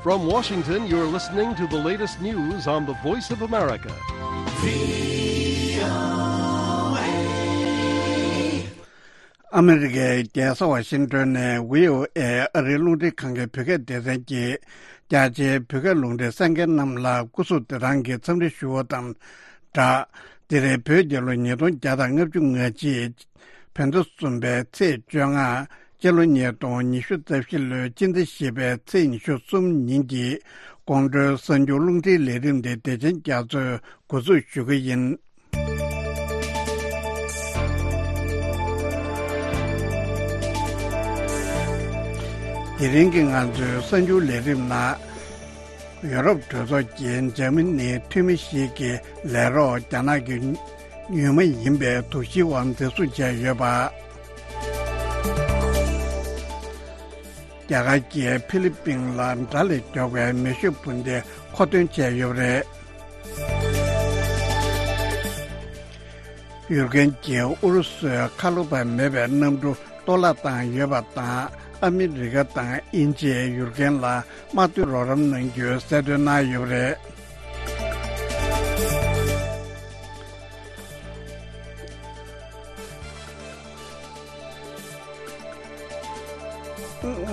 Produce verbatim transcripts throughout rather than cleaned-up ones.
From Washington, you're listening to the latest news on the Voice of America. ཨ་མི་རི་ཀའི་རྒྱལ་ས་ཝ་ཤིང་ཏོན་ནས་བྷི་ཨོ་ཨེ་ཨ་རིའི་རླུང་འཕྲིན་ཁང་གི་བོད་སྐད་སྡེ་ཚན་གྱིས་རྒྱ་ཆེའི་བོད་སྐད་རླུང་འཕྲིན་གསན་མཁན་རྣམས་ལ་སྐུ་གཟུགས་བདེ་ཐང་གི་འཚམས་འདྲི་ཞུ་བ་དང་སྦྲགས། འདི་རེད། བོད་རྒྱལ་ལོ་ཉིས་སྟོང་བརྒྱ་དང་ལྔ་བཅུ་ང་གཅིག་བོད་ཟླ་གསུམ་པའི་ཚེས་བཅོ་ལྔ། སྤྱི་ལོ་ཉིས་སྟོང་ཉི་ཤུ་རྩ་བཞི་ལོའི་སྤྱི་ཟླ་བཞི་པའི་ཚེས་ཉི་ཤུ་གསུམ་ཉིན་གྱི་དགོང་དྲོའི་གསར་འགྱུར་རླུང་འཕྲིན་ལས་རིམ་འདི་བདེ་ཆེན་རྒྱ་མཚོས་འགོ་འཛུགས་ཞུ་གི་ཡིན། དེ་རིང་གི་ང་ཚོའི་གསར་འགྱུར་ལས་རིམ་ནང་། ཡོ་རོབ་གྲོས་ཚོགས་ཀྱིས་འཇར་མ་ནིའི་འཐུས་མི་ཞིག་གི་ལས་རོགས་རྒྱ་ནག་གི་ཡུལ་མི་ཡིན་པའི་དོགས་གཞིའི་འོག་འཛིན་བཟུང་བྱས་ཡོད་པ། རྒྱ་གར་གྱིས་ཧྥི་ལི་པིན་ལ་དགྲ་ལས་མགྱོགས་པའི་མེ་ཤུགས་འཕུར་མདེལ་མཁོ་འདོན་བྱས་ཡོད་པ་རེད། ཡུཀ་རེན་གྱིས་ཨུ་རུ་སུའི་ཁ་ལོ་བ་མེད་པའི་གནམ་གྲུ་གཏོར་བརླག་བཏང་ཡོད་པ་དང་། ཨ་མི་རི་ཀ་དང་དབྱིན་ཇིས་ཡུཀ་རེན་ལ་དམག་དོན་རོགས་རམ་གནང་རྒྱུའི་གསལ་སྟོན་གནང་ཡོད་པ་རེད།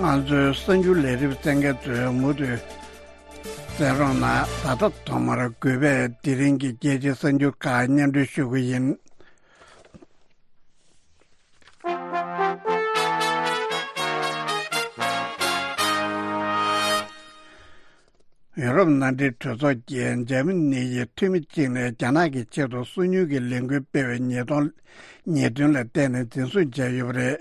ང་ཚོའི་གསར་འགྱུར་ལས་རིམ་གསན་མཁན་ཚོས་མུ་མཐུད་གསན་རོགས་གནང་། ད་ལྟ་ཐོག་མར་དགོས་པའི་དེ་རིང་གི་རྒྱལ་སྤྱིའི་གསར་འགྱུར་ཁག་སྙན་སྒྲོན་ཞུ་གི་ཡིན། ཡོ་རོབ་མནའ་འབྲེལ་གྲོས་ཚོགས་ཀྱིས་འཇར་མ་ནི་ཡི་འཐུས་མི་གཅིག་ནས་རྒྱ་ནག་གི་ཆེད་དུ་སོ་ཉུལ་གྱི་ལས་འགུལ་སྤེལ་བའི་ཉེས་རྡུང་ཉེས་དོན་ལ་བརྟེན་ནས་འཛིན་བཟུང་བྱས་ཡོད་པ་རེད།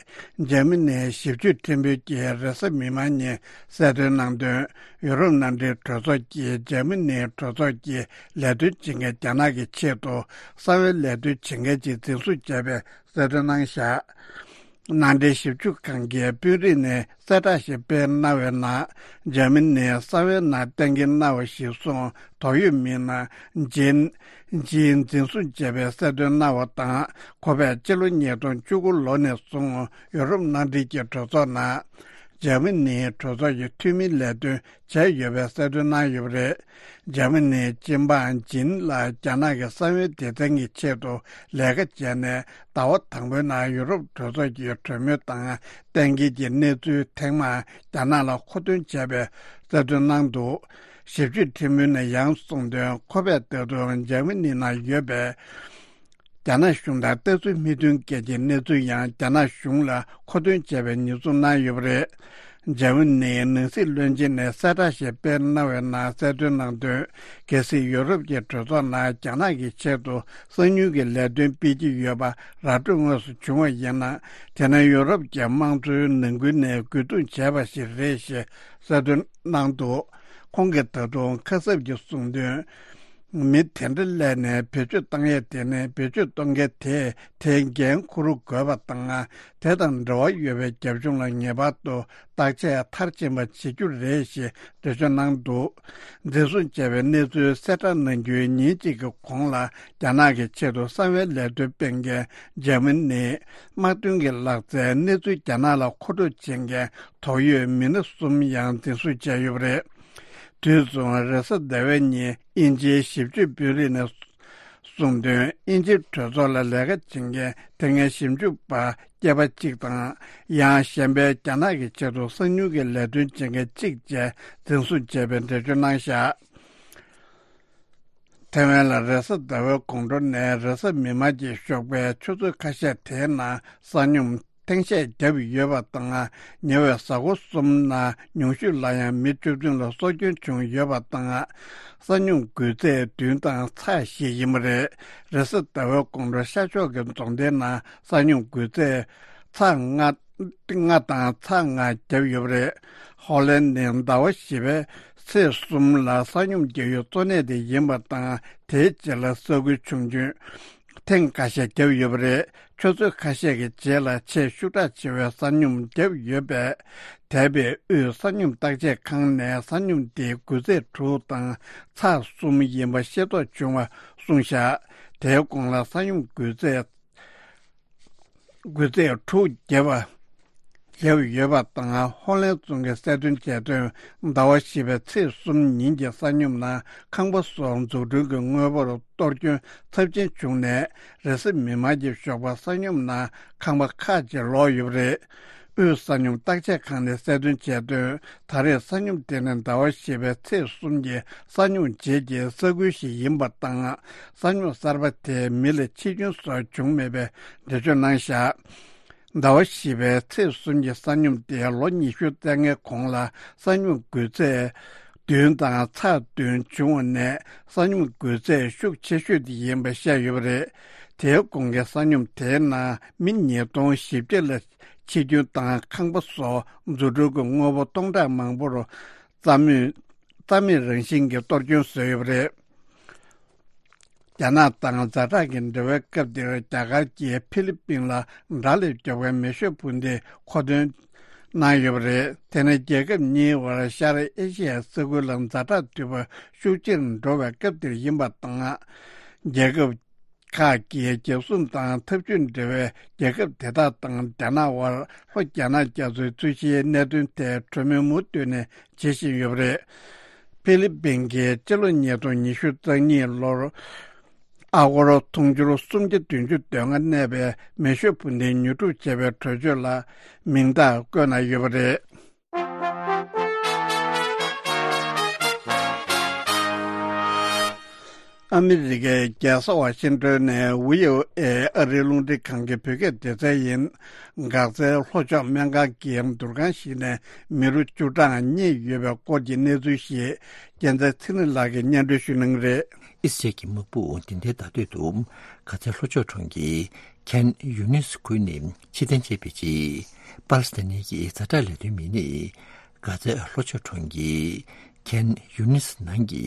འཇར་མ་ནིའི་ཞིབ་དཔྱོད་ཁྲིམས་དཔོན་གྱིས་རེས་གཟའ་མིག་དམར་ཉིན་གསལ་སྟོན་གནང་དོན། ཡོ་རོབ་མནའ་འབྲེལ་གྲོས་ཚོགས་ཀྱིས་འཇར་མ་ནིའི་གྲོས་ཚོགས་ཀྱི་ལས་དོན་བྱེད་མཁན་རྒྱ་ནག་གི་ཆེད་དུ་གསང་བའི་ལས་དོན་བྱེད་མཁན་ཅིག་འཛིན་བཟུང་བྱས་པའི་གསལ་སྟོན་གནང་བཞག། མནའ་འབྲེལ་ཞིབ་འཇུག་ཁང་གིས་དཔོན་རིགས་ནས་གསལ་བསྒྲགས་ཤིག་སྤེལ་གནང་བའི་ནང་། འཇར་མ་ནིའི་གསང་བའི་ནང་གཏན་འཁེལ་གནང་བ་ཞིག་སོང་དོགས་ཡོད་མི་སྣ་ཇིན། ཇིན་འཛིན་བཟུང་བྱས་པའི་གསལ་སྟོན་གནང་བ་དང་། ཁོ་པས་སྤྱི་ལོ་ཉིས་སྟོང་བཅུ་དགུ་ལོ་ནས་བཟུང་ཡོ་རོབ་མནའ་འབྲེལ་གྱི་གྲོས་ཚོགས་ནང་འཇར་མ་ནིའི་གྲོས་ཚོགས་ཀྱི་འཐུས་མིའི་ལས་དོན་བྱས་ཡོད་པའི་གསལ་སྟོན་གནང་ཡོད་པ་རེད། འཇར་མ་ནིའི་སྤྱི་འབངས་ཇིན་ལ་རྒྱ་ནག་གི་གསང་བའི་སྡེ་ཚན་གྱི་ཆེད་དུ་ལས་ཀ་བྱས་ནས། ཟླ་བ་དང་པོའི་ནང་ཡུ་རོབ་གྲོས་ཚོགས་ཀྱི་གྲོས་མོལ་དང་གཏན་འཁེལ་གྱི་གནས་ཚུལ་ཐེངས་མང་རྒྱ་ནག་ལ་མཁོ་འདོན་བྱས་པའི་གསལ་སྟོན་གནང་འདུག། ཞིབ་དཔྱོད་ཁྲིམས་དཔོན་ནས་ཡང་གསུངས་དོན། ཁོ་པས་ད་དུང་འཇར་མ་ནི་ནང་ཡོད་པའི་རྒྱ་ནག་གཞུང་དང་ལྟ་ཚུལ་མི་མཐུན་སྐད་ཀྱི་གནས་ཚུལ་ཡང་རྒྱ་ནག་གཞུང་ལ་མཁོ་འདོན་བྱས་པའི་ཉེས་འཛུགས་གནང་ཡོད་པ་རེད། འཇར་མ་ནིའི་ནང་སྲིད་བློན་ཆེན་ནས་གསལ་བསྒྲགས་ཤིག་སྤེལ་གནང་བའི་ནང་གསལ་སྟོན་གནང་དོན། གལ་སྲིད་ཡོ་རོབ་ཀྱི་གྲོས་ཚོགས་ནང་རྒྱ་ནག་གི་ཆེད་དུ་གསང་མྱུལ་གྱི་ལས་དོན་སྤེལ་གྱི་ཡོད་པ་ར་སྤྲོད་དངོས་སུ་བྱུང་བ་ཡིན་ན། དེ་ནི་ཡོ་རོབ་ཀྱི་དམངས་གཙོའི་ནང་ཁུལ་ནས་རྒོལ་རྡུང་བྱས་པ་ཞིག་རེད་ཞེས་གསལ་སྟོན་གནང་འདུག། ཁོང་གིས་ད་དུང་ཁ་གསབ་ཀྱིས་གསུངས་དོན། མི་དེ་འདྲ་སླེབས་ནས་བེད་སྤྱོད་བཏང་ཡས་དེ་ནི་བེད་སྤྱོད་གཏོང་མཁན་དེས་དེའི་འགན་འཁུར་དགོས་པ་དང་། དེ་དང་འབྲེལ་བ་ཡོད་པའི་རྒྱབ་ལྗོངས་ལ་ངེས་པར་དུ་བརྟག་དཔྱད་མཐར་ཕྱིན་པ་བྱེད་རྒྱུ་རེད་ཞེས་འགྲེལ་བརྗོད་གནང་འདུག། འཛིན་བཟུང་བྱས་པའི་གནས་ཚུལ་གསལ་བསྒྲགས་གནང་རྒྱུའི་ཉིན་གཅིག་གི་གོང་ལ། རྒྱ་ནག་གི་ཆེད་དུ་གསང་བའི་ལས་དོན་སྤེལ་མཁན་འཇར་མ་ནིའི་དམག་དོན་གྱི་ལག་རྩལ་གནས་ཚུལ་རྒྱ་ནག་ལ་མཁོ་སྤྲོད་བྱེད་མཁན་དོགས་ཡོད་མི་སྣ་གསུམ་ཡང་འཛིན་བཟུང་བྱས་ཡོད་པ་རེད། དུས་མཚུངས་རེས་གཟའ་ཟླ་བའི་ཉིན་དབྱིན་ཇིའི་ཞིབ་དཔྱོད་དཔོན་རིགས་ནས་གསུངས་དོན། དབྱིན་ཇིའི་གྲོས་ཚོགས་ལ་ལས་ཀ་བྱེད་མཁན་དེ་སྔའི་ཞིབ་འཇུག་པ་སྐྱེས་པ་གཅིག་དང་། ཡང་གཞན་པའི་རྒྱ་ནག་གི་ཆེད་དུ་གསང་མྱུལ་གྱི་ལས་དོན་བྱེད་མཁན་གཅིག་བཅས་འཛིན་བཟུང་བྱས་པའི་འགྲེལ་བརྗོད་གནང་བཞག། ཐེ་ཝན་ལ་རེས་གཟའ་ཟླ་བའི་དགོང་དྲོ་ནས་རེས་གཟའ་མིག་དམར་གྱི་ཞོགས་པའི་ཆུ་ཚོད་ཁ་ཤས་དེའི་ནང་གསང་སྙོམས་ཐེངས་ཤས་བརྒྱབ་ཡོད་པ་དང་། ཉེ་བའི་གཟའ་འཁོར་གསུམ་ནང་ཉུང་ཤོས་ལ་ཡང་མི་བཅུ་བདུན་ལ་སྲོག་སྐྱོན་བྱུང་ཡོད་པ་དང་། གསང་སྙོམས་འགོས་ཚད་བདུན་དང་ཚེག་བཞི་ཡིན་པ་རེད། རེས་གཟའ་ཟླ་བའི་དགོང་དྲོ་ཤར་ཕྱོགས་ཀྱི་རྫོང་སྡེའི་ནང་གསང་སྙོམས་འགོས་ཚད་ཚེག་ལྔ་ལྔ་དང་ཚེག་ལྔ་བརྒྱབ་ཡོད་པ་རེད། ཧོ་ལན་ནི་ཟླ་བ་བཞི་པའི་ཚེས་གསུམ་ལ་གསང་སྙོམས་རྒྱག་ཡུལ་གཙོ་གནད་དེ་ཡིན་པ་དང་། དེའི་རྗེས་ལ་ས་ཁུལ་ཆུང་ཆུང་ཐེངས་ཁ་ཤས་བརྒྱབ་ཡོད་པ་རེད། ཆུ་ཚོད་ཁ་ཤས་ཀྱི་རྗེས་ལ་ཆེས་ཤུགས་དྲག་ཆེ་བའི་གསང་སྙོམས་བརྒྱབ་ཡོད་པས། འདས་པའི་དབུས་གསང་སྙོམས་བརྟག་དཔྱད་ཁང་ནས་གསང་སྙོམས་དེ་འགོས་ཚད་དྲུག་དང་ཚེག་གསུམ་ཡིན་པ་ཤེས་རྟོགས་བྱུང་བ་གསུངས་བཞག། དེའི་གོང་ལ་གསང་སྙོམས་འགོས་ཚད་འགོས་ཚད་དྲུག་བརྒྱབ་པ་ བརྒྱབ་ཡོད་པ་དང་། ཧོ་ལན་རྫོང་གིས་གསལ་སྟོན་བྱས་དོན། ཟླ་བ་བཞི་པའི་ཚེས་གསུམ་ཉིན་གྱི་ས་སྙོམས་ནང་ཁང་པ་སོགས་འཛུགས་སྐྲུན་གྱི་དངོས་པོར་གཏོར་སྐྱོན་ཚབས་ཆེན་བྱུང་ནས། རེས་གཟའ་མིག་དམར་གྱི་ཞོགས་པ་ས་སྙོམས་ནང་ཁང་པ་ཁག་ཅིག་ལོག་ཡོད་པ་རེད། དབུས་ས་སྙོམས་བརྟག་དཔྱད་ཁང་ནས་གསལ་སྟོན་བྱས་དོན། ད་རེས་ས་སྙོམས་དེ་ནི་ཟླ་བ་བཞི་པའི་ཚེས་གསུམ་གྱི་ས་སྙོམས་རྗེས་ཀྱི་ས་ཁུལ་ཞིག་ཡིན་པ་དང་། ས་སྙོམས་གསར་པ་དེས་མི་ལ་འཆི་སྐྱོན་སོགས་བྱུང་མེད་པའི་འགྲེལ་བརྗོད་གནང་བཞག་ཟླ་བ་བཞི་པའི་ཚེས་གསུམ་གྱི་ས་སྙོམས་དེ་ལོ་ཉི་ཤུ་རྩ་ལྔའི་གོང་ལ་ས་སྙོམས་འགོས་ཚད་བདུན་དང་ཚེག་བདུན་བྱུང་བ་ནས། ས་སྙོམས་འགོས་ཚད་ཤུགས་ཆེ་ཤོས་དེ་ཡིན་པ་བཤད་ཡོད་པ་རེད། དེའི་གོང་གི་ས་སྙོམས་དེའི་ནང་མི་ཉིས་སྟོང་བཞི་བརྒྱ་ལ་འཆི་སྐྱོན་དང་། ཁང་པ་སོགས་འཛུགས་སྐྲུན་གྱི་དངོས་པོ་སྟོང་ཕྲག་མང་པོར་རྩ་མེད་རྩ་མེད་རང་བཞིན་གྱིས་གཏོར་སྐྱོན་བཟོས་ཡོད་པ་རེད། རྒྱ་ནག་དང་ཛ་དྲག་གི་འབྲེལ་བའི་སྐབས་དེར། རྒྱ་གར་གྱིས་ཧྥི་ལི་པིན་ལ་དགྲ་ལས་མགྱོགས་པའི་མེ་ཤོད་འཕུར་མདེལ་མཁོ་འདོན་གནང་ཡོད་པ་རེད། དེ་ནི་རྒྱལ་ཁབ་གཉིས་དབར་ཤར་ཨེ་ཤི་ཡའི་ས་ཁུལ་ལ་ཛ་དྲག་དུས་བབ་ཤུགས་ཆེར་འགྲོ་བའི་སྐབས་དེར་ཡིན་པ་དང་། རྒྱལ་ཁབ་ཁག་གིས་རྒྱལ་སྲུང་དང་འཐབ་ཇུས་འབྲེལ་བའི་རྒྱལ་ཁབ་དེ་དག་དང་རྒྱ་ནག་དབར། ལྷོ་རྒྱ་ནག་རྒྱ་མཚོའི་རྩོད་གཞིའི་གནད་དོན་ཐད་གྲོས་མོལ་མུ་མཐུད་ནས་བྱེད་བཞིན་ཡོད་པ་རེད། ཧྥི་ལི་པིན་གྱིས་སྤྱི་ལོ་ཉིས་སྟོང་ཉི་ཤུ་རྩ་གཉིས་ལོར་ཨ་སྒོར་དུང་ཕྱུར་སུམ་བརྒྱ་བདུན་ཅུ་དོན་ལྔ་གནས་པའི་མེ་ཤོད་འཕུར་མདེལ་ཉོ་སྒྲུབ་བྱས་པའི་གྲོས་ཆོད་ལ་མིང་རྟགས་བཀོད་གནང་ཡོད་པ་རེད། ཨ་མི་རི་ཀའི་རྒྱལ་ས་ཝ་ཤིང་ཏོན་ནས་ཝི་ཨོ་ཨེ་ཨ་རིའི་རླུང་འཕྲིན་ཁང་གི་བོད་སྐད་སྡེ་ཚན་ཡིན། འགག་རྩའི་ལྷོ་ཕྱོགས་སྨན་ཁང་གི་དུར་ཁང་ཞིག་ནས་མི་རུ་བཅུ་གྲངས་རྙེད་ཡོད་པའི་སྐོར་གྱི་གནས་ཚུལ་ཞིག་རྒྱལ་མཚན་ཚེ་རིང་ལགས་ཀྱིས་སྙན་སྒྲོན་ཞུ་གནང་གི་རེད། ཨི་སི་རལ་གྱི་དམག་དཔུང་འདི་ཟླའི་ཟླ་སྟོད་དུ་གྷ་ཛའི་ལྷོ་ཕྱོགས་གྲོང་ཁྱེར་ཁན་ཡུ་ནིས་ཁུལ་ནས་ཕྱིར་འཐེན་བྱས་པའི་རྗེས། པ་ལི་སི་ཐན་ནི་གྱི་ཛ་དྲག་ལས་དོན་མི་སྣས་གྷ་ཛའི་ལྷོ་ཕྱོགས་གྲོང་ཁྱེར་ཁན་ཡུ་ནིས་ནང་གི་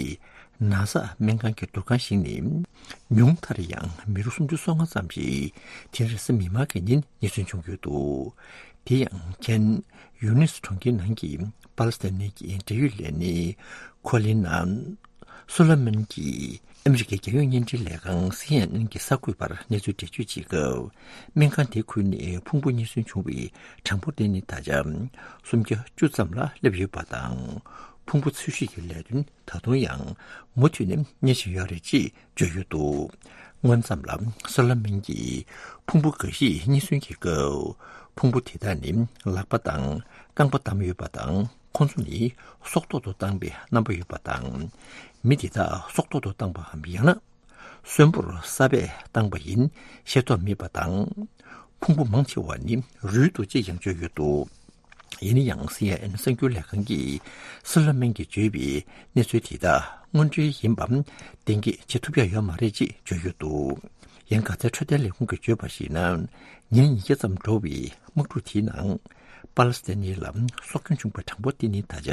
ན་ཚ་སྨན་ཁང་གི་དུར་ཁང་ཞིག་ནས་ཉུང་མཐར་ཡང་མི་རུ་སུམ་ཅུ་སོ་ལྔ་ཙམ་ཞིག་དེ་རིང་རེས་གཟའ་མིག་དམར་གྱི་ཉིན་རྙེད་སོན་བྱུང་ཡོད་འདུག་དེ་ཡང་ཁན་ཡུ་ནིས་གྲོང་ཁྱེར་ནང་གི་པ་ལི་སི་ཐན་ནི་གྱི་འབྲེལ་ཡོད་ལས་སྣེ་ཁོ་ལི་ན་སོ་ལ་མན་གྱིས་ཨ་མི་རི་ཀའི་རྒྱལ་ཡོངས་བརྙན་འཕྲིན་ལས་ཁང་སི་ཨེན་ཨེན་གྱི་གསར་འགོད་པར་གནས་ཚུལ་འགྲེལ་བརྗོད་བྱེད་སྐབས། སྨན་ཁང་དེའི་ཁུལ་ནས་ཕུང་པོ་རྙེད་སོན་བྱུང་བའི་གྲངས་འབོར་དེ་ནི་ད་ཆ་སུམ་བརྒྱ་བཅུ་ཙམ་ལ་སླེབས་ཡོད་པ་དང་། ཕུང་པོ་འཚོལ་ཞིབ་ཀྱི་ལས་དོན་ད་དུང་ཡང་མུ་མཐུད་ནས་གཉེར་བཞིན་ཡོད་རེད་ཅེས་བརྗོད་ཡོད་འདུག་སྔོན་ཙམ་ལ་སོ་ལ་མན་གྱིས་ཕུང་པོ་འགའ་ཞིག་རྙེད་སོན་གྱི་སྐབས། ཕུང་པོ་དེ་དག་ནི་ལག་པ་དང་རྐང་པ་བསྡམས་ཡོད་པ་དང་། ཁོང་ཚོ་ནི་སྲོག་ཐོག་ཏུ་བཏང་བའི་རྣམ་པ་ཡོད་པ་དང་། མི་དེ་དག་སྲོག་ཐོག་ཏུ་བཏང་པའམ་ཡང་ན་གསོན་པོར་ས་སྦས་བཏང་པ་ཡིན་ཤེས་རྟོགས་མེད་པ་དང་། ཕུང་པོ་མང་ཆེ་བ་ནི་རུལ་འདུག་ཅེས་ཀྱང་བརྗོད་ཡོད་འདུག་ཡིན་ན་ཡང་སི་ཨེན་ཨེན་གསར་འགྱུར་ལས་ཁང་གིས་སོ་ལ་མན་གྱིས་བརྗོད་པའི་གནས་ཚུལ་དེ་དག་དངོས་འབྲེལ་ཡིན་པའམ་གཏན་འཁེལ་བྱེད་ཐུབ་ཡ་ཡོད་མ་རེད་ཅེས་བརྗོད་ཡོད་འདུག་ཡང་གྷ་ཛའི་འཕྲོད་བསྟེན་ལས་ཁུངས་ཀྱིས་བརྗོད་པར་གཞིགས་ན། ཉིན་ཉིས་བརྒྱ་ཙམ་འགྲོ་བའི་དམག་འཁྲུག་དེའི་ནང་པ་ལི་སི་ཐན་ནི་ལ་སྲོག་སྐྱོན་བྱུང་བའི་གྲངས་འབོར་དེ་ནི་ད་ཆ་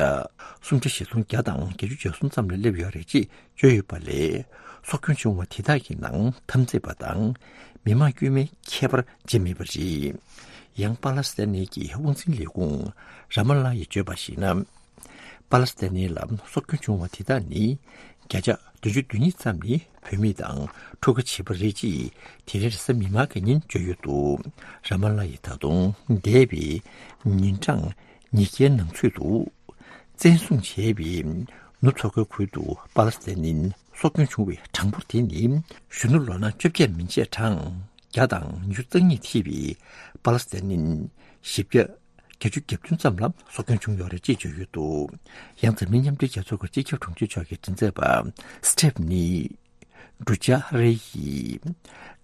སུམ་ཁྲི་བཞི་སྟོང་བརྒྱ་དང་བརྒྱད་ཅུ་གྱ་གསུམ་ཙམ་ལ་སླེབས་ཡོད་རེད་ཅེས་བརྗོད་ཡོད་པ་ལས། སྲོག་སྐྱོན་བྱུང་བ་དེ་དག་གི་ནང་འཐབ་རྩོད་པ་དང་མི་མང་དཀྱུས་མའི་ཁྱད་པར་བྱེད་མེད་པ་རེད། ཡང་པ་ལི་སི་ཐན་ནི་གྱི་དབང་འཛིན་ལས་ཁུངས་ར་མ་ལ་ཡིས་བརྗོད་པར་གཞིགས་ན། པ་ལི་སི་ཐན་ནི་ལ་སྲོག་སྐྱོན་བྱུང་བ་དེ་དག་ནི་བརྒྱ་ཆ་བདུན་ཅུ་དོན་གཉིས་ཙམ་ནི་བུད་མེད་དང་ཕྲུ་གུ་བྱིས་པ་རེད་ཅེས་དེ་རིང་རེས་གཟའ་མིག་དམར་གྱི་ཉིན་བརྗོད་ཡོད་འདུག་ར་མ་ལ་ཡིས་ད་དུང་འདས་པའི་ཉིན་གྲངས་ཉིས་བརྒྱའི་ནང་ཚུད་དུ་བཙན་བཟུང་བྱས་པའི་ནུབ་མཚོ་ཁུལ་ཁུལ་དུ་པ་ལི་སི་ཐན་ནི་སྲོག་སྐྱོན་བྱུང་བའི་གྲངས་འབོར་དེ་ནི་གཞོན་ནུ་ལོ་ན་བཅོ་བརྒྱད་མན་ཆད་གྲངས་བརྒྱ་དང་ཉི་ཤུ་རྩ་གཉིས་ཐེ་བའི་པ་ལི་སི་ཐན་ནི་བཞི་བརྒྱ་བརྒྱད་ཅུ་གྱ་བདུན་ཙམ་ལ་སྲོག་སྐྱོན་བྱུང་ཡོད་རེད་ཅེས་བརྗོད་ཡོད་འདུག་ཡང་འཛམ་གླིང་མཉམ་འབྲེལ་རྒྱལ་ཚོགས་ཀྱི་སྤྱི་ཁྱབ་དྲུང་ཆེ་མཆོག་གི་མགྲིན་ཚབ་པ་སི་ཊེབ་ནི་ཌུ་ཇཱ་རེ་ཡིས་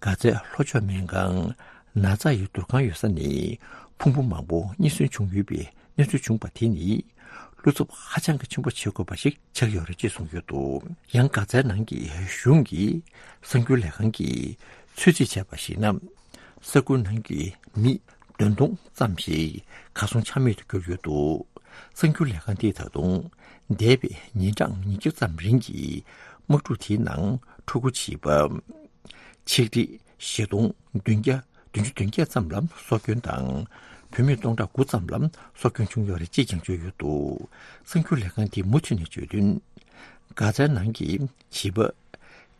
གྷ་ཛའི་ལྷོ་ཕྱོགས་སྨན་ཁང་ན་ཚ་ཡི་དུར་ཁང་ཡོད་ས་ནས་ཕུང་པོ་མང་པོ་རྙེད་སོན་བྱུང་ཡོད་པའི་གནས་ཚུལ་བྱུང་བ་དེ་ནི་བློ་འཚབ་ཧ་ཅང་གི་ཆེན་པོ་བྱེད་དགོས་པ་ཞིག་ཆགས་ཡོད་རེད་ཅེས་གསུངས་ཡོད་འདུག་ཡང་གྷ་ཛའི་ནང་གི་གཞུང་གི་གསར་འགྱུར་ལས་ཁང་གིས་ཚོད་རྩིས་བྱས་པར་གཞིགས་ན། ས་ཁུལ་ནང་གི་མི་བདུན་སྟོང་ཙམ་ཞིག་གར་སོང་ཆ་མེད་དུ་གྱུར་ཡོད་འདུག་གསར་འགྱུར་ལས་ཁང་དེས་ད་དུང་འདས་པའི་ཉིན་གྲངས་ཉིས་བརྒྱ་ཙམ་རིང་གི་དམག་འཁྲུག་དེའི་ནང་ཕྲུ་གུ་བྱིས་པ། ཆིག་ཁྲི་བཞི་སྟོང་བདུན་བརྒྱ་བདུན་ཅུ་དོན་བརྒྱད་ཙམ་ལ་སྲོག་སྐྱོན་དང་། བུད་མེད་སྟོང་ཕྲག་དགུ་ཙམ་ལ་སྲོག་སྐྱོན་བྱུང་ཡོད་རེད་ཅེས་ཀྱང་བརྗོད་ཡོད་འདུག་གསར་འགྱུར་ལས་ཁང་དེས་མུ་མཐུད་ནས་བརྗོད་དོན། གྷ་ཛའི་ནང་གི་བྱིས་པ་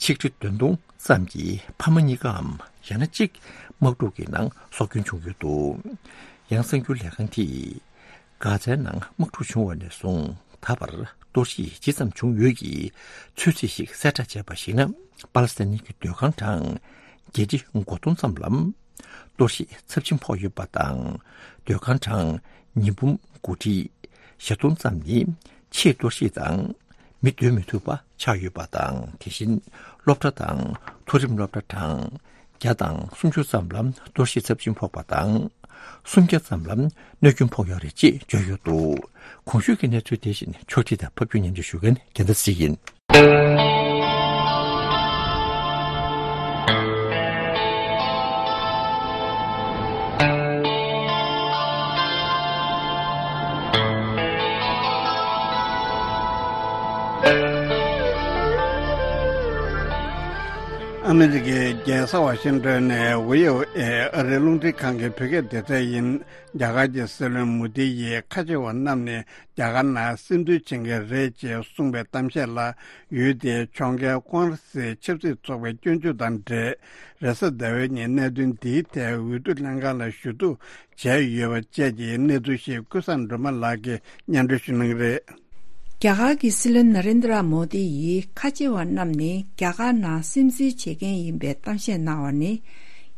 ཆིག་ཁྲི་བདུན་སྟོང་ཙམ་གྱི་ཕ་མ་གཉིས་ཀའམ་ཡང་ན་གཅིག་དམག་འཁྲུག་གི་ནང་སྲོག་སྐྱོན་བྱུང་ཡོད་འདུག་ཡང་གསར་འགྱུར་ལས་ཁང་གིས་གྷ་ཛའི་ནང་དམག་འཁྲུག་བྱུང་བ་ནས་བཟུང་ད་བར་གཏོར་བཤིག་ཇི་ཙམ་བྱུང་ཡོད་ཀྱི་ཚོད་རྩིས་ཤིག་གསལ་བསྒྲགས་བྱས་པར་གཞིགས་ན། པ་ལི་སི་ཐན་གྱི་སྡོད་ཁང་གྲངས་བརྒྱད་ཁྲི་གོ་སྟོང་ཙམ་ལ་གཏོར་བཤིག་ཚབས་ཆེན་ཕོག་ཡོད་པ་དང་། སྡོད་ཁང་གྲངས་ཉིས་འབུམ་དགུ་ཁྲི་བཞི་སྟོང་ཙམ་ནི་ཕྱིའི་གཏོར་བཤིག་དང་མི་སྡོད་མི་ཐུབ་པ་ཆགས་ཡོད་པ་དང་། དེ་བཞིན་སློབ་གྲྭ་དང་མཐོ་རིམ་སློབ་གྲྭ་གྲངས་བརྒྱ་དང་སུམ་ཅུ་ཙམ་ལ་གཏོར་བཤིག་ཚབས་ཆེན་ཕོག་པ་དང་། སུམ་བརྒྱ་ཙམ་ལ་གནོད་སྐྱོན་ཕོག་ཡོད་རེད་ཅེས་བརྗོད་ཡོད་འདུག། གོང་ཞུས་ཀྱི་གནས་ཚུལ་དེ་བཞིན་ཕྱོགས་སྒྲིག་དང་ཕབ་སྒྱུར་སྙན་སྒྲོན་ཞུ་མཁན་རྒྱལ་མཚན་སྲིད་ཡིན། ཨ་མི་རི་ཀའི་རྒྱལ་ས་ཝ་ཤིང་ཏོན་ནས་བྷི་ཨོ་ཨེ་ཨ་རིའི་རླུང་འཕྲིན་ཁང་གི་བོད་སྐད་སྡེ་ཚན་ཡིན། རྒྱ་གར་གྱི་སྲིད་བློན་མོ་དི་ཡིས་ཁ་ཆེ་བ་རྣམས་ནས་རྒྱ་གར་ནང་སིམ་འཛུལ་བྱེད་མཁན་རེད་ཅེས་གསུངས་པའི་གཏམ་བཤད་ལ། ཡུལ་དེའི་ཕྱོགས་འགལ་ཀོང་རེ་སི་ཆབ་སྲིད་ཚོགས་པའི་སྐྱོན་བརྗོད་དང་འབྲེལ། རེས་གཟའ་ཟླ་བའི་ཉིན་གནད་དོན་འདིའི་ཐད་འོས་བསྡུ་ལྷན་ཁང་ལ་ཞུ་གཏུག་བྱས་ཡོད་པ་བཅས་ཀྱི་གནས་ཚུལ་ཞིག་ཀུན་བཟང་སྒྲོལ་མ་ལགས་ཀྱིས་སྙན་སྒྲོན་ཞུ་གནང་གི་རེད། རྒྱ་གར་གྱི་སྲིད་བློན་ན་རེན་དྲ་མོ་དི་ཡིས་ཁ་ཆེ་བ་རྣམས་ནི་རྒྱ་གར་ནང་སིམ་འཛུལ་བྱེད་མཁན་ཡིན་པའི་གཏམ་བཤད་གནང་བ་ནི།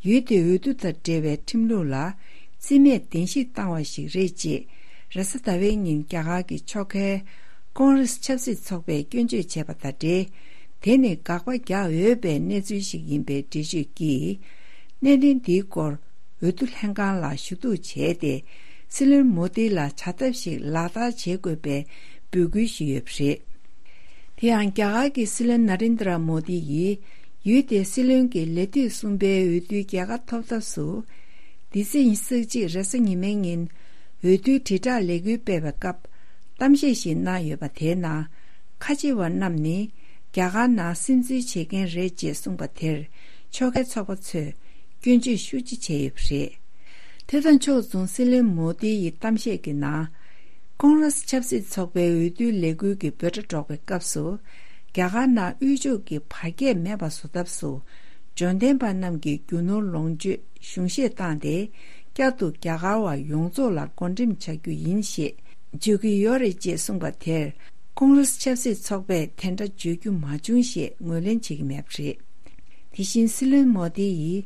ཡུལ་དེའི་འོས་བསྡུ་དང་འབྲེལ་བའི་ཁྲིམས་ལུགས་ལ་རྩིས་མེད་བདེན་བཞི་བཏང་བ་ཞིག་རེད་ཅེས། རེས་གཟའ་ཟླ་བའི་ཉིན་རྒྱ་གར་གྱི་ཕྱོགས་འགལ་ཀོང་རེ་སི་ཆབ་སྲིད་ཚོགས་པས་སྐྱོན་བརྗོད་བྱས་པ་དང་འབྲེལ། དེ་ནི་དགག་པ་རྒྱག་འོས་པའི་གནས་ཚུལ་ཞིག་ཡིན་པའི་འགྲེལ་བརྗོད་ཀྱིས། གནད་དོན་འདིའི་སྐོར་འོས་བསྡུ་ལྷན་ཁང་ལ་ཞུ་གཏུག་བྱས་ཏེ། སྲིད་བློན་མོ་དི་ལ་བྱ་ཐབས་ཤིག་ལག་བསྟར་བྱེད་དགོས་པའི་འབོད་སྐུལ་ཞུས་ཡོད་པ་རེད། དེ་ཡང་རྒྱ་གར་གྱི་སྲིད་བློན་ན་རེན་དྲ་མོ་དི་ཡིས་ཡུལ་དེའི་སྲིད་བློན་གྱི་ལས་དུས་གསུམ་པའི་འོས་བསྡུའི་རྒྱལ་ཁ་ཐོབ་ཐབས་སུ། འདི་ཚེས་ཉི་ཤུ་རྩ་གཅིག་རེས་གཟའ་ཉི་མའི་ཉིན་འོས་བསྡུའི་དྲིལ་བསྒྲགས་ལས་འགུལ་སྤེལ་བའི་སྐབས་གཏམ་བཤད་ཞིག་གནང་ཡོད་པ་དེའི་ནང་། ཁ་ཆེ་བ་རྣམས་ནི་རྒྱ་གར་ནང་སིམ་འཛུལ་བྱེད་མཁན་རེད་ཅེས་གསུངས་པ་དེར་ཕྱོགས་འགལ་ཚོགས་པ་ཚོས་སྐྱོན་བརྗོད་ཤུགས་ཆེ་བྱས་ཡོད་པ་རེད། དེ་དང་ཕྱོགས་མཚུངས་སྲིད་བློན་མོ་དི་ཡི་གཏམ་བཤད་ཀྱི་ནང་། ཀོང་རེ་སི་ཆབ་སྲིད་ཚོགས་པའི་འོས་བསྡུའི་ལས་འགུལ་གྱི་འབོད་སྒྲ་སྒྲོག་པའི་སྐབས་སུ། རྒྱ་གར་ནང་དབུལ་ཕྱུག་གི་བར་ཁྱད་མེད་པ་བཟོ་ཐབས་སུ། འབྱོར་ལྡན་པ་རྣམས་ཀྱི་རྒྱུ་ནོར་ལོངས་སྤྱོད་གཞུང་བཞེས་བཏང་སྟེ། བསྐྱར་དུ་རྒྱ་གར་བ་ཡོངས་རྫོགས་ལ་བགོ་འགྲེམས་བྱ་རྒྱུ་ཡིན་ཞེས་བརྗོད་ཀྱི་ཡོད་རེད་ཅེས་གསུངས་པ་དེར། ཀོང་རེ་སི་ཆབ་སྲིད་ཚོགས་པས་དེ་འདྲ་བརྗོད་རྒྱུ་མ་བྱུང་ཞེས་ངོས་ལེན་བྱེད་ཀྱི་མེད་པ་རེད། དེ་བཞིན་སྲིད་བློན་མོ་དི་ཡིས།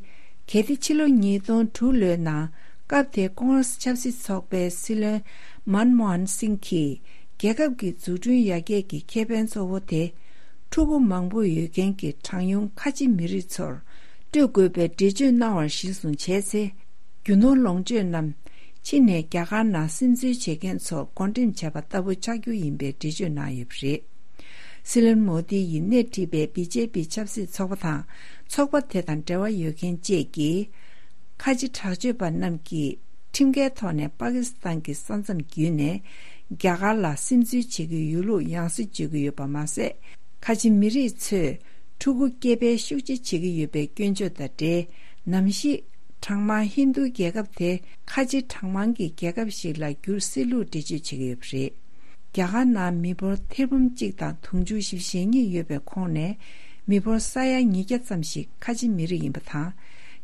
གལ་ཏེ་ཕྱི་ལོ་ཉིས་སྟོང་དྲུག་ལོའི་ནང་སྐབས་དེའི་ཀོང་རེ་སི་ཆབ་སྲིད་ཚོགས་པའི་སྲིད་བློན་མན་མོ་ཧན་སིང་གིས། རྒྱལ་ཁབ་ཀྱི་འཛུགས་སྐྲུན་ཡར་རྒྱས་ཀྱི་ཁེ་ཕན་གཙོ་བོ་དེ། ཕྲུ་གུ་མང་པོ་ཡོད་མཁན་གྱི་གྲངས་ཉུང་ཁ་ཆེ་མི་རིགས་ཚོར་སྤྲོད་དགོས་པའི་འགྲེལ་བརྗོད་གནང་བར་གཞིར་བཟུང་བྱས་ཚེ། རྒྱུ་ནོར་ལོངས་སྤྱོད་རྣམས་ཕྱི་ནས་རྒྱ་གར་ནང་སིམ་འཛུལ་བྱེད་མཁན་ཚོར་བགོ་འགྲེམས་བྱས་པ་ལྟ་བུ་ཆགས་རྒྱུ་ཡིན་པའི་འགྲེལ་བརྗོད་གནང་ཡོད་པ་རེད། སྲིད་བློན་མོ་དི་ཡིས་སྣེ་ཁྲིད་པའི་བི་ཇེ་པི་ཆབ་སྲིད་ཚོགས་པ་དང་ཚོགས་པ་དེ་དང་འབྲེལ་བ་ཡོད་མཁན་བཅས་ཀྱིས། ཁ་ཆེ་དྲག་སྤྱོད་པ་རྣམས་ཀྱིས་ཁྲིམས་འགལ་ཐོག་ནས་པ་ཀི་སི་ཐན་གྱི་ས་མཚམས་བརྒྱུད་ནས་རྒྱ་གར་ལ་སིམ་འཛུལ་བྱེད་ཀྱི་ཡོད་ལུགས་ཡང་སེ་བརྗོད་ཀྱི་ཡོད་པ་མ་ཟད། ཁ་ཆེ་མི་རིགས་ཚོས་ཕྲུ་གུ་སྐྱེ་འཕེལ་ཤུགས་ཆེ་བྱེད་ཀྱི་ཡོད་པའི་སྐྱོན་བརྗོད་དང་འབྲེལ། ནམ་ཞིག་གྲངས་མང་ཧིན་རྡུ་རྒྱལ་ཁབ་དེ་ཁ་ཆེ་གྲངས་མང་གི་རྒྱལ་ཁབ་ཞིག་ལ་འགྱུར་སྲིད་ལུགས་འགྲེལ་བརྗོད་བྱེད་ཀྱི་ཡོད་པ་རེད། རྒྱ་གར་ནང་མི་འབོར་ཐེར་འབུམ་གཅིག་དང་དུང་ཕྱུར་བཞི་བཅུ་ཞེ་གཉིས་ཡོད་པའི་ཁོངས་ནས། མི་འབོར་ས་ཡ་ཉིས་བརྒྱ་ཙམ་ཞིག་ཁ་ཆེ་མི་རིགས་ཡིན་པ་དང་།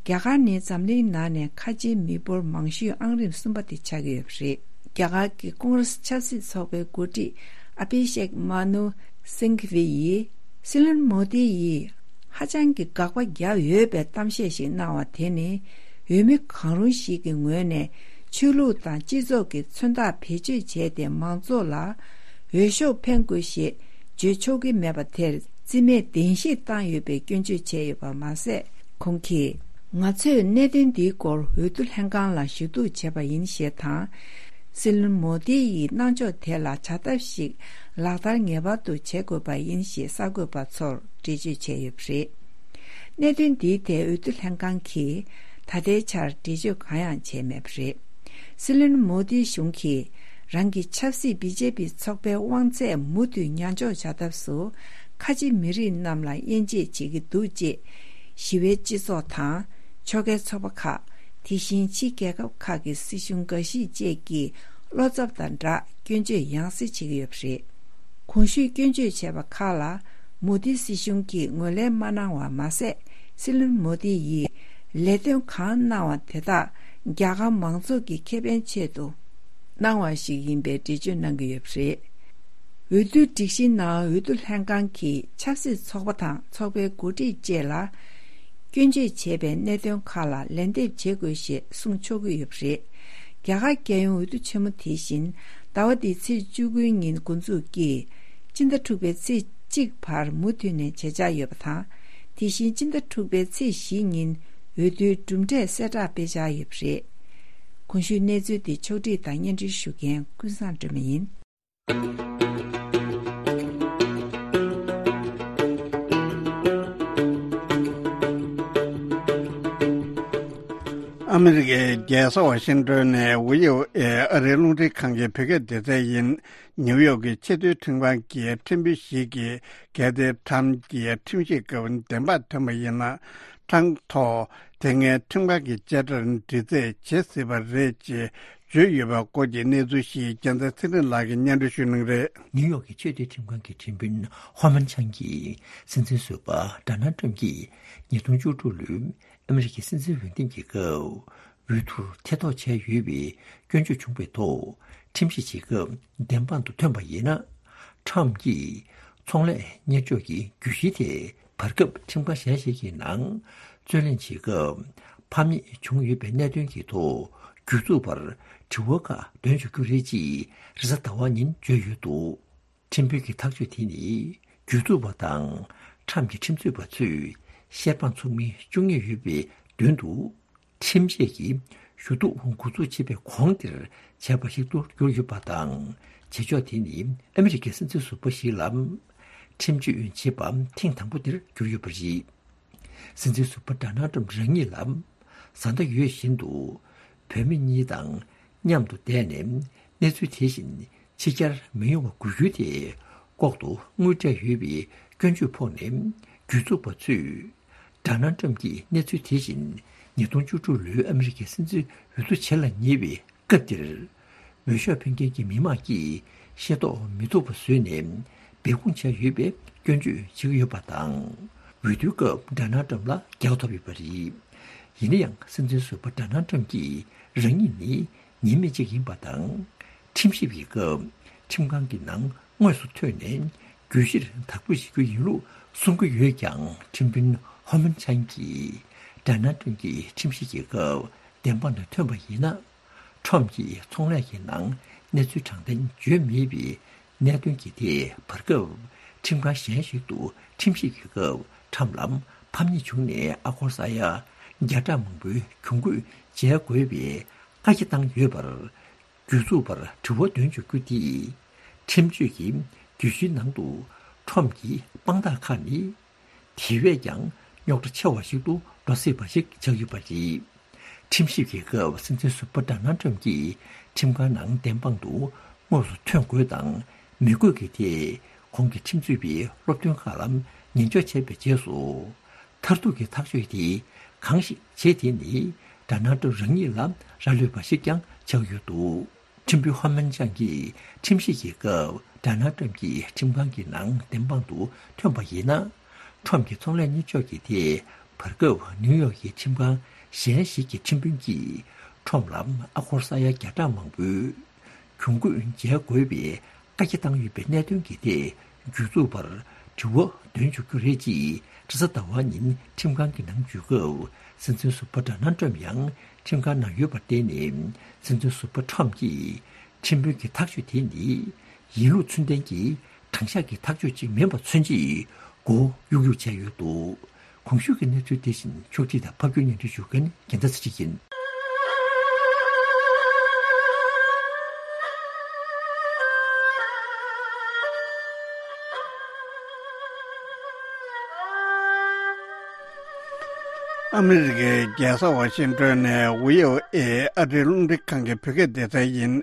རྒྱ་གར་ནི་འཛམ་གླིང་ནང་ནས་ཁ་ཆེའི་མི་འབོར་མང་ཤོས་ཨང་རིམ་གསུམ་པ་དེ་ཆགས་ཀྱི་ཡོད་པ་རེད། རྒྱ་གར་གྱི་ཀོང་རེ་སི་ཆབ་སྲིད་ཚོགས་པའི་འགོ་ཁྲིད་ཨ་བྷི་ཤེག་མ་ནུ་སིང་གྷི་ཝི་ཡིས། སྲིད་བློན་མོ་དི་ཡིས་ཧ་ཅང་གི་དགག་པ་རྒྱག་འོས་པའི་གཏམ་བཤད་ཞིག་གནང་བ་དེ་ནི། འོས་མི་གང་རུང་ཞིག་གི་ངོས་ནས་ཆོས་ལུགས་དང་སྤྱི་ཚོགས་ཀྱི་མཚོན་རྟགས་བེད་སྤྱོད་བྱས་ཏེ་མང་ཚོགས་ལ་འོས་ཤོག་འཕེན་དགོས་ཞེས་བརྗོད་ཆོག་གི་མེད་པ་དེར་རྩིས་མེད་བདེན་བཞི་བཏང་ཡོད་པའི་སྐྱོན་བརྗོད་བྱས་ཡོད་པ་མ་ཟད། ཁོང་གིས། ང་ཚོས་གནད་དོན་འདིའི་སྐོར་འོས་བསྡུ་ལྷན་ཁང་ལ་ཞུ་གཏུག་བྱས་པ་ཡིན་ཞེས་དང་། སྲིད་བློན་མོ་དི་ཡི་གནང་ཕྱོགས་དེ་ལ་བྱ་ཐབས་ཤིག་ལག་བསྟར་ངེས་པར་དུ་བྱེད་དགོས་པ་ཡིན་ཞེས་གསར་འགོད་པ་ཚོར་འགྲེལ་བརྗོད་བྱས་ཡོད་པ་རེད། གནད་དོན་འདིའི་ཐད་འོས་བསྡུ་ལྷན་ཁང་གིས་ད་ལྟའི་ཆར་འགྲེལ་བརྗོད་གང་ཡང་བྱས་མེད་པ་རེད། སྲིད་བློན་མོ་དི་གཞུང་གིས་རང་གི་ཆབ་སྲིད་བི་ཇེ་པི་ཚོགས་པའི་དབང་ཚད་མུ་མཐུད་ཉམས་འཇོག་བྱ་ཐབས་སུ་ཁ་ཆེ་མི་རིགས་རྣམས་ལ་དབྱེ་འབྱེད་བྱེད་ཀྱི་འདུག་ཅེས་ཞི་བའི་སྤྱི་ཚོགས་དང་ཕྱོགས་འགལ་ཚོགས་པ་ཁག་དེ་བཞིན་ཕྱི་རྒྱལ་ཁབ་ཁག་གི་སྲིད་གཞུང་འགའ་ཞིག་བཅས་ཀྱིས་བློ་འཚབ་དང་སྦྲགས་སྐྱོན་བརྗོད་ཡང་སེ་བྱེད་ཀྱི་ཡོད་པ་རེད། གོང་ཞུས་སྐྱོན་བརྗོད་བྱས་པ་ཁག་ལ་མོ་དི་སྲིད་གཞུང་གིས་ངོས་ལེན་མ་གནང་བ་མ་ཟད། སྲིད་བློན་མོ་དི་ཡིས་ལས་དོན་གང་གནང་བ་དེ་དག་ རྒྱ་གར་མང་ཚོགས་ཀྱི་ཁེ་ཕན་ཆེད་དུ་གནང་བ་ཞིག་ཡིན་པའི་འགྲེལ་བརྗོད་གནང་གི་ཡོད་པ་རེད། འོས་བསྡུའི་སྒྲིག་གཞིའི་ནང་འོས་བསྡུ་ལྷན་ཁང་གིས་ཆབ་སྲིད་ཚོགས་པ་དང་ཚོགས་པའི་འགོ་ཁྲིད་བཅས་ལ། སྐྱོན་བརྗོད་བྱས་པའི་གནད་དོན་ཁག་ལ་ལན་འདེབས་བྱེད་དགོས་ཞེས་གསུངས་ཆོག་གི་ཡོད་པ་རེད། རྒྱ་གར་རྒྱལ་ཡོངས་འོས་བསྡུ་ཆེན་མོ་དེ་བཞིན་ཟླ་བ་འདིའི་ཚེས་བཅུ་དགུ་ཉིན་འགོ་འཛུགས་ཀྱིས་སྤྱི་ཟླ་དྲུག་པའི་ཚེས་གཅིག་བར་མུ་མཐུད་ནས་བྱེད་འཆར་ཡོད་པ་དང་། དེ་བཞིན་སྤྱི་ཟླ་དྲུག་པའི་ཚེས་བཞི་ཉིན་འོས་བསྡུའི་གྲུབ་འབྲས་གསལ་བསྒྲགས་སྤེལ་འཆར་ཡོད་པ་རེད། གོང་ཞུས་གནས་ཚུལ་དེ་ཕྱོགས་སྒྲིག་དང་སྙན་སྒྲོན་ཞུ་མཁན་ཀུན་བཟང་སྒྲོལ་མ་ཡིན། ཨ་མི་རི་ཀའི་རྒྱལ་ས་ཝ་ཤིང་ཏོན་ནས་ཝི་ཨོ་ཨེ་ཨ་རིའི་རླུང་འཕྲིན་ཁང་གི་བོད་སྐད་སྡེ་ཚན་ཡིན། ནིའུ་ཡོག་གི་ཆེས་མཐོའི་ཁྲིམས་ཁང་གི་ཁྲིམས་དཔོན་ཞིག་གིས་གལ་ཏེ་ཁྲམ་གྱི་ཁྲིམས་ཞིབ་སྐབས་བདེན་དཔང་ཐོན་པ་ཡིན་ན། ཁྲང་ཐོག་དེ་སྔའི་ཁྲིམས་ཁང་གི་བཅད་ཁྲར་འདྲི་རྩད་བྱེད་སྲིད་པ་རེད་ཅེས་བརྗོད་ཡོད་པའི་སྐོར་གྱི་གནས་ཚུལ་ཞིག་རྒྱལ་མཚན་ཚེ་རིང་ལགས་ཀྱིས་སྙན་སྒྲོན་ཞུ་གནང་གི་རེད། ནིའུ་ཡོག་གི་ཆེས་མཐོའི་ཁྲིམས་ཁང་གི་ཁྲིམས་དཔོན་ཧོ་མན་ཆང་གིས་སྲིད་འཛིན་ཟུར་པ་ཌོ་ནལ་ཊམ་གྱིས་ཉིས་སྟོང་བཅུ་དྲུག་ལོའི་ཨ་མི་རི་ཀའི་སྲིད་འཛིན་འོས་འདེམས་ཀྱི་སྐབས། འོས་བསྡུར་ཐེ་གཏོགས་བྱས་ཡོད་པའི་སྐྱོན་བརྗོད་བྱུང་བའི་ཐོག་ཁྲིམས་ཞིབ་བྱེད་སྐབས་བདེན་དཔང་དུ་ཐོན་པ་ཡིན་ན། ཁྲམ་གྱིས་ཚོང་ལས་གཉེར་ཕྱོགས་ཀྱི་གྱོད་གཞི་དེ་བར་སྐབས་ཁྲིམས་ཁང་གཞན་ཞིག་གི་ནང་རྩོད་གླེང་བྱེད་སྐབས་ཕམ་ཉེས་བྱུང་ཡོད་པའི་གནད་དོན་གྱི་ཐོག་གྱོད་འཛུགས་པར་དྲི་བ་ཁག་འདོན་ཆོག་རྒྱུ་རེད་ཅེས་རེས་གཟའ་ཟླ་བ་ཉིན་བརྗོད་ཡོད་འདུག་ཁྲིམས་དཔོན་གྱི་ཐག་གཅོད་དེ་ནི་གྱོད་འཛུགས་པ་དང་ཁྲམ་གྱི་ཁྲིམས་རྩོད་པ་ཚོས་བཤེར་དཔང་ཚུགས་མིན་བཅུག་ངེས་ཡོད་པའི་དོན་དུ། ཁྲིམས་བཅད་ཀྱི་ཞུ་གཏུག་འགོ་འཛུགས་བྱེད་པའི་གོང་དེར་བྱས་པ་ཞིག་ཏུ་གྱུར་ཡོད་པ་དང་། བྱེད་ཕྱོགས་དེ་ནི་ཨ་མི་རི་ཀའི་སྲིད་འཛིན་ཟུར་པ་ཞིག་ལ་ཁྲིམས་གཅོད་བྱེད་པ་ཐེངས་དང་པོ་དེར་གྱུར་ཡོད་པ་རེད། སྲིད་འཛིན་ཟུར་པ་ཌོ་ནལ་ཊམ་རང་ཉིད་ལ་བཟའ་ཟླ་ཡོད་བཞིན་དུ་བུད་མེད་གཉིས་དང་མཉམ་དུ་བསྡད་ནས་གནས་ཚུལ་དེ་བཞིན་ཕྱི་གྱར་མི་ཡོང་བ་དགོས་རྒྱུ་དེ་ལྐོག་ཏུ་དངུལ་སྤྲད་ཡོད་པའི་སྐྱོན་བརྗོད་ཕོག་ནས་གྱོད་འཛུགས་པ་ཚོས་ཌོ་ནལ་ཊམ་གྱིས་གནས་ཚུལ་དེ་བཞིན་ཉིས་སྟོང་བཅུ་དྲུག་ལོའི་ཨ་མི་རི་ཀའི་སྲིད་འཛིན་འོས་བསྡུ་བྱེད་ལ་ཉེ་བའི་སྐབས་དེར། འོས་ཤོག་འཕེན་མཁན་གྱི་མི་མང་གིས་ཤེས་རྟོགས་མི་ཐུབ་པ་བཟོས་ནས་སྦས་སྐུང་བྱས་ཡོད་པའི་སྐྱོན་བརྗོད་བྱེད་ཀྱི་ཡོད་པ་དང་། འོས་བསྡུའི་སྐབས་ཌོ་ནལ་ཊམ་ལ་རྒྱལ་བ་ཐོབ་ཡོད་པ་རེད། ཡིན་ན་ཡང་སྲིད་འཛིན་ཟུར་པ་ཌོ་ནལ་ཊམ་གྱིས་རང་ཉིད་ནི་ཉེས་མེད་ཅིག་ཡིན་པ་དང་། ཁྲིམས་ཞིབ་ཀྱི་སྐབས་ཁྲིམས་ཁང་གི་ནང་དངོས་སུ་ཐོན་ནས་གྱོད་གཞིར་དག་འབུལ་བྱེད་རྒྱུ་ཡིན་ལུགས་གསུང་གི་ཡོད་ཀྱང་། ཁྲིམས་དཔོན་ཧོ་མན་ཆན་གྱིས་ཌོ་ནལ་ཊམ་གྱི་ཁྲིམས་གཞི་གི་སྐབས་བདེན་དཔང་དུ་ཐོན་པ་ཡིན་ན། ཁྲོམ་གྱི་ཚོང་ལས་ཀྱི་ནང་གནས་ཚུལ་དྲང་བདེན་བརྗོད་མེད་པའི་གནད་དོན་གྱི་ཐད་བར་སྐབས་ཁྲིམས་ཁང་གཞན་ཞིག་ཏུ་ཁྲིམས་ཞིབ་ཀྱི་སྐབས་ཁྲམ་ལ་ཕམ་ཉེས་བྱུང་ནས་ཨ་སྒོར་ས་ཡ་བརྒྱ་ཕྲག་མང་པོའི་གྱོང་གུད་འཇལ་དགོས་པའི་བཀའ་རྒྱ་བཏང་ཡོད་པར། གྱོད་འཛུགས་པར་དྲི་བ་འདོན་ཆོག་རྒྱུ་དེས། ཁྲིམས་གཅོད་ཀྱི་གྱོད་གཞིའི་ནང་དུ་ཁྲོམ་གྱི་དཔང་རྟགས་ཁག་ནི། དེ་བས་ཀྱང་རྙོག་དྲ་ཆེ་བ་ཞིག་ཏུ་འགྲོ་སྲིད་པ་ཞིག་ཆགས་ཡོད་པ་རེད། ཁྲིམས་ཞིབ་ཀྱི་སྐབས་སྲིད་འཛིན་ཟུར་པ་ཌོ་ནལ་ཊམ་གྱིས་ཁྲིམས་ཁང་ནང་བདེན་དཔང་དུ་དངོས་སུ་ཐོན་དགོས་དང་མི་དགོས་ཀྱི་ཐད་གོང་གི་ཁྲིམས་རྩོད་པའི་སློབ་སྟོན་ཁག་ལ་ཉན་འཇོག་བྱས་པའི་རྗེས་སུ། མཐར་ཐུག་གི་ཐག་གཅོད་དེ་གང་ཞིག་བྱེད་དེ་ནི་ཌོ་ནལ་ཊམ་རང་ཉིད་ལ་རག་ལུས་པ་ཞིག་ཀྱང་ཆགས་ཡོད་འདུག་ཁྲིམས་དཔོན་ཧོ་མན་ཅང་གིས་ཁྲིམས་ཞིབ་ཀྱི་སྐབས་ཌོ་ནལ་ཊམ་གྱིས་ཁྲིམས་ཁང་གི་ནང་བདེན་དཔང་དུ་ཐོན་པ་ཡིན་ན། ཁྲོམ་གྱི་ཚོང་ལས་གཉེར་ཕྱོགས་ཀྱི་ཐད་བར་སྐབས་ནིའུ་ཡོག་གི་ཁྲིམས་ཁང་གཞན་ཞིག་གི་ཁྲིམས་དཔོན་གྱིས་ཁྲོམ་ལ་ཨ་སྒོར་ས་ཡ་བརྒྱ་ཕྲག་མང་པོའི་གྱོང་གུད་འཇལ་དགོས་པའི་བཀའ་རྒྱ་བཏང་ཡོད་པའི་གནད་དོན་གྱི་ཐད་གྱོད་འཛུགས་པར་དྲི་བ་འདོན་ཆོག་རྒྱུ་རེད་ཅེས་རེས་གཟའ་ཟླ་བ་ཉིན་ཁྲིམས་ཁང་གི་ནང་འཛུལ་སྐབས་སྲིད་འཛིན་ཟུར་པ་ཌོ་ནལ་ཊམ་ཡང་ཁྲིམས་ཁང་ནང་ཡོད་པར་བརྟེན་ནས། སྲིད་འཛིན་ཟུར་པ་ཊམ་གྱིས་ཁྲིམས་དཔོན་གྱི་ཐག་གཅོད་དེ་ནི་ཡིན་ལུགས་ཚུལ་ལྡན་གྱི་དྲང་གཞག་གི་ཐག་གཅོད་ཅིག་མིན་པ་མཚོན་ཆེད་མགོ་གཡུག་གཡུག་བྱས་ཡོད་འདུག་གོང་ཞུས་ཀྱི་གནས་ཚུལ་དེ་བཞིན་ཕྱོགས་སྒྲིག་དང་ཕབ་སྒྱུར་སྙན་སྒྲོན་ཞུ་མཁན་རྒྱལ་མཚན་ཚེ་རིང་ཡིན། ཨ་མི་རི་ཀའི་རྒྱལ་ས་ཝ་ཤིང་ཏོན་ནས་ཝི་ཨོ་ཨེ་ཨ་རིའི་རླུང་འཕྲིན་ཁང་གི་བོད་སྐད་སྡེ་ཚན་ཡིན།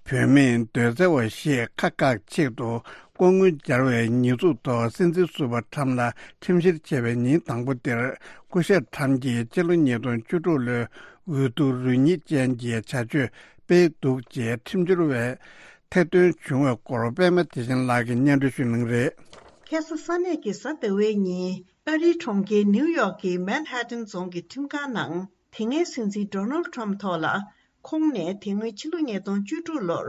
བུད་མེད་འདོད་བརྩེ་བ་ཞིག་ཁ་བཀག་ཆེད་དུ་ལྐོག་དངུལ་སྦྱར་བའི་ཉེས་འཛུགས་ཐོག་སྲིད་འཛིན་ཟུར་པ་ཁྲམ་ལ་ཁྲིམས་བཤེར་བྱས་པའི་ཉིན་དང་པོ་དེར་སྐུ་ཞབས་ཁྲམ་གྱིས་སྤྱི་ལོ་ཉིས་སྟོང་བཅུ་དྲུག་ལོའི་འོས་བསྡུ་རུ་ཉིད་ཅན་གྱི་བྱ་སྤྱོད་སྤེལ་འདུག་ཅེས་ཁྲིམས་སྦྱོར་བས་ཐེར་འདོན་བྱུང་བའི་སྐོར་པད་མ་བདེ་ཆེན་ལགས་ཀྱིས་སྙན་སྒྲོན་ཞུ་གནང་གི་རེད། ཁ་སང་ས་གནས་ཀྱི་གཟའ་ཟླ་བའི་ཉིན་ཨ་རིའི་གྲོང་ཁྱེར་ནིའུ་ཡོག་གི་མན་ཧ་ཏན་རྫོང་གི་ཁྲིམས་ཁང་ནང་། དེ་སྔའི་སྲིད་འཛིན་ཌོ་ནལ་ཁྲམ་ཐོག་ལ། ཁོང་ནས་དེ་སྔོན་ཕྱི་ལོ་ཉིས་སྟོང་བཅུ་དྲུག་ལོར་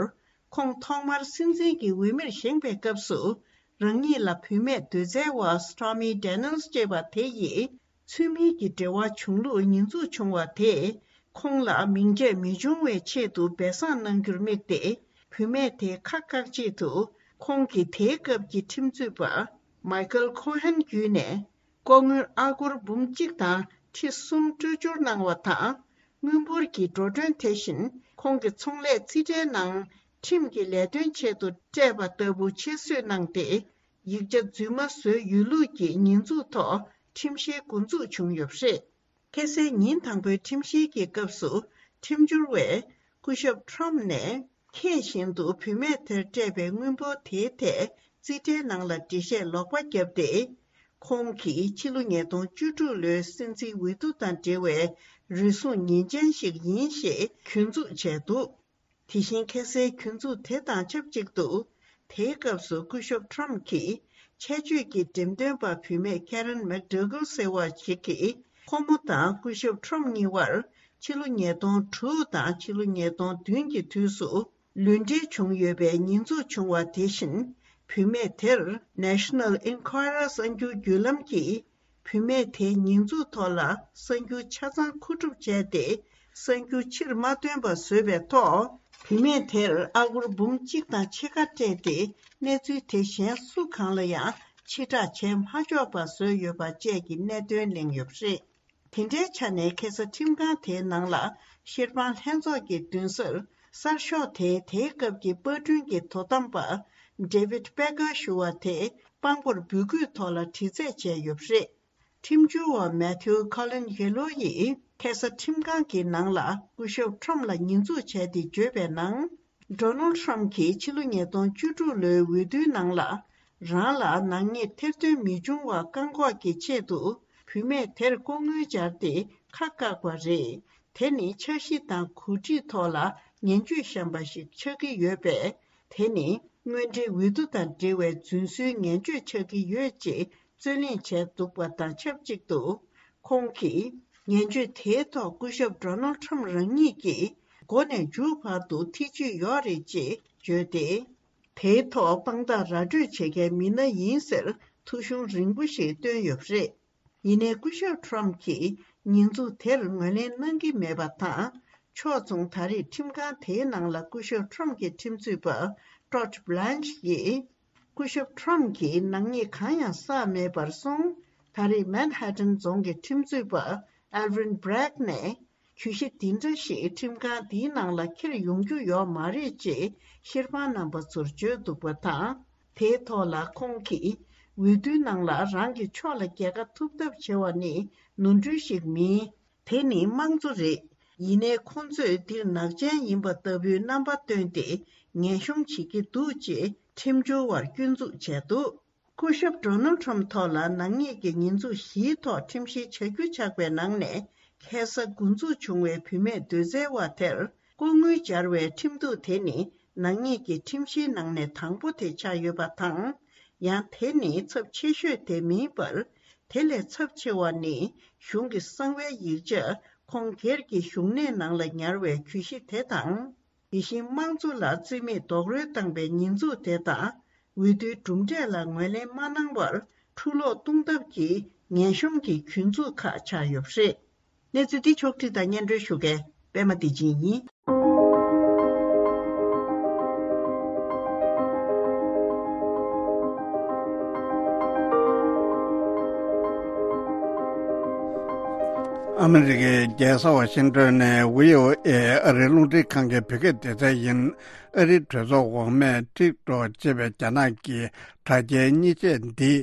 ཁོང་ཐོག་མར་སྲིད་འཛིན་གྱི་འོས་མིར་བཞེངས་པའི་སྐབས་སུ། རང་ཉིད་ལ་བུད་མེད་སྡོད་སའི་བ་སི་ཊོ་མི་ཌེ་ནལ་ཅེས་པ་དེ་ཡིས། ཚུལ་མིན་གྱི་འབྲེལ་བ་བྱུང་ལུགས་ཉེས་འཛུགས་བྱུང་བ་དེས། ཁོང་ལ་མིང་ཆད་མི་འབྱུང་བའི་ཆེད་དུ་སྦས་གསང་གནང་རྒྱུར་དམིགས་ཏེ། བུད་མེད་དེ་ཁ་བཀག་ཆེད་དུ། ཁོང་གིས་དེའི་སྐབས་ཀྱི་ཁྲིམས་རྩོད་པ། མའི་ཀལ་ཁོ་ཧན་བརྒྱུད་ནས། ལྐོག་དངུལ་ཨ་སྒོར་འབུམ་གཅིག་དང་ཁྲི་གསུམ་སྤྲོད་སྦྱོར་གནང་བ་དང་། དངུལ་འབོར་གྱི་འགྲོ་གྲོན་དེ་བཞིན་ཁོང་གི་ཚོང་ལས་རྩིས་ཁྲའི་ནང་ཁྲིམས་ཀྱི་ལས་དོན་ཆེད་དུ་སྤྲད་པ་ལྟ་བུ་ཁྱད་གསོད་གནང་སྟེ། ཡིག་ཆ་རྫུན་མ་བཟོས་ཡོད་ལུགས་ཀྱི་ཉེས་འཛུགས་ཐོག་ཁྲིམས་བཤེར་འགོ་འཛུགས་བྱུང་ཡོད་པ་རེད། ཁ་སང་ཉིན་དང་པོའི་ཁྲིམས་བཤེར་གྱི་སྐབས་སུ་ཁྲིམས་སྦྱོར་བས་སྐུ་ཞབས་ཁྲོམ་ནས་ཁྱེད་བཞིན་དུ་བུད་མེད་དེར་སྤྲད་པའི་དངུལ་འབོར་དེའི་ཐད་རྩིས་ཁྲའི་ནང་ལ་འགྲེལ་བཤད་ལོག་པ་བརྒྱབ་སྟེ། ཁོང་གིས་ཕྱི་ལོ་ཉིས་སྟོང་བཅུ་དྲུག་ལོའི་སྲིད་འཛིན་འོས་བསྡུ་དང་འབྲེལ་བའི་རུལ་སུངས་ཉེས་ཅན་ཞིག་ཡིན་ཞེས་གྱོད་འཛུགས་བྱས་འདུག་དེ་བཞིན་ཁ་སའི་གྱོད་འཛུགས་དེ་དང་ཆབས་ཅིག་ཏུ། དེའི་སྐབས་སུ་སྐུ་ཞབས་ཁྲོམ་གྱིས་ཆད་གཅོད་ཀྱི་འགྲེམས་སྟོན་པ་བུད་མེད་ཀེ་རན་མེག་ཌོ་གལ་ཟེར་བ་ཞིག་གིས། ཁོ་མོ་དང་སྐུ་ཞབས་ཁྲོམ་གཉིས་བར་ཕྱི་ལོ་ཉིས་སྟོང་དྲུག་དང་ཕྱི་ལོ་ཉིས་སྟོང་བདུན་གྱི་དུས་སུ་ལུས་འབྲེལ་བྱུང་ཡོད་པའི་ཉེས་འཛུགས་བྱུང་བ་དེ་བཞིན། བུད་མེད་དེར་National Enquirer གསར་འགྱུར་བརྒྱུད་ལམ་གྱིས། བུད་མེད་དེའི་ཉེས་འཛུགས་ཐོག་ལ་གསར་འགྱུར་ཆ་ཚང་མཁོ་སྒྲུབ་བྱས་ཏེ། གསར་འགྱུར་ཕྱིར་མ་བཏོན་པ་བཟོས་པའི་ཐོག་བུད་མེད་དེར་ཨ་སྒོར་འབུམ་གཅིག་དང་ཕྱེད་ཀ་སྤྲད་དེ། གནས་ཚུལ་དེ་གཞན་སུ་གང་ལ་ཡང་ཕྱིར་བསྒྲགས་བྱས་མ་ཆོག་པ་བཟོས་ཡོད་པ་བཅས་ཀྱི་གནད་དོན་གླེང་ཡོད་པ་རེད། དེ་འདྲའི་ཆ་ནས་ཁ་ས་ཁྲིམས་ཁང་དེའི་ནང་ལ་ཤེར་ཕང་ལྷན་ཚོགས་ཀྱི་མདུན་སར། གསར་ཤོག་དེའི་དེའི་སྐབས་ཀྱི་པར་སྐྲུན་གྱི་དོ་དམ་པ། David Packer ཞུ་བ་དེ་དཔང་པོར་འབོད་སྐུལ་ཐོག་ལ་དྲི་རྩད་བྱས་ཡོད་པ་རེད། ཁྲིམས་བྱོལ་བ་Matthew Colangelo ཡིས་ཁ་ས་ཁྲིམས་ཁང་གི་ནང་ལ་སྐུ་ཞབས་ཁྲོམ་ལ་ཉེས་འཛུགས་བྱས་ཏེ་བརྗོད་པའི་ནང་། Donald Trump གྱིས་ཕྱི་ལོ་ཉིས་སྟོང་བཅུ་དྲུག་ལོའི་འོས་བསྡུའི་ནང་ལ། རང་ལ་ནག་ཉེས་ཐེར་འདོན་མི་འབྱུང་བ་བཀག་འགོག་གི་ཆེད་དུ། བུད་མེད་དེར་ལྐོག་དངུལ་སྦྱར་ཏེ་ཁ་བཀག་པ་རེད། དེ་ནི་འཆར་གཞི་དང་གོ་སྒྲིག་ཐོག་ལ་ངན་ཇུས་བཤམས་པ་ཞིག་ཆགས་ཀྱི་ཡོད་པས། དེ་ནི་དངོས་འབྲེལ་འོས་བསྡུ་དང་འབྲེལ་བའི་རྫུན་བཟོའི་ངན་ཇུས་ཆགས་ཀྱི་ཡོད་ཅེས་རྩོད་གླེང་བྱས་འདུག་པ་དང་ཆབས་ཅིག་ཏུ། ཁོང་གིས་ངན་ཇུས་དེའི་ཐོག་སྐུ་ཞབས་Donald Trump རང་ཉིད་ཀྱིས་མགོ་ནས་མཇུག་བར་དུ་ཐེ་བྱུས་ཡོད་རེད་ཅེས་བརྗོད་དེ། དེའི་ཐོག་དཔང་རྟགས་ར་སྤྲོད་བྱེད་མཁན་མི་སྣ་ཡིན་ཟེར་ཐོ་གཞུང་རིང་པོ་ཞིག་བཏོན་ཡོད་པ་རེད། ཡིན་ནའི་སྐུ་ཞབས་ཁྲོམ་གྱིས་ཉེས་འཛུགས་དེར་ངོས་ལེན་གནང་གི་མེད་པ་དང་། ཕྱོགས་མཚུངས་ད་རེས་ཁྲིམས་ཁང་དེའི་ནང་ལ་སྐུ་ཞབས་ཁྲོམ་གྱི་ཁྲིམས་རྩོད་པ་Todd Blanche ཡིས། སྐུ་ཞབས་ཁྲོམ་གྱིས་ནག་ཉེས་གང་ཡང་བསགས་མེད་པར་སོང་། ད་རེས་Manhattan རྫོང་གི་ཁྲིམས་རྩོད་པ་Alvin Bragg ནས། གྱོད་གཞི་འདི་འདྲ་ཞིག་ཁྲིམས་ཁང་འདིའི་ནང་ལ་འཁྱེར་ཡོང་རྒྱུ་ཡོད་མ་རེད་ཅེས་ཤེར་ཕང་རྣམ་པ་ཚོར་བརྗོད་འདུག་པ་དང་། དེའི་ཐོག་ལ་ཁོང་གིས་འོས་བསྡུའི་ནང་ལ་རང་གི་ཕྱོགས་ལ་རྒྱལ་ཁ་ཐོབ་ཐབས་བྱེད་པ་ནི་ནོར་འཁྲུལ་ཞིག་མིན། དེ་ནི་དམངས་གཙོ་རེད། ཡིན་ནའི་ཁོང་ཚོས་འདིར་ནག་ཅན་ཡིན་པ་ལྟ་བུའི་རྣམ་པ་བཏོན་ཏེ་ངན་གཤོམ་བྱེད་ཀྱི་འདུག་ཅེས་ཁྲིམས་སྦྱོར་བར་སྐྱོན་འཛུགས་བྱས་འདུག་སྐུ་ཞབས་Donald Trump ཐོག་ལ་ནག་ཉེས་ཀྱི་ཉེས་འཛུགས་བཞིའི་ཐོག་ཁྲིམས་བཤེར་བྱ་རྒྱུ་ཆགས་པའི་ནང་ནས་ཁ་ས་འགོ་འཛུགས་བྱུང་བའི་བུད་མེད་སྡོད་སའི་བ་དེར་ལྐོག་དངུལ་སྦྱར་བའི་ཁྲིམས་གཏུག་དེ་ནི་ནག་ཉེས་ཀྱི་ཁྲིམས་བཤེར་ནང་ནས་དང་པོ་དེ་ཆགས་ཡོད་པ་དང་། ཡང་དེ་ནི་ཚབས་ཆེ་ཤོས་དེ་མིན་པར། དེ་ལས་ཚབས་ཆེ་བ་ནི་གཞུང་གི་གསང་བའི་ཡིག་ཆ་ཁོང་སྒེར་གྱི་བཞུགས་གནས་ནང་ལ་ཉར་བའི་གྱོད་གཞི་དེ་དང་། དེ་བཞིན་དམངས་གཙོ་ལ་རྩིས་མེད་རྡོག་རོལ་བཏང་པའི་ཉེས་འཛུགས་དེ་དང་། འོས་བསྡུའི་གྲུབ་འབྲས་ལ་ངོས་ལེན་མ་གནང་བར་འཁྲུ་སློག་གཏོང་ཐབས་ཀྱི་ངན་གཤོམ་གྱི་གྱོད་འཛུགས་ཁག་ཆགས་ཡོད་པ་རེད། གནས་ཚུལ་འདི་ཕྱོགས་བསྒྲིགས་དང་སྙན་སྒྲོན་ཞུ་མཁན་པད་མ་བདེ་ཆེན་ཡིན། ཨ་མི་རི་ཀའི་རྒྱལ་ས་ཝ་ཤིང་ཏོན་ནས་ཝི་ཨོ་ཨེ་ཨ་རིའི་རླུང་འཕྲིན་ཁང་གི་བོད་སྐད་སྡེ་ཚན་ཡིན། ཨ་རིའི་གྲོས་ཚོགས་འོག་མས་ཊིག་ཊོག་ཅེས་པའི་རྒྱ་ནག་གི་དྲ་རྒྱའི་མཉེན་ཆས་འདི་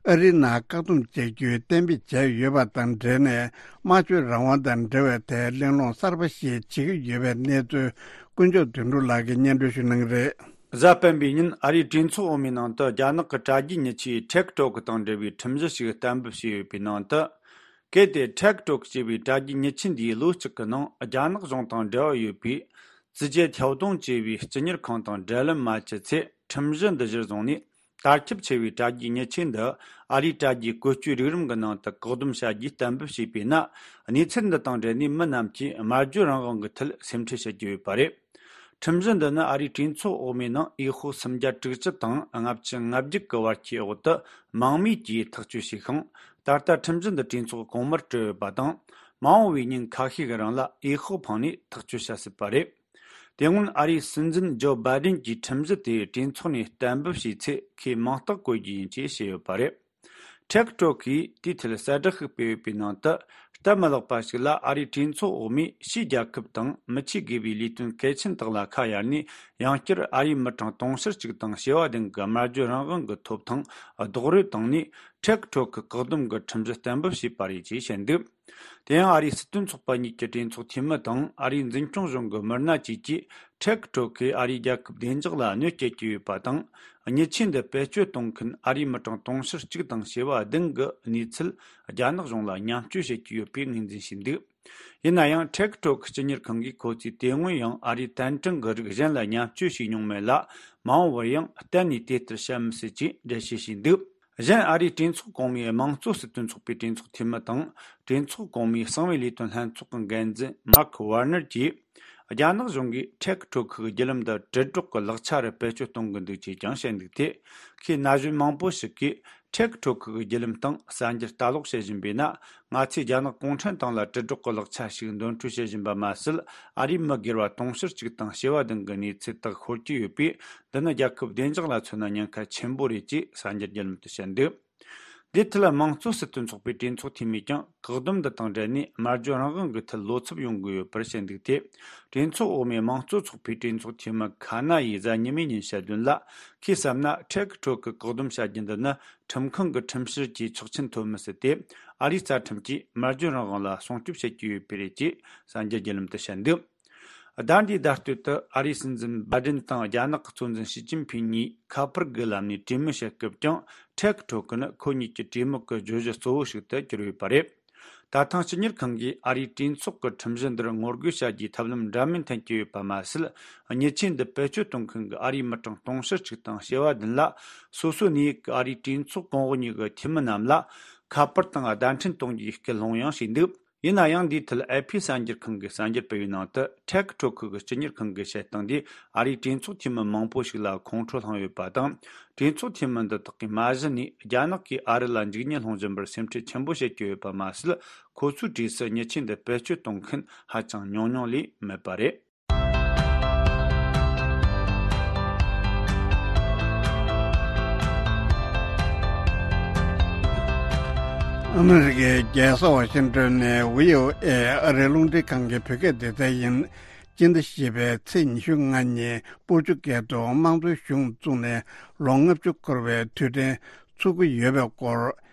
ཨ་རིའི་ནང་བཀག་སྡོམ་བྱ་རྒྱུའི་གཏན་འབེབས་བྱས་ཡོད་པ་དང་འབྲེལ་ནས། སྨྲ་བརྗོད་རང་དབང་དང་འབྲེལ་བའི་ཐད་གླེང་སློང་གསར་པ་ཞིག་བྱེད་ཀྱི་ཡོད་པའི་གནས་ཚུལ་དཀོན་མཆོག་དོན་གྲུབ་ལགས་ཀྱིས་སྙན་སྒྲོན་ཞུ་གནང་གི་རེད། གཟའ་སྤེན་པའི་ཉིན་ཨ་རིའི་གྲོས་ཚོགས་འོག་མའི་ནང་དུ་རྒྱ་ནག་གི་དྲ་རྒྱའི་མཉེན་ཆས་ཊིག་ཊོག་དང་འབྲེལ་བའི་ཁྲིམས་གཞི་ཞིག་གཏན་འབེབས་བྱས་ཡོད་པའི་ནང་དུ། གལ་ཏེ་ཊིག་ཊོག་ཅེས་པའི་དྲ་རྒྱའི་མཉེན་ཆས་འདིས་ལོ་གཅིག་གི་ནང་རྒྱ་ནག་གཞུང་དང་འབྲེལ་བ་ཡོད་པའི་ཙི་ཅེ་ཐའོ་ཏུང་ཅེས་པའི་སྤྱི་གཉེར་ཁང་དང་འབྲེལ་ལམ་མ་བྱས་ཚེ། ཁྲིམས་གཞི་འདི་གཞིར་བཟུང་ནས་ དར་ཁྱབ་ཆེ་བའི་དྲ་རྒྱའི་མྱི་ཆེན་འདི་ཨ་རིའི་དྲ་རྒྱའི་བཀོལ་སྤྱོད་རིགས་རིམ་གྱི་ནང་དུ་བཀག་སྡོམ་བྱ་རྒྱུའི་གཏན་འབེབས་བྱས་པས་ན། གནས་ཚུལ་འདི་དང་འབྲེལ་ནས་མི་རྣམས་ཀྱིས་སྨྲ་བརྗོད་རང་དབང་གི་ཐད་སེམས་ཁྲལ་བྱེད་ཀྱི་ཡོད་པ་རེད། ཁྲིམས་གཞི་འདི་ནི་ཨ་རིའི་གྲོས་ཚོགས་འོག་མའི་ནང་འོས་ཤོག་སུམ་བརྒྱ་དྲུག་ཅུ་དང་ལྔ་བཅུ་ང་བརྒྱད་ཀྱི་བར་གྱི་འོག་ཏུ་མང་མོས་ཀྱིས་ཐག་གཅོད་བྱས་ཤིང་། ད་ལྟ་ཁྲིམས་གཞི་འདི་གྲོས་ཚོགས་གོང་མར་སྤྲད་ཡོད་པ་དང་། མ་འོངས་པའི་ཉིན་ཁ་ཤས་ཀྱི་རིང་ལ་འོས་ཤོག་འཕངས་ནས་ཐག་གཅོད་བྱ་སྲིད་པ་རེད། དེ་སྔོན་ཨ་རིའི་སྲིད་འཛིན་ཇོ་བྷའི་ཌེན་གྱིས་ཁྲིམས་གཞི་དེ་གྲོས་ཚོགས་ནས་གཏན་འབེབས་བྱས་ཚེ་ཁོས་མིང་རྟགས་བཀོད་རྒྱུ་ཡིན་ཅེས་བཤད་ཡོད་པ་རེད། ཊེག་ཊོག་གིས་དེའི་ཐད་གསལ་བསྒྲགས་ཤིག་སྤེལ་ཡོད་པའི་ནང་དུ། སྟབས་མ་ལེགས་པ་ཞིག་ལ་ཨ་རིའི་གྲོས་ཚོགས་འོག་མས་ཕྱིའི་རྒྱལ་ཁབ་དང་མི་ཆོས་དགེ་བའི་ལས་དོན་གལ་ཆེན་དག་ལ་ཁ་གཡར་ནས། ཡང་བསྐྱར་ཨ་རིའི་མི་གྲངས་དུང་ཕྱུར་གཅིག་དང་བྱེ་བ་བདུན་གྱི་སྨྲ་བརྗོད་རང་དབང་གི་ཐོབ་ཐང་རྡོག་རོལ་བཏང་ནས། ཊེག་ཊོག་གི་བཀག་སྡོམ་གྱི་ཁྲིམས་གཞི་གཏན་འབེབས་བྱས་པ་རེད་ཅེས་བཤད་འདུག་དེ་ཡང་ཨ་རིའི་སྲིད་དོན་ཚོགས་པ་གཉིས་ཀྱི་གྲོས་ཚོགས་འཐུས་མི་དང་ཨ་རིའི་འཛིན་སྐྱོང་གཞུང་གི་མི་སྣ་བཅས་ཀྱིས་ཊེག་ཊོག་གིས་ཨ་རིའི་རྒྱལ་ཁབ་བདེ་འཇགས་ལ་གནོད་སྐྱེལ་གྱི་ཡོད་པ་དང་། མྱི་ཆེན་འདི་བེད་སྤྱོད་གཏོང་མཁན་ཨ་རིའི་མི་གྲངས་དུང་ཕྱུར་གཅིག་དང་བྱེ་བ་བདུན་གྱི་གནས་ཚུལ་རྒྱ་ནག་གཞུང་ལ་མཉམ་སྤྱོད་བྱེད་ཀྱི་ཡོད་པའི་ངོས་འཛིན་བྱས་འདུག་ཡིན་ན་ཡང་། ཊེག་ཊོག་གི་སྤྱི་གཉེར་ཁང་གིས་ཁོ་ཚོས་དེ་སྔོན་ཡང་ཨ་རིའི་བསྟན་དྲུང་གི་རིགས་གཞན་ལ་མཉམ་སྤྱོད་བྱས་མྱོང་མེད་ལ། མ་འོངས་པར་ཡང་གཏན་ནས་དེ་ལྟར་བྱེད་མི་སྲིད་ཅེས་འགྲེལ་བཤད་བྱས་འདུག་གཞན། ཨ་རིའི་གྲོས་ཚོགས་གོང་མའི་དམངས་གཙོ་སྲིད་དོན་ཚོགས་པའི་གྲོས་ཚོགས་འཐུས་མི་དང་། གྲོས་ཚོགས་གོང་མའི་གསང་བའི་ལས་དོན་ལྷན་ཚོགས་ཀྱི་འགན་འཛིན་མཱརྐ་ཝར་ནར་གྱིས། རྒྱ་ནག་གཞུང་གིས་ཊེག་ཊོག་གི་བརྒྱུད་ལམ་འདི་དྲིལ་སྒྲོག་གི་ལག་ཆ་རུ་བེད་སྤྱོད་གཏོང་གི་འདུག་ཅེས་ཀྱང་བཤད་འདུག་སྟེ། ཁོས་ན་གཞོན་མང་པོ་ཞིག་གིས་ཊེག་ཊོག་གི་བརྒྱུད་ལམ་སྟེང་གསར་འགྱུར་ལྟ་ཀློག་བྱེད་བཞིན་པས་ན། ང་ཚོས་རྒྱ་ནག་གུང་ཁྲན་ཏང་ལ་དྲིལ་སྒྲོག་གི་ལག་ཆ་ཞིག་འདོན་སྤྲོད་བྱེད་བཞིན་པ་མ་ཟད། ཨ་རིའི་མི་སྒེར་བ་དུང་ཕྱུར་གཅིག་དང་བྱེ་བ་བདུན་གྱི་གནས་ཚུལ་དག་ཤོར་གྱི་ཡོད་པས། འདི་ནི་རྒྱལ་ཁབ་བདེ་འཇགས་ལ་མཚོན་ན་ཉེན་ཁ་ཆེན་པོ་རེད་ཅེས་གསར་འགྱུར་བརྒྱུད་ལམ་དུ་བཤད་འདུག་འདིའི་ཐད་དམངས་གཙོ་སྲིད་དོན་ཚོགས་པའི་གྲོས་ཚོགས་འཐུས་མིས་ཀྱང་བཀག་སྡོམ་འདི་དང་འབྲེལ་ནས་སྨྲ་བརྗོད་རང་དབང་གི་ཐད་བློ་འཚབ་ཡོང་གི་ཡོད་པར་བཤད་འདུག་སྟེ། གྲོས་ཚོགས་འོག་མའི་དམངས་གཙོ་ཚོགས་པའི་གྲོས་ཚོགས་འཐུས་མི་ཁ་ན་ཡིས་གཟའ་ཉི་མའི་ཉིན་བཤད་དོན་ལ། ཁོས་བསམ་ན་ཊེག་ཊོག་གི་བཀག་སྡོམ་བྱ་རྒྱུ་འདི་ནི་ཁྲིམས་ཁང་གི་ཁྲིམས་བཤེར་གྱི་ཆོག་མཆན་ཐོབ་མི་སྲིད་དེ། ཨ་རིའི་རྩ་ཁྲིམས་ཀྱིས་སྨྲ་བརྗོད་རང་དབང་ལ་སྲུང་སྐྱོབ་བྱེད་ཀྱི་ཡོད་པས་རེད་ཅེས་གསར་འགྱུར་བརྒྱུད་ལམ་དུ་བཤད་འདུག་ཟླ་འདིའི་ཟླ་སྟོད་དུ་ཨ་རིའི་སྲིད་འཛིན་བྷའི་ཌེན་དང་རྒྱ་ནག་གི་གཙོ་འཛིན་ཞི་ཅིན་ཕིན་གཉིས་ཁ་པར་གྱི་ལམ་ནས་གྲོས་མོལ་བྱེད་སྐབས་ཀྱང་། ཊེག་ཊོག་གི་ནི་ཁོ་གཉིས་ཀྱི་གྲོས་མོལ་གྱི་བརྗོད་གཞི་གཙོ་བོ་ཞིག་ཏུ་གྱུར་ཡོད་པ་རེད། ད་ཐེངས་སྤྱི་གཉེར་ཁང་གིས་ཨ་རིའི་གྲོས་ཚོགས་ཀྱི་ཁྲིམས་གཞི་འདིར་ངོ་རྒོལ་བྱ་རྒྱུའི་ཐབས་ལམ་འདྲ་མིན་འཐེན་གྱི་ཡོད་པ་མ་ཟད། མྱི་ཆེན་འདི་བེད་སྤྱོད་གཏོང་མཁན་གྱི་ཨ་རིའི་མི་གྲངས་དུང་ཕྱུར་གཅིག་དང་བྱེ་བ་བདུན་ལ། སོ་སོའི་གནས་ཡུལ་གྱི་ཨ་རིའི་གྲོས་ཚོགས་གོང་འོག་གཉིས་ཀྱི་འཐུས་མི་རྣམས་ལ་ཁ་པར་དང་བརྡ་འཕྲིན་གཏོང་རྒྱུའི་སྐུལ་སློང་ཡང་བྱས་འདུག་ཡིན་ན་ཡང་། འདིའི་ཐད་ཨེ་ཕི་གསར་འགྱུར་ཁང་གིས་གསར་འགྱུར་སྤེལ་བའི་ནང་དུ། ཊེག་ཊོག་ཁུལ་གྱི་སྤྱི་གཉེར་ཁང་གི་བཤད་སྟངས་འདིས་ཨ་རིའི་གྲོས་ཚོགས་འཐུས་མི་མང་པོ་ཞིག་ལ་ཁོང་ཁྲོ་བསླངས་ཡོད་པ་དང་། གྲོས་ཚོགས་འཐུས་མི་འདི་དག་གིས་མ་གཞི་ནས་རྒྱ་ནག་གིས་ཨ་རི་ལ་འཇིགས་ཉེན་སློང་བཞིན་པར་སེམས་ཁྲལ་ཆེན་པོ་བྱེད་ཀྱི་ཡོད་པ་མ་ཟད། ཁོ་ཚོའི་གྲས་སུ་མྱི་ཆེན་འདི་བེད་སྤྱོད་གཏོང་མཁན་ཧ་ཅང་ཉུང་ཉུང་ལས་མེད་པ་རེད། ཨ་མི་རི་ཀའི་རྒྱལ་ས་ཝ་ཤིང་ཏོན་ནས་བྷི་ཨོ་ཨེ་ཨ་རིའི་རླུང་འཕྲིན་ཁང་གི་བོད་སྐད་སྡེ་ཚན་ཡིན། སྤྱི་ཟླ་བཞི་པའི་ཚེས་ཉི་ཤུ་ལྔ་ཉིན་སྤོ་ཆུ་སྒེར་དུ་དམངས་གཙོའི་གཞུང་བཙུགས་ནས་ལོ་ལྔ་བཅུ་འཁོར་བའི་དུས་དྲན་ཚུགས་ཀྱི་ཡོད་པའི་སྐོར།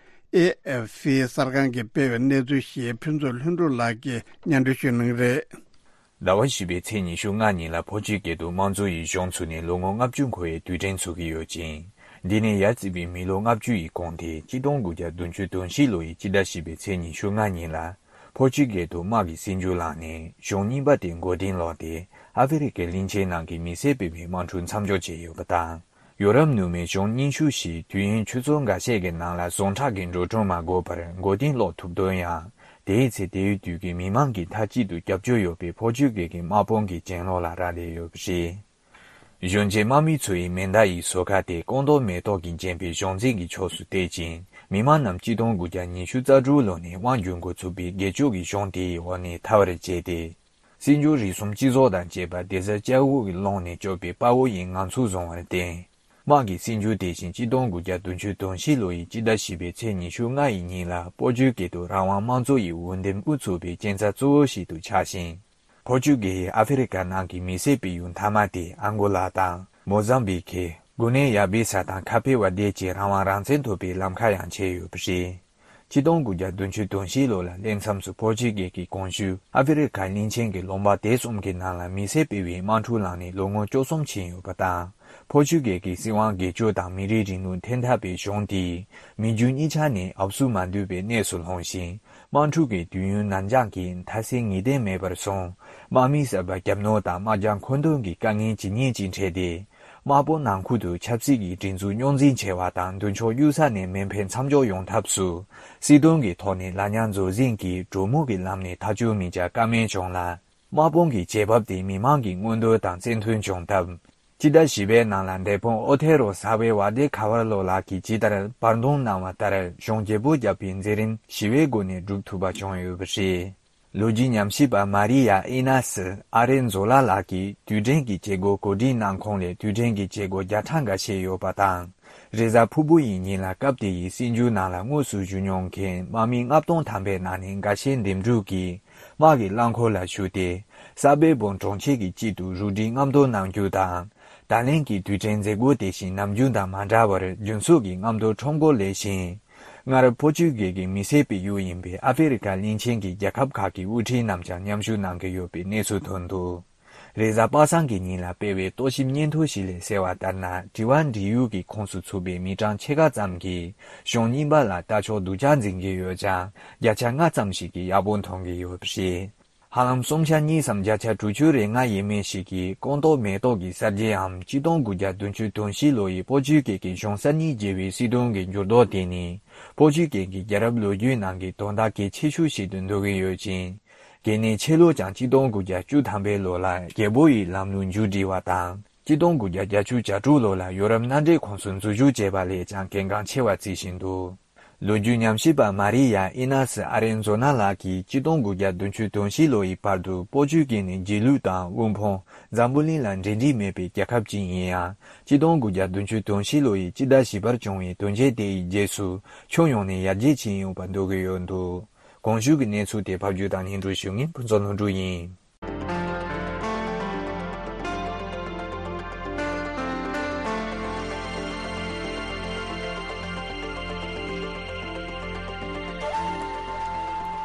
ཨེ་ཨེཕ་སི་གསར་ཁང་གིས་སྤེལ་བའི་གནས་ཚུལ་ཞིག་ཕུན་ཚོགས་ལྷུན་གྲུབ་ལགས་ཀྱིས་སྙན་སྒྲོན་ཞུ་གནང་གི་རེད། ཟླ་བ་བཞི་པའི་ཚེས་ཉི་ཤུ་ལྔ་ཉིན་ལ་ཕོ་ཆུ་སྒེར་དུ་དམངས་གཙོ་ཡི་གཞུང་ཚུགས་ནས་ལོ་ངོ་ལྔ་བཅུ་འཁོར་བའི་དུས་དྲན་ཚུགས་ཀྱི་ཡོད་ཅིང་། འདི་ནས་ཡར་བརྩིས་པའི་མི་ལོ་ལྔ་བཅུ་ཡི་གོང་དེ་ཆིག་སྟོང་དགུ་བརྒྱ་བདུན་ཅུ་དོན་བཞི་ལོ་ཡི་སྤྱི་ཟླ་བཞི་པའི་ཚེས་ཉི་ཤུ་ལྔ་ཉིན་ལ། ཕོ་ཆུ་སྒེར་དུ་དམག་གིས་སྲིད་འགྱུར་བླངས་ནས་གཞུང་རྙིང་པ་དེ་མགོ་རྟིང་སློག་སྟེ། ཨ་ཧྥེ་རི་ཁའི་གླིང་ཆེན་ནང་གི་མི་སེར་སྤེལ་བའི་དམག་འཁྲུག་མཚམས་འཇོག་བྱས་ཡོད་པ་དང་། ཡོ་རོབ་ནུབ་མའི་གཞུང་རྙིང་ཤོས་ཤིག་དུས་ཡུན་ཆུ་ཚོད་འགའ་ཤས་ཀྱི་ནང་ལ་ཟུངས་ཁྲག་གི་འགྲོ་གྲོན་མ་དགོས་པར་མགོ་རྟིང་སློག་ཐུབ་དོན་ཡང་། དེའི་ཚེ་དེའི་དུས་ཀྱི་མི་མང་གིས་མཐའ་གཅིག་ཏུ་སྐྱབས་བཅོལ་ཡོད་པའི་ཕོ་ཆུ་སྒེར་གྱི་དམག་དཔུང་གི་གྱེན་ལོག་ལ་རག་ལས་ཡོད་པ་རེད། གཞོན་སྐྱེས་དམག་མི་ཚོ་ཡི་མེ་མདའ་ཡི་ཟོར་ཁ་དེ་ཀོང་རྡོག་མེ་ཏོག་གིས་བརྒྱན་པའི་གཞུང་འཛིན་གྱི་ཕྱོགས་སུ་གཏད་ཅིང་། མི་མང་རྣམས་ཆིག་སྟོང་དགུ་བརྒྱ་ཉི་ཤུ་རྩ་དྲུག་ལོ་ནས་དབང་སྒྱུར་འགོ་ཚུགས་པའི་སྒེར་གཅོད་ཀྱི་གཞུང་དེའི་འོག་ནས་ཐར་བར་བྱས་ཏེ། སྲིད་འགྱུར་རིགས་གསུམ་སྤྱི་ཚོགས་དང་བཅས་པ་སྡེ་གཟར་བཅུ་དགུ་གི་ཀློང་ནས་སྐྱོབ་པའི་དཔའ་བོ་ཡི་ངང་ཚུལ་བཟུང་བར་བརྟེན། དམག་གིས་སྲིད་འགྱུར་དེ་བཞིན་ཆིག་སྟོང་དགུ་བརྒྱ་བདུན་ཅུ་དོན་བཞི་ལོ་ཡི་སྤྱི་ཟླ་བཞི་པའི་ཚེས་ཉི་ཤུ་ལྔ་ཡི་ཉིན་ལ་ཕོ་ཆུ་སྐད་དུ་རང་དབང་དམངས་གཙོ་ཡི་འོས་འདེམས་དབུ་ཚུགས་པའི་རྐྱེན་རྩ་གཙོ་བོ་ཞིག་ཏུ་ཆགས་ཤིང་། ཕོ་ཆུ་སྐད་ཡིག་ཨ་ཧྥེ་རི་ཁ་ནང་གི་མི་སེར་སྤེལ་ཡུལ་མཐའ་མ་དེ་ཨང་གོ་ལ་དང་མོ་ཟམ་བི་ཁེ། གུ་ནེ་ཡ་བི་ས་དང་ཁ་ཕེ་བ་དེ་བཅས་རང་དབང་རང་བཙན་ཐོབ་པའི་ལམ་ཁ་ཡང་ཕྱེ་ཡོད་པ་རེད། ཆིག་སྟོང་དགུ་བརྒྱ་བདུན་ཅུ་དོན་བཞི་ལོ་ལ་སླེབས་མཚམས་སུ་ཕོ་ཆུ་སྐད་ཀྱི་གོང་ཞུས་ཨ་ཧྥེ་རི་ཁ་གླིང་ཆེན་གྱི་ལུང་པ་དེ་གསུམ་གྱི་ནང་ལ་མི་སེར་སྤེལ་བའི་དམག་འཁྲུག་ལངས་ནས་ལོ་ངོ་བཅུ་གསུམ་ཕྱིན་ཡོད་པ་དང་། ཕོ་ཆུ་སྐད་ཀྱི་སྲིད་དབང་སྒེར་གཅོད་དང་མི་རིགས་རིང་ལུགས་འཐེན་ཐབས་པའི་གཞུང་དེས་མི་རྒྱུ་གཉིས་ཆ་ནས་ཨབ་སུ་མ་འདུས་པའི་གནས་སུ་ལྷུང་ཞིང་། དམག་འཁྲུག་གི་དུས་ཡུན་ནར་འགྱངས་ཀྱིས་མཐའ་གསལ་ངེས་གཏན་མེད་པར་སོང་། དམག་མི་གསར་པ་རྒྱབ་ནོར་དང་དམག་རྒྱག་མཁོ་འདོན་གྱི་དཀའ་ངལ་ཇི་སྙེད་ཅིག་འཕྲད་དེ། དམག་དཔུང་ནང་ཁུལ་དུ་ཆབ་སྲིད་ཀྱི་སྒྲིག་འཛུགས་རྙོག་འཛིང་ཆེ་བ་དང་མདུན་ཕྱོགས་གཡུལ་ས་ནས་མེ་འཕེན་མཚམས་འཇོག་ཡོང་ཐབས་སུ། སྲིད་དོན་གྱི་ཐོག་ནས་ལ་ཉག་འཛུགས་ཟིན་གྱིས་གྲོས་མོལ་གྱི་ལམ་ནས་ཐག་གཅོད་མི་བྱ་ཀ་མེད་བྱུང་ལ། དམག་དཔུང་གི་བྱེད་བབ་དེ་མི་མང་གི་མངོན་འདོད་དང་བརྩི་མཐུན་བྱུང་སྟབས། སྤྱི་ཟླ་བཞི་པའི་ནང་ལ་འདས་པོ་ཨོ་ཐེ་རོ་ས་བའི་ཝ་ཏེ་ཁ་བར་ལོ་ལགས་ཀྱིས་ཇི་ལྟར་བར་འདུམ་གནང་བ་ལྟར་གཞུང་བརྗེ་པོ་བརྒྱབ་པའི་མཛད་རིམ་ཞི་བའི་སྒོ་ནས་སྒྲུབ་ཐུབ་པ་བྱུང་ཡོད་པ་རེད། ལོ་རྒྱུས་ཉམས་ཞིབ་པ་མ་རི་ཡ་ཨི་ན་སི་ཨ་རེན་ཛོ་ལ་ལགས་ཀྱིས་དུས་དྲན་གྱི་བྱེད་སྒོ་གོ་སྒྲིག་གནང་ཁོངས་ལས་དུས་དྲན་གྱི་བྱེད་སྒོ་བརྒྱ་ཕྲག་འགའ་ཤས་ཡོད་པ་དང་། རེས་གཟའ་ཕུར་བུ་ཡི་ཉིན་ལ་སྐབས་དེ་ཡི་སྲིད་འགྱུར་ནང་ལ་དངོས་སུ་ཞུགས་མྱོང་མཁན་དམག་མི་ལྔ་སྟོང་ཐམ་པའི་ནང་ནས་འགའ་ཤས་འདེམས་སྒྲུག་གིས་དམག་གི་རླངས་འཁོར་ལ་ཞུགས་ཏེ། ས་བེ་བོན་གྲོང་ཁྱེར་གྱི་དཀྱིལ་དུ་རུ་སྒྲིག་རྔམ་སྟོན་གནང་རྒྱུ་དང་། ད་ལན་གྱི་དུས་དྲན་མཛད་སྒོ་དེ་བཞིན་ནམ་རྒྱུན་དང་མ་འདྲ་བར་རྒྱུན་ཚོགས་ཀྱི་རྔམ་སྟོན་ཁྲོམ་སྐོར་ལས་ཤིང་། སྔར་ཕོ་ཆུ་གེ་གི་མི་སེར་སྤེལ་ཡུལ་ཡིན་པའི་ཨ་ཧྥེ་རི་ཁ་གླིང་ཆེན་གྱི་རྒྱལ་ཁབ་ཁག་གི་དབུ་ཁྲིད་རྣམས་ཀྱང་མཉམ་ཞུགས་གནང་གི་ཡོད་པའི་གནས་ཚུལ་ཐོན་འདུག་རེས་གཟའ་པ་སངས་ཀྱི་ཉིན་ལ་སྤེལ་བའི་རྟོག་ཞིབ་སྙན་ཐོ་ཞིག་ལས་གསལ་བ་ལྟར་ན། དྲི་བ་འདྲི་ཡུལ་གྱི་ཁོངས་སུ་ཚུད་པའི་མི་གྲངས་ཕྱེད་ཀ་ཙམ་གྱིས་གཞུང་རྙིང་པ་ལ་ལྟ་ཕྱོགས་སྡུག་ཅག་འཛིན་གྱི་ཡོད་ཀྱང་། བརྒྱ་ཆ་ལྔ་ཙམ་ཞིག་གིས་ཡག་པོ་མཐོང་གི་ཡོད་པ་རེད། ཧ་ལམ་སུམ་ཆ་གཉིས་སམ་བརྒྱ་ཆ་དྲུག་ཅུ་རེ་ལྔ་ཡས་མས་ཤིག་གིས་ཀོང་ཏོག་མེ་ཏོག་གི་གསར་བརྗེའམ་གཅིག་སྟོང་དགུ་བརྒྱ་བདུན་ཅུ་དོན་བཞི་ལོ་ཡི་ཕོ་ཆུ་གེ་གི་གཞུང་གསར་རྙིང་བརྗེ་བའི་སྲིད་དོན་གྱི་འགྱུར་ལྡོག་དེ་ནི། ཕོ་ཆུ་གེ་གི་རྒྱལ་རབས་ལོ་རྒྱུས་ནང་གི་དོན་དག་གལ་ཆེ་ཤོས་ཤིག་ཏུ་འདོད་ཀྱི་ཡོད་ཅིང་། གལ་ནི་ཆེ་ལོ་ཀྱང་གཅིག་སྟོང་དགུ་བརྒྱ་བཅུ་ཐམ་པའི་ལོ་ལ་རྒྱལ་པོ་ཡི་ལམ་ལུགས་མཇུག་སྒྲིལ་བ་དང་། གཅིག་སྟོང་དགུ་བརྒྱ་བརྒྱད་ཅུ་གྱ་དྲུག་ལོ་ལ་ཡོ་རོབ་མནའ་འབྲེལ་ཁོངས་སུ་འཛུལ་ཞུགས་བྱས་པ་ལས་ཀྱང་གལ་འགངས་ཆེ་བར་བརྩི་བཞིན་འདུག་ལོ་རྒྱུས་ཉམས་ཞིབ་པ་མ་རི་ཡ་ཨི་ན་སི་ཨ་རེན་ཛོ་ན་ལགས་ཀྱིས་གཅིག་སྟོང་དགུ་བརྒྱ་བདུན་ཅུ་དོན་བཞི་ལོ་ཡི་བར་དུ་ཕོ་ཆུ་གེ་ནི་རྗེས་ལུས་དང་དབུལ་ཕོངས། འཛམ་བུ་གླིང་ལ་འབྲེལ་འདྲིས་མེད་པའི་རྒྱལ་ཁབ་ཅིག་ཡིན་ཡང་། གཅིག་སྟོང་དགུ་བརྒྱ་བདུན་ཅུ་དོན་བཞི་ལོ་ཡི་སྤྱི་ཟླ་བཞི་པར་བྱུང་བའི་དོན་རྐྱེན་དེ་ཡི་རྗེས་སུ་ཕྱོགས་ཡོངས་ནས་ཡར་རྒྱས་ཕྱིན་ཡོད་པ་འདོད་ཀྱི་ཡོད་འདུག་གོང་ཞུས་ཀྱི་གནས་ཚུལ་དེ་ཕབ་སྒྱུར་དང་སྙན་སྒྲོན་ཞུ་མཁན་ཕུན་ཚོགས་ལྷུན་གྲུབ་ཡིན།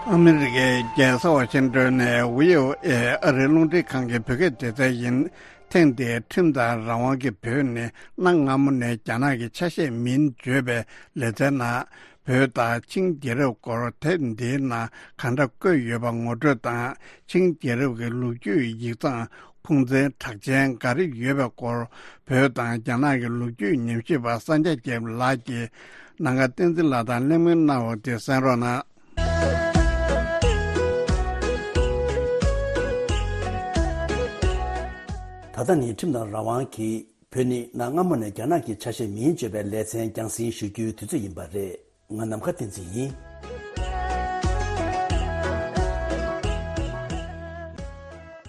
ཨ་མི་རི་ཀའི་རྒྱལ་ས་ཝ་ཤིང་ཏོན་ནས་ཝི་ཨོ་ཨེ་ཨ་རིའི་རླུང་འཕྲིན་ཁང་གི་བོད་སྐད་སྡེ་ཚན་ཡིན། ཐེངས་འདིའི་ཁྲིམས་དང་རང་དབང་གི་བོད་ནི་གནའ་སྔ་མོ་ནས་རྒྱ་ནག་གི་ཆ་ཤས་མིན་བརྗོད་པའི་ལེ་ཚན་ནང་བོད་དང་ཆིང་རྒྱལ་རབས་སྐོར་དེབ་འདིའི་ནང་གང་འདྲ་བཀོད་ཡོད་པ་ངོ་སྤྲོད་དང་། ཆིང་རྒྱལ་རབས་ཀྱི་ལོ་རྒྱུས་ཡིག་ཚང་ཁུངས་བཙན་གྲགས་ཅན་ག་རེ་ཡོད་པའི་སྐོར། བོད་དང་རྒྱ་ནག་གི་ལོ་རྒྱུས་ཉམས་ཞིབ་པ་སངས་རྒྱས་རྒྱལ་ལགས་ཀྱིས་ནམ་མཁའ་བསྟན་འཛིན་ལགས་དང་གླེང་མོལ་གནང་བ་དེ་གསན་རོགས་གནང་། ད་ལྟ་ནི་ཁྲིམས་དང་རང་དབང་གིས་བོད་ནི་གནའ་སྔ་མོ་ནས་རྒྱ་ནག་གི་ཆ་ཤས་མིན་བརྗོད་པའི་ལེ་ཚན་རྒྱང་སྲིང་ཞུ་རྒྱུའི་དུས་ཚོད་ཡིན་པ་རེད། ང་ནམ་མཁའ་བསྟན་འཛིན་ཡིན།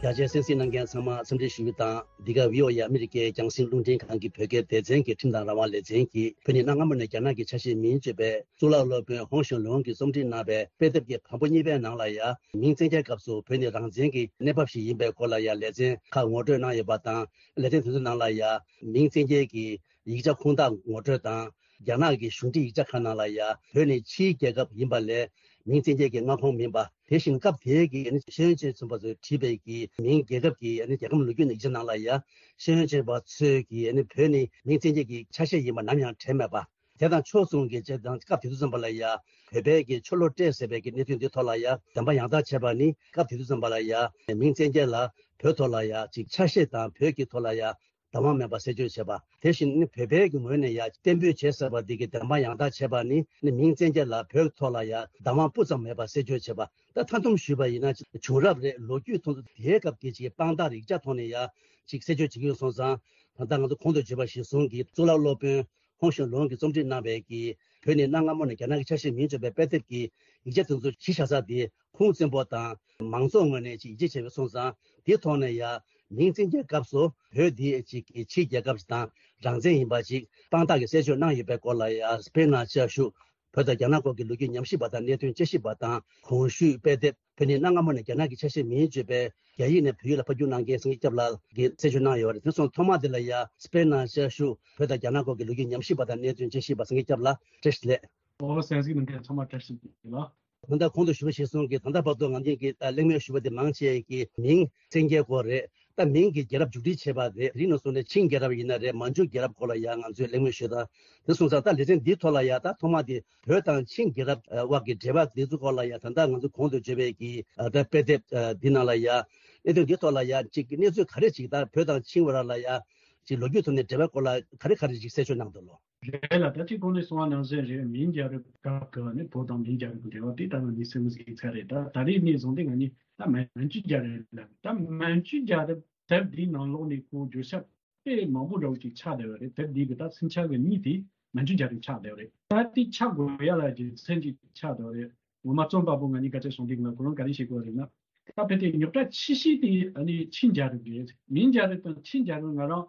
རྒྱ་ཆེའི་གསན་གཟིགས་གནང་མཁན་ཚང་མ་འཚམས་འདྲི་ཞུ་རྒྱུ་དང་། འདི་ག་ཝི་ཨོ་ཨེ་ཨ་མི་རི་ཀའི་རྒྱང་སྲིང་རླུང་འཕྲིན་ཁང་གི་བོད་སྐད་སྡེ་ཚན་གྱི་ཁྲིམས་དང་རང་དབང་ལེ་ཚན་གྱིས་བོད་ནི་གནའ་སྔ་མོ་ནས་རྒྱ་ནག་གི་ཆ་ཤས་མིན་བརྗོད་པའི་གཙུག་ལག་སློབ་དཔོན་ཧོང་ཞུང་ལུང་གིས་རྩོམ་སྒྲིག་གནང་བའི་དཔེ་དེབ་ཀྱི་བམ་པོ་གཉིས་པའི་ནང་ལ་ཡང་། མིང་བཙན་རྒྱལ་སྐབས་སུ་བོད་ནི་རང་བཙན་གྱི་གནས་བབ་ཞིག་ཡིན་པའི་སྐོར་ལ་ཡང་ལེ་ཚན་ཁག་ངོ་སྤྲོད་གནང་ཡོད་པ་དང་། ལེ་ཚན་དེ་ཚོའི་ནང་ལ་ཡང་མིང་བཙན་རྒྱལ་གྱི་ཡིག་ཆ་ཁུངས་དག་ངོ་སྤྲོད་དང་། རྒྱ་ནག་གི་གཞུང་འབྲེལ་ཡིག་ཆ་ཁག་ནང་ལ་ཡང་བོད་ནི་ཕྱིའི་རྒྱལ་ཁབ་ཡིན་པ་ལས་མིང་བཙན་རྒྱལ་གྱི་མངའ་ཁོངས་མིན་པ། དེ་བཞིན་སྐབས་དེའི་གི་ཤེས་ཡོན་ཅན་ཚན་པ་ཚོས་བྲིས་པའི་གི་མིང་རྒྱལ་ཁབ་ཀྱི་རྒྱལ་ཁམས་ལོ་རྒྱུས་ནི་ཡིག་ཆ་ནང་ལ་ཡང་ཤེས་ཡོན་ཅན་པ་ཚོས་ཀྱིས་བོད་ནི་མིང་བཙན་རྒྱལ་གྱི་ཆ་ཤས་ཡིན་པ་ནམ་ཡང་དྲན་མེད་པ། དེ་དང་ཕྱོགས་མཚུངས་ཀྱི་བྱས་ཙང་སྐབས་དེ་དུས་ཙམ་པ་ལ་ཡང་བོད་པའི་གི་ཆོ་ལོ་ཏྲེ་ཟེར་བའི་གི་གནད་དོན་འདི་ཐོག་ལ་ཡང་བདེན་པ་ཡང་དག་བྱས་པ་ནི་སྐབས་དེ་དུས་ཙམ་པ་ལ་ཡང་མིང་བཙན་རྒྱལ་ལ་བོད་ཐོག་ལ་ཡང་ཅིག་ཆ་ཤས་དང་བོད་ཀྱི་ཐོག་ལ་ཡང་བདག་དབང་མེད་པ་གསལ་བརྗོད་བྱས་པ། དེ་བཞིན་ནི་བོད་པའི་གི་ངོས་ནས་ཡང་གཏན་འབེབས་བྱས་ཟེར་བ་འདི་གི་བདེན་དཔང་ཡང་དག་བྱས་པ་ནི་ནི་མིང་བཙན་རྒྱལ་ལ་བོད་ཐོག་ལ་ཡང་བདག་དབང་སྤུ་ཙམ་མེད་པ་གསལ་བརྗོད་བྱས་པ། ད་མཐའ་སྡོམ་ཞུས་པ་ཡིན་ན་བྱུང་རབས་རེད། ལོ་རྒྱུས་ཐོག་ཏུ་དེའི་སྐབས་ཀྱི་ཅིག་དཔང་རྟགས་རིགས་ཆ་ཐོག་ནས་ཡང་ཅིག་གསལ་བརྗོད་བྱེད་ཀྱི་ཡོད་སོང་ཙང་། ད་ལྟ་ང་ཚོ་གོང་དུ་བརྗོད་པ་གཞིར་བཟུང་གི་གཙུག་ལག་སློབ་དཔོན་ཧོང་ཞུང་ལུང་གིས་རྩོམ་སྒྲིག་གནང་བའི་གི་བོད་ནི་གནའ་སྔ་མོ་ནས་རྒྱ་ནག་གི་ཆ་ཤས་མིན་བརྗོད་པའི་དཔེ་དེབ་ཀྱི་ཡིག་ཆ་དེ་ཚོ་གཞི་བཞག་ས་དེ་ཁུངས་བཙན་པོ་དང་མང་ཚོགས་ངོས་ནས་ཅིག་ཡིད་ཆེས་བྱས་པའི་སོང་ཙང་། དེའི་ཐོག་ནས་ཡང་མིང་བཙན་རྒྱལ་སྐབས་སུ་བོད་འདི་ཅིག་གི་ཕྱིའི་རྒྱལ་ཁབ་ཅིག་དང་རང་བཙན་ཡིན་པ་ཅིག་དཔང་རྟགས་ཀྱི་གསལ་བརྗོད་གནང་ཡོད་པའི་སྐོར་ལ་ཡང་སྤེན་ནང་བཅའ་བཞུགས་བོད་དང་རྒྱ་ནག་སྐོར་གྱི་ལོ་རྒྱུས་ཉམས་ཞིབ་པ་དང་གནད་དོན་དཔྱད་ཞིབ་པ་དང་གོང་ཞུས་དཔེ་དེབ་བོད་ནི་གནའ་སྔ་མོ་ནས་རྒྱ་ནག་གི་ཆ་ཤས་མིན་བརྗོད་པའི་རྒྱ་ཡིག་ནས་བོད་ཡིག་ལ་ཕབ་བསྒྱུར་གནང་མཁན་སངས་རྒྱས་སྐྱབས་ལགས་ཀྱིས་གསལ་བརྗོད་གནང་ཡོད་པ་རེད། དེ་སོང་ཐོག་མ་དེ་ལ་ཡང་སྤེན་ནང་བཅའ་བཞུགས་བོད་དང་རྒྱ་ནག་སྐོར་གྱི་ལོ་རྒྱུས་ཉམས་ཞིབ་པ་དང་གནད་དོན་དཔྱད་ཞིབ་པ་སངས་རྒྱས་སྐྱབས་ལགས་བཀྲ་ཤིས་བདེ་ལེགས། ཨོ་གསན་གཟིགས་གནང་མཁན་ཚང་མ་བཀྲ་ཤིས་བདེ་ལེགས། ད་ལྟ་གོང་དུ་ཞུས་པ་གཞིར་བཟུང་གིས་ད་ལྟ་བར་དུ་ང་ཚོས་ཀྱི་གླེང་མོལ་ཞུས་པ་དེ་མང་ཆེ་གི་མིང་བཙན་རྒྱལ་སྐོར་རེད། ད་མིང་གི་རྒྱལ་རབས་མཇུག་སྒྲིལ་བྱས་པ་རེད། དེ་རིང་ནས་བཟུང་ནས་ཆིང་རྒྱལ་རབས་ཡིན་ན་རེད། མན་ཇུ་རྒྱལ་རབས་སྐོར་ལ་ཡང་ང་ཚོས་གླེང་མོལ་ཞུས་དང་། དེ་སོང་ཙང་ད་ལེ་ཚན་འདིའི་ཐོག་ལ་ཡང་ད་ཐོག་མ་དེ་བོད་དང་ཆིང་རྒྱལ་རབས་དབར་གྱི་འབྲེལ་བ་འདི་ཚོ་སྐོར་ལ་ཡང་ད་ལྟ་ང་ཚོ་གོང་དུ་བརྗོད་པའི་གི་ད་དཔེ་དེབ་འདི་ནང་ལ་ཡང་གནད་དོན་འདིའི་ཐོག་ལ་ཡང་ཅིག་གནས་ཚུལ་ག་རེ་ཅིག་ད་བོད་དང་ཆིང་བར་ལ་ཡང་ ཅིག་ལོ་རྒྱུས་ཐོག་ནས་འབྲེལ་བའི་སྐོར་ལ་ག་རེ་ག་རེ་ཅིག་གསལ་བརྗོད་གནང་འདུག་ལོ། རེད་ལ། ད་ཅིག་གོང་ནས་གསུངས་པ་ནང་བཞིན་རེད། མིང་རྒྱལ་རབས་སྐབས་ཀྱི་ནི་བོད་དང་མིང་རྒྱལ་རབས་ཀྱི་འབྲེལ་བ་དེ་ད་ང་གཉིས་སེམས་ཟིག་ཚར་རེད། ད་ད་རེས་ནས་བཟུང་སྟེ་ང་གཉིས་ད་མན་ཇུ་རྒྱལ་རབས་ལ། ད་མན་ཇུ་རྒྱལ་རབས་དེབ་འདིའི་ནང་ལོགས་ནས་ཁོ་བརྗོད་བྱ་དཔེ་མང་པོ་འདྲ་བོ་ཅིག་ཆགས་བསྡད་ཡོད་རེད། དེབ་འདི་གི་ད་སུམ་ཆ་གི་གཉིས་དེ་མན་ཇུ་རྒྱལ་རབས་ཆགས་བསྡད་ཡོད་རེད། ད་དེ་ཆགས་དགོས་ཡ་ལ་རྒྱུ་མཚན་ཅིག་ཆགས་བསྡད་ཡོད་རེད། ངོ་མ་རྩོམ་པ་པོ་ང་གཉིས་ཀ་ཚོས་གསུངས་དུས་ང་ཁོ་རང་ག་རེ་བཤད་དགོས་རེད་ན། ད་ཕལ་ཆེར་རྙོག་དྲ་ཆེ་ཤོས་དེ་ཨ་ནི་ཆིང་རྒྱལ་རབས་རེད། མིང་རྒྱལ་རབས་དང་ཆིང་རྒྱལ་རབས་ང་རང་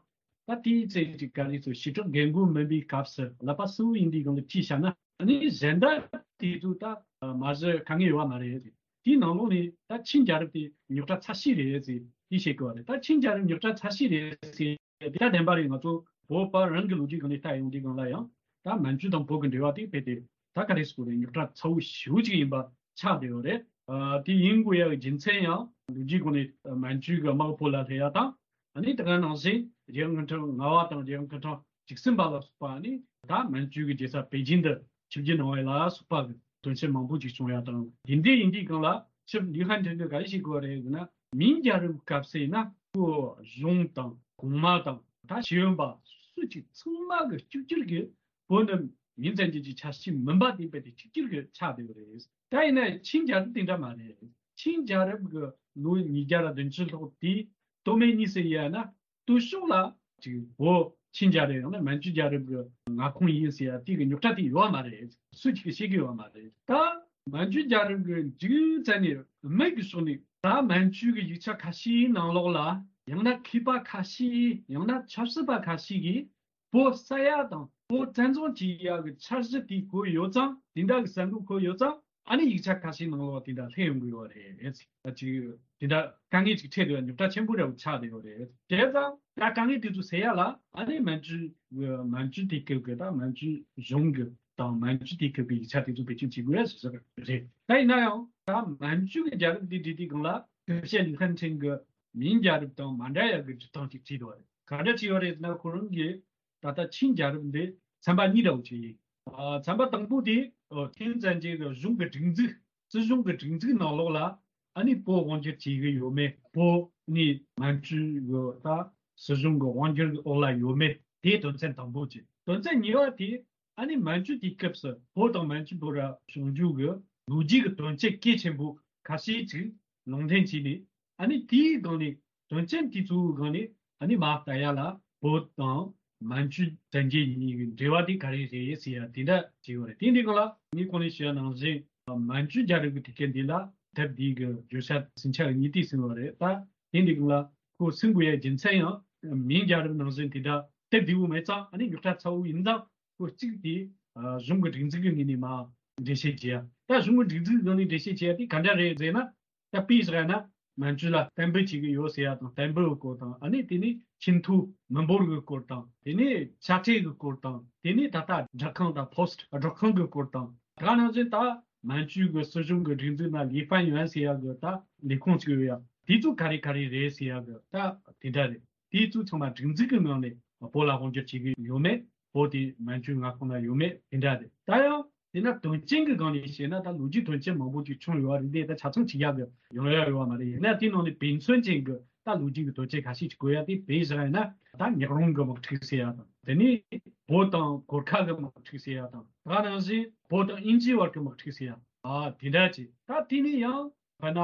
ད་དེའི་ཚེ་ཅིག་ག་རེ་ཚོ་ཞི་དྲག་རྒན་རྒོན་མིན་པའི་སྐབས་སུ་ཀླད་པ་གསལ་བོ་ཡིན་དུས་སྒང་ལ་ཅིག་བཤད་ན། ཨ་ནི་གཞན་དག་དེ་ཚོ་ད་མ་གཞི་དཀའ་ངལ་ཡོད་པ་མ་རེད། དེའི་ནང་ལོགས་ནས་ད་ཆིང་རྒྱལ་རབས་དེ་རྙོག་དྲ་ཚ་ཤོས་རེད་ཟེར་དེ་བཤད་དགོས་པ་རེད། ད་ཆིང་རྒྱལ་རབས་རྙོག་དྲ་ཚ་ཤོས་རེད་ཟེར་དེ་ད་བདེན་པ་རེད། ང་ཚོ་བོད་པ་རང་གི་ལོ་རྒྱུས་སྒང་ནས་ལྟ་ཡོང་དུས་སྒང་ལ་ཡང་ད་མན་ཇུ་དང་བོད་ཀྱི་འབྲེལ་བ་དེ་རྦད་དེ་ད་ག་རེ་ཟེར་དགོས་རེད། རྙོག་དྲ་ཚ་བོ་ཞེ་པོ་ཅིག་ཡིན་པ་ཆགས་བསྡད་ཡོད་རེད། ཨ། དེ་ཡིན་དགོས་ཡ་གི་རྒྱུ་མཚན་ཡང་ལོ་རྒྱུས་སྒང་ནས་མན་ཇུ་གི་དམག་བོད་ལ་སླེབས་ཡ་དང་། ཨ་ནི་དེ་ག་ནང་བཞིན་རྒྱལ་ཡོངས་སྐུ་ཕྲེང་ལྔ་པ་དང་རྒྱལ་ཡོངས་སྐུ་ཕྲེང་བཅུ་གསུམ་པ་ལ་སོགས་པ། ཨ་ནི་ད་མན་ཇུ་གི་རྒྱལ་ས་པེ་ཅིན་དུ་ཆིབས་བསྒྱུར་གནང་བ་ལ་སོགས་པ་གི་དོན་ཆེན་མང་པོ་ཅིག་བྱུང་ཡ་དང་། དེ་འདྲ་ཡིན་དུས་སྒང་ལ་ཆིབས་ལི་ཧན་ཁྲིན་གྱིས་ག་རེ་བཤད་དགོས་རེད་ཟེར་ན། མིང་རྒྱལ་རབས་སྐབས་སུ་ཡིན་ན་ཁོ་གཞུང་དང་གོང་མ་དང་ད་ཤེས་ཡོན་པ་སུ་གཅིག་ཚང་མ་གི་གཅིག་གྱུར་གྱི་བོད་ནི་མིང་ཙམ་གྱི་ཅིག་ཆ་ཤས་མིན་པ་དེ་རྦད་དེ་གཅིག་གྱུར་གྱི་ཆགས་བསྡད་ཡོད་རེད། ད་ཡིན་ན་ཆིང་རྒྱལ་རབས་དེ་འདྲ་མ་རེད། ཆིང་རྒྱལ་རབས་ཀྱི་ལོ་ཉིས་བརྒྱ་དང་བདུན་ཅུ་ལྷག་དེ་སྟོད་སྨད་གཉིས་སུ་དབྱེ་ན། སྟོད་ཕྱོགས་ལ་ཅིག་བོད་ཆིང་རྒྱལ་རབས་ཡང་ན་མན་ཇུ་རྒྱལ་རབས་ཀྱི་མངའ་ཁོངས་ཡིན་ཟེར་ཡ་དེ་གི་རྙོག་དྲ་དེ་ཡོད་པ་མ་རེད། སུ་གཅིག་གིས་བཤད་ཀྱི་ཡོད་པ་མ་རེད། ད་མན་ཇུ་རྒྱལ་རབས་ཀྱི་མཇུག་ཙམ་ནས་སྨད་ཀྱི་ཕྱོགས་ནས་ད་མན་ཇུ་གི་ཡིག་ཆ་ཁ་ཤས་ནང་ལོགས་ལ་ཡང་ན་མཁས་པ་ཁ་ཤས་ཡང་ན་ཆབ་སྲིད་པ་ཁ་ཤས་ཀྱིས་བོད་ས་ཡ་དང་བོད་བཙན་བཟུང་བྱེད་ཡག་གི་འཆར་གཞི་དེ་གོ་ཡོད་ཙང་། དེ་འདྲ་གི་གསར་འགོད་གོ་ཡོད་ཙང་། ཨ་ནི་ཡིག་ཆ་ཁ་ཤས་ནང་ལོགས་དེ་འདྲ་སླེབས་ཡོང་གི་ཡོད་རེད། ད་ཅིག་དེ་འདྲ་དཀའ་ངལ་ཅིག་འཕྲད་དེ་རྙོག་དྲ་ཆེན་པོ་འདྲ་བོ་ཆགས་བསྡད་ཡོད་རེད། བྱས་ཙང་ད་དཀའ་ངལ་དེ་ཚོ་སེལ་ཡག་ལ་ཨ་ནི་མན་ཇུ་མན་ཇུ་དུས་སྐབས་ཀྱི་ད་མན་ཇུ་གཞུང་གི་དང་མན་ཇུ་དུས་སྐབས་ཀྱི་ཡིག་ཆ་དེ་ཚོ་བེད་སྤྱོད་བྱེད་དགོས་ཟེར་ཟེར་རེད། ད་ཡིན་ན་ཡང་ད་མན་ཇུ་གི་རྒྱལ་རབས་འདི་འབྲི་དུས་སྒང་ལ་སྐུ་ཞབས་ལི་ཧན་ཁྲིན་གྱིས་མིང་རྒྱལ་རབས་དང་མ་འདྲ་ཡག་གི་འབྲི་སྟངས་ཅིག་བྲིས་འདུག་བ་རེད། ག་འདྲ་བྲིས་ཡོད་རེད་ཟེར་ན། ཁོ་རང་གིས་ད་ལྟ་ཆིང་རྒྱལ་རབས་འདི་ཚན་པ་གཉིས་འདྲ་བོ་ཅིག་ཡིན། ཨ། ཚན་པ་དང་པོ་དེ་ཨོ་ཐེན་ཙན་ཅིན་གྱི་གཞུང་གི་སྒྲིག་འཛུགས། སྲིད་གཞུང་གི་སྒྲིག་འཛུགས་ནང་ལོགས་ལ་ཨ་ནི་བོད་དབང་སྒྱུར་བྱེད་ཀྱི་ཡོད་མེད། བོད་ནི་མན་ཇུ་གི་ད་སྲིད་གཞུང་གི་དབང་སྒྱུར་གྱི་འོག་ལ་ཡོད་མེད། དེ་དོན་ཚན་དང་པོ་གཅིག་དོན་ཚན་གཉིས་པ་དེ་ཨ་ནི་མན་ཇུ་དུས་སྐབས་སུ་བོད་དང་མན་ཇུ་བར་བྱུང་རྒྱུ་གི་ལོ་རྒྱུས་ཀྱི་དོན་རྐྱེན་གལ་ཆེན་པོ་ཁ་ཤས་ཅིག་ལུང་འདྲེན་བྱས་ནས། ཨ་ནི་དེའི་སྒང་ནས་དོན་རྐྱེན་དེ་ཚོའི་སྒང་ནས་ཨ་ནི་མར་ལྟ་ཡ་ལ་བོད་དང་མན་ཇུ་དྲན་རྒྱལ་གཉིས་ཀྱི་འབྲེལ་བ་དེ་ག་རེ་རེད་ཟེར་ཡ་དེ་འདྲ་བྱས་ཡོད་རེད། དེ་འདི་སྒང་ལ་ངས་གོང་ནས་ཞུས་པ་ནང་བཞིན་མན་ཇུ་རྒྱལ་རབས་ཀྱི་དུས་སྐབས་འདི་ལ་དེབ་འདི་གི་བརྗོད་བྱ་ཟིན་ཆ་གཉིས་དེ་ཟིན་པ་རེད། ད་དེ་འདི་སྒང་ལ་ཁོ་ཟིན་དགོས་ཡ་རྒྱུ་མཚན་ཡང་མིང་རྒྱལ་རབས་ནང་བཞིན་དེ་འདྲ་དེབ་བདེ་བོ་མེད་ཙང་། ཨ་ནི་རྙོག་དྲ་ཚ་བོ་ཡིན་ཙང་། ཁོ་གཅིག་དེ་གཞུང་གི་སྒྲིག་འཛུགས་ཀྱི་ངོས་ནས་མར་འགྲེལ་བཤད་བྱས་ཡ། ད་གཞུང་གི་སྒྲིག་འཛུགས་སྒང་ནས་འགྲེལ་བཤད་བྱས་ཡ་དེ་ག་འདྲ་རེད་ཟེར་ན། ད་དཔེ་བཞག་ན་མན་ཇུ་ལ་བསྟན་འབུལ་བྱེད་ཀྱི་ཡོད་ཟེར་ཡ་དང་། བསྟན་འབུལ་གྱི་སྐོར་དང་། ཨ་ནི་དེ་ནས་ཆེས་མཐོའི་མི་འབོར་གྱི་སྐོར་དང་། དེ་ནས་དཔྱ་ཁྲལ་གྱི་སྐོར་དང་། དེ་ནས་ད་ལྟ་སྦྲག་ཁང་དང་པོ་སི་ཊི་སྦྲག་ཁང་གི་སྐོར་དང་། ད་ག་ནང་བཞིན་ད་མན་ཇུ་གི་སྲིད་གཞུང་གི་སྒྲིག་འཛུགས་ནང་ལི་ཧྥན་ཡུན་ཟེར་ཡ་གི་ད་ལས་ཁུངས་ཅིག་ཡོད་ཡ། དེ་ཚོ་ག་རེ་ག་རེ་རེད་ཟེར་ཡ་གི་ད་དེ་འདྲ་རེད། དེ་ཚོ་ཚང་མ་སྒྲིག་འཛུགས་ཀྱི་ངང་ནས་བོད་ལ་དབང་སྒྱུར་བྱེད་ཀྱི་ཡོད་མེད། བོད་དེ་མན་ཇུའི་མངའ་ཁོངས་ན་ཡོད་མེད་དེ་འདྲ་རེད། ད་ཡང་དེ་ན་དོན་རྐྱེན་གྱི་སྒང་ནས་བཤད་ན། ད་ལོ་རྒྱུས་དོན་རྐྱེན་མང་པོ་ཅིག་བྱུང་ཡོད་རེད། འདི་ད་ཆ་ཚང་བྱེད་ཡག་གི་ཡོང་ཡ་ཡོད་མ་རེད། ཡིན་ན་དེ་ནང་ནས་དཔེ་མཚོན་ཅན་གྱི་ད་ལོ་རྒྱུས་ཀྱི་དོན་རྐྱེན་ཁ་ཤས་ཅིག་གོ་ཡ་དེ། དཔེ་བཞག་ཡིན་ན་ད་ཉག་རོང་གི་དམག་འཁྲུག་ཟེར་ཡ་དང་། དེ་ནས་བོད་དང་གོར་ཁ་གི་དམག་འཁྲུག་ཟེར་ཡ་དང་། ད་ནང་བཞིན་བོད་དང་དབྱིན་ཇིའི་བར་གྱི་དམག་འཁྲུག་ཟེར་ཡ། ཨ། དེ་འདྲ་ཅིག་ད་དེ་ནས་ཡང་། དཔེར་ན་